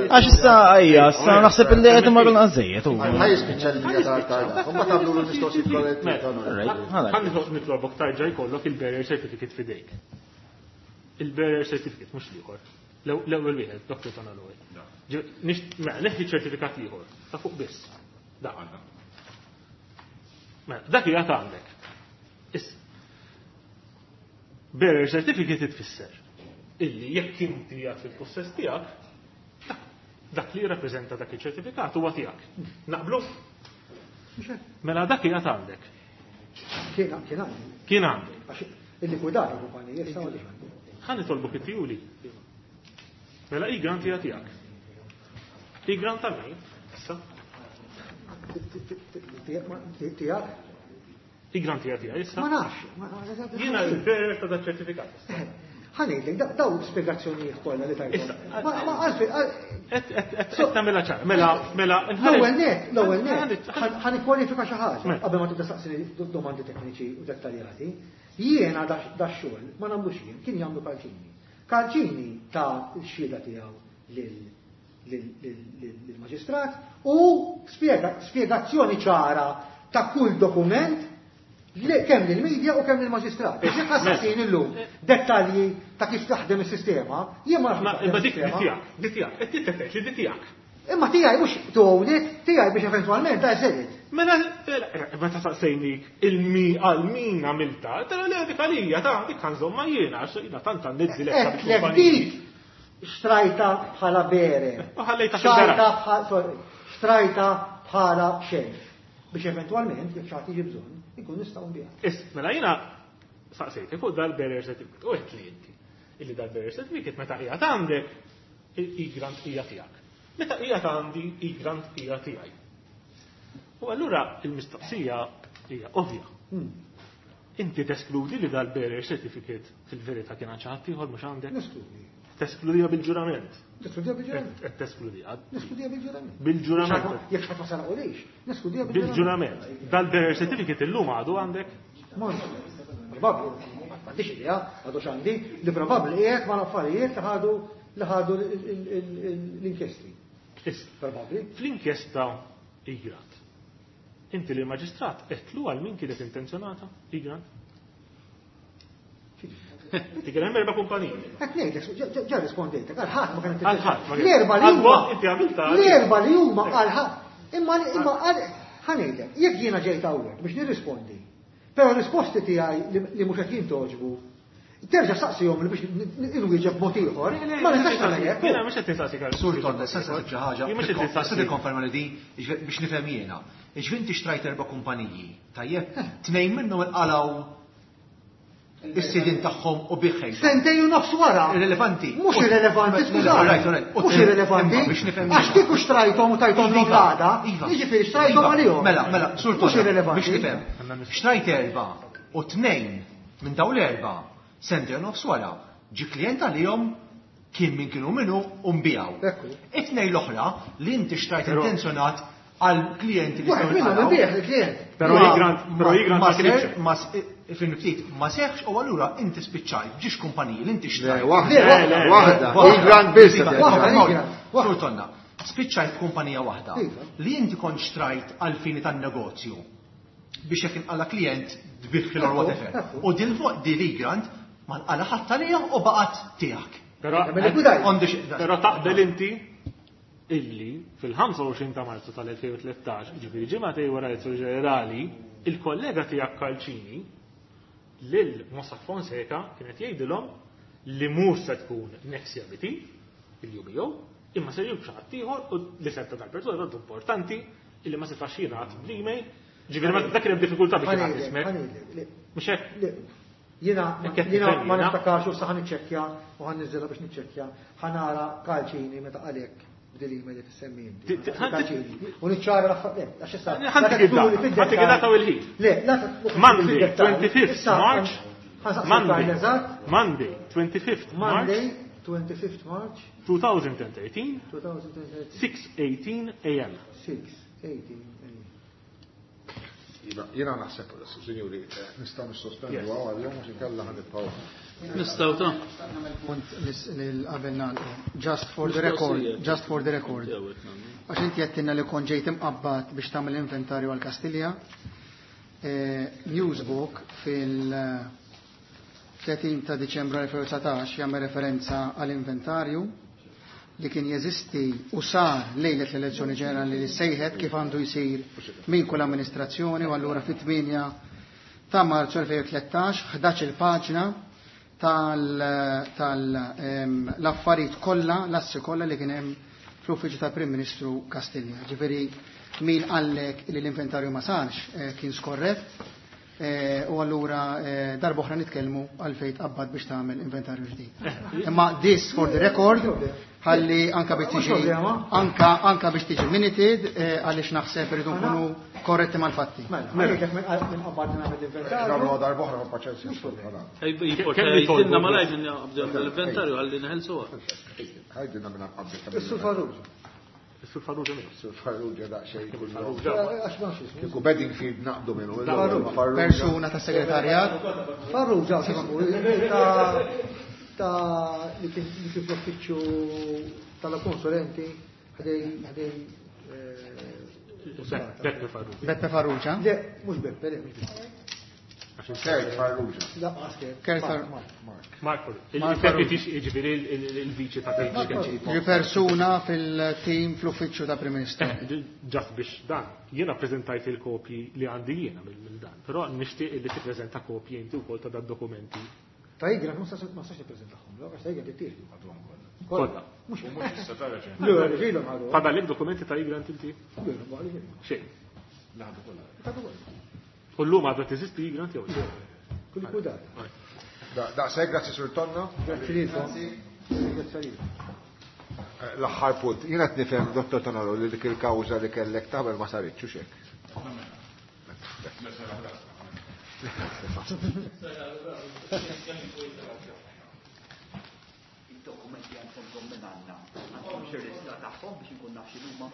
Għax issa ejja, issa naħseb li qed imorru nqażejjed hu. Ħa jispiċċa l-linja tal-tarda. U ma tagħmlu l-mistoqsijiet kollha. Ħa nitlobok tarġa' jkollok il-bearer certificate f'idejk. Il-bearer certificate mhux l-ieħor. L-ewwel wieħed, Doktor Tonna l-ewwel. Neħħi ċertifikat ieħor, ta' fuq biss. Dak. Mela, dak hija għandek. Issa. Bearer certificate tfisser illi jekk inti qiegħed fil-possess tiegħek, dak li jirrappreżenta dak iċ-ċertifikat huwa tiegħek. Naqblu? Mela dak qiegħed għandek. Kien għandek. Kien għandek. Għax il-likwidar il-kumpanija issa m'għandix. Ħa nitolbok it-tijuli. Mela Egrant hija tiegħek. Egrant ta' min? Issa. Tiegħek? Egrant hija tiegħek issa. Ma nafx. Jiena l-bearer ta' dak ċertifikat. Ħa ngħidlek, daw spjegazzjonijiet kollha li tajthom. Ma għalfejn. Qed tagħmilha ċara. Mela, mela, L-ewwel net, l-ewwel net, ħa nikkwalifika xi ħaġa qabel ma tibda saqsini domandi tekniċi u dettaljati. Jiena dax-xogħol ma nagħmlux jien, kien jagħmlu Karċini. Karċini ta' x-xhieda tiegħu lill-maġistrat u spjegazzjoni ċara ta' kull dokument kemm lill-medja u kemm lill-maġistrat. Jekk ħassaqsin illum dettalji ta' kif taħdem is-sistema, jien ma nafx. Imma dik tiegħek, dik tiegħek, qed titfettex li dik tiegħek. Imma tiegħi mhux to own it, tiegħi biex eventwalment ta' sell it. Mela, meta saqsejnik il-mi għal min għamilta, tara li dik għalija, ta' dik ħanżomma jiena, għax jiena tant għandni diletta biex dik xtrajta bħala bearer. U ħallejta fil-garaxx. Xtrajta xtrajta bħala shelf. Biex eventwalment, jekk xi ħadd jiġi bżonn, inkun nistgħu nbiha. Is, mela jiena saqsejtek fuq dal-bearer certificate, u għedt li inti. Illi dal-bearer certificate meta qiegħed għandek, il-Egrant hija tiegħek. Meta qiegħed għandi, Egrant hija tiegħi. U allura il-mistoqsija hija ovvja. Inti teskludi li dal-bearer certificate fil-verità kien għand xi ħadd ieħor mhux għandek? Neskludi. Teskludiha bil-ġurament. Neskludiha bil-ġurament. Qed teskludiha. Neskludiha bil-ġurament. Bil-ġurament. Jekk xi ħadd ma saraqulix, neskludiha bil-ġurament. Bil-ġurament. Dal-bearer certificate illum għadu għandek? Probabbli, m'għandix idea, għadu x'għandi, li probabbli qiegħed ma' l-affarijiet li ħadu li ħadu l-inkjesti. Probabbli. Fl-inkjesta Egrant. Inti li maġistrat għedtlu għal min kienet intenzjonata Egrant? Inti kien hemm erba' kumpaniji. Qed ngħidlek, ġa rispondejtek, għal ħadd ma kienet Għal ħadd ma kienet. L-erba' li huma. Inti għamilta. L-erba' li huma għal ħadd. Imma imma ħa ngħidlek, jekk jiena ġejt hawnhekk biex nirrispondi, però risposti tiegħi li mhux qed jintogħġbu, terġa' saqsihom li biex inwieġeb mod ieħor, ma nistax nagħmel hekk. Jiena mhux qed nistaqsik għal Sur Tonda, se nsaqsik xi ħaġa. Jien mhux qed nistaqsik. Se tikkonferma li di biex nifhem jiena. Jiġifieri inti xtrajt erba' kumpaniji, tajjeb? Tnejn minnhom inqalgħu is-sidin tagħhom u biħħejt. Sentejn u nofs wara. Irrelevanti. Mhux irrelevanti, skużani. Mhux irrelevanti. Biex nifhem. Għax kieku xtrajthom u tajthom Iva, l-għada, iva. jiġifieri xtrajthom Iva. għalihom. Mela, mela, Sur Mhux Tonda, irrelevanti. biex nifhem. Xtrajt erba' u tnejn minn dawn l-erba' sentejn u nofs wara ġi klient għalihom kien min kienu minnu u nbijaw. Ekku. It-tnejn l-oħra li inti xtrajt intenzjonat għal klijenti li Wieħed jistgħu minnhom jinqalgħu. inbigħ il-klient. Però Ma- Egrant, però Egrant ma ma kienx. ser- ma s- fin ftit ma seħx u allura inti spiċċajt ġiex kumpaniji li inti Le, xtrajt. waħda, Le, le, waħda, Egrant biss. Iva, Waħda, iva, Egrant, waħda. Sur Tonna, spiċċajt kumpanija waħda Iva. li inti kont xtrajt għal fini tan-negozju biex jekk inqala klient tbiħħil or whatever. Ekku. U dil dil Egrant ma nqala ħadd għalija u baqgħet tiegħek. Però Mela likwidajt. On the sh- Però taqbel inti illi fil-ħamsa u għoxrin ta' Marzu tal-elfejn u tlettax, ġifieri ġimgħatej wara l-elezzjoni ġenerali, il-kollega tiegħek Calcini lil Mossack Fonseca kienet jgħidilhom li mhux se tkun Nexia B T, il-U B O, imma se jkun xi ħadd ieħor u li setta tal-persuna tant importanti illi ma setax jingħad bl-email. Ġifieri ma dak kien hemm diffikultà biex jingħad Ħa ngħidlek, ismek. ħa ngħidlek, le, Mhux hekk? le, Jiena Hekk qed jiena nifhem ma jiena. niftakarx u sa ħa niċċekkja u ħa niżilha biex niċċekkja, ħa nara Calcini meta qalek b'dil email li tissemmi inti. Ti- ti- Calcini. U niċċara l-affarijiet, għax issa. Ħa ntik id-data, ħa ntik id-data u l-ħin. Le, la ta- Monday, fid-dettall. twenty-fifth Issa, March, ħa nsaqsi Monday, l-Karl eżatt. Monday, twenty-fifth March, Monday, twenty-fifth March, two thousand and thirteen, two thousand and thirteen. six eighteen A M. six eighteen A M. Iva, jiena naħseb, sinjuri, nistgħu nissospendu Yes. għal jum għax inkella ħa nibqgħu. Nistgħu ta' Punt lil qabel nagħlqu. Just for the record, just for the record. Għax inti għedtilna li kont ġejt imqabbad biex tagħmel inventarju għal Kastilja. Eh, Newsbook fil-tletin ta' Diċembru elfejn u dsatax jagħmel referenza għal inventarju li kien jeżisti u sar lejlet l-elezzjoni ġenerali li sejħet kif għandu jsir minn kull amministrazzjoni, u allura fit-tmienja ta' Marzu elfejn u tlettax, ħdax-il paġna tal-, tal, em, l-affarijiet kollha, l-assi kollha li kien hemm fl-uffiċċju tal-Prim Ministru Kastilja. Ġifieri min qallek li l-inventarju ma sarx, eh, kien skorrett, eh, u allura, eh, darb'oħra nitkellmu għalfejn tqabbad biex tagħmel inventarju ġdid. Imma this for the record, ħalli anka biex tiġi anka, anka biex tiġi minuted, eh, għaliex naħseb irridu nkunu korretti mal-fatti. Mela, għalhekk minn minn qabad nagħmel l-inventarju. Nagħmlu darb'oħra ma' paċenzja. Ej, Kemm jitolbu? Jittinna malajr nabdew l-inventarju ħalli neħelsuha. Ħajdilna minn qabel. Is-Sur Farrugia. Is-Sur Farrugia min? Is-Sur Farrugia daqsxejn kull Farrugia. Għax ma nafx ismu. Kieku Bedingfield naqdu minnu. Farrugia. Farrugia. Persuna ta' segretarjat. Farrugia, x'ismu, ta' ta' li kien li kien fl-uffiċċju tal-konsulenti ħdej ħdej, eh, Beppe Farrugia. Beppe Farrugia? Le, mhux Beppe, le, mhux Beppe. Kurt Farrugia. Kurt Mark Il-deputy, jiġifieri il-viċi ta' Ġi persuna fil-team fl-uffiċċju ta' Prim Ministru. Just biex dan, jiena prezentajt il-kopji li għandi jiena mill dan, però nixtieq li tippreżenta kopji inti wkoll ta' dan dokumenti. Ta' Egrant ma nistax nippreżentahom, għax ta' Egrant ittieħdu. Kollha. Mhux mhux issa tara ġen. Le, ġilhom ħadu. Fadallek dokumenti ta' Egrant inti? Xejn. Laħdu kollha. U llum għadha teżisti Egrant jew le? Kulli kudat. Daqshekk, grazzi Sur Tonna. Grazzi lilkom. Grazzi lilkom. L-aħħar punt, jiena qed nifhem Dottor Tonaro li dik il-kawża li kellek tagħmel ma saritx u xek. Id-dokumenti għandhom minn għandna. Għandhom xi lista tagħhom biex inkun naf x'inhuma.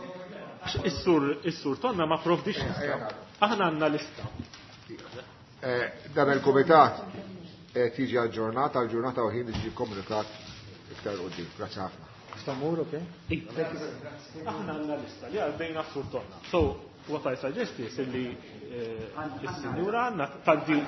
Is-sur is-sur Tonna ma provdix lista. Aħna għandna lista. Dan il-kumitat qed jiġi aġġornat għal ġurnata u ħin li jiġi komunikat iktar quddiem. Grazzi ħafna. Stamur, ok? Aħna għandna lista li għaddejna s-sur Tonna. So, what I suggest is li is-sinjura għandna tgħaddi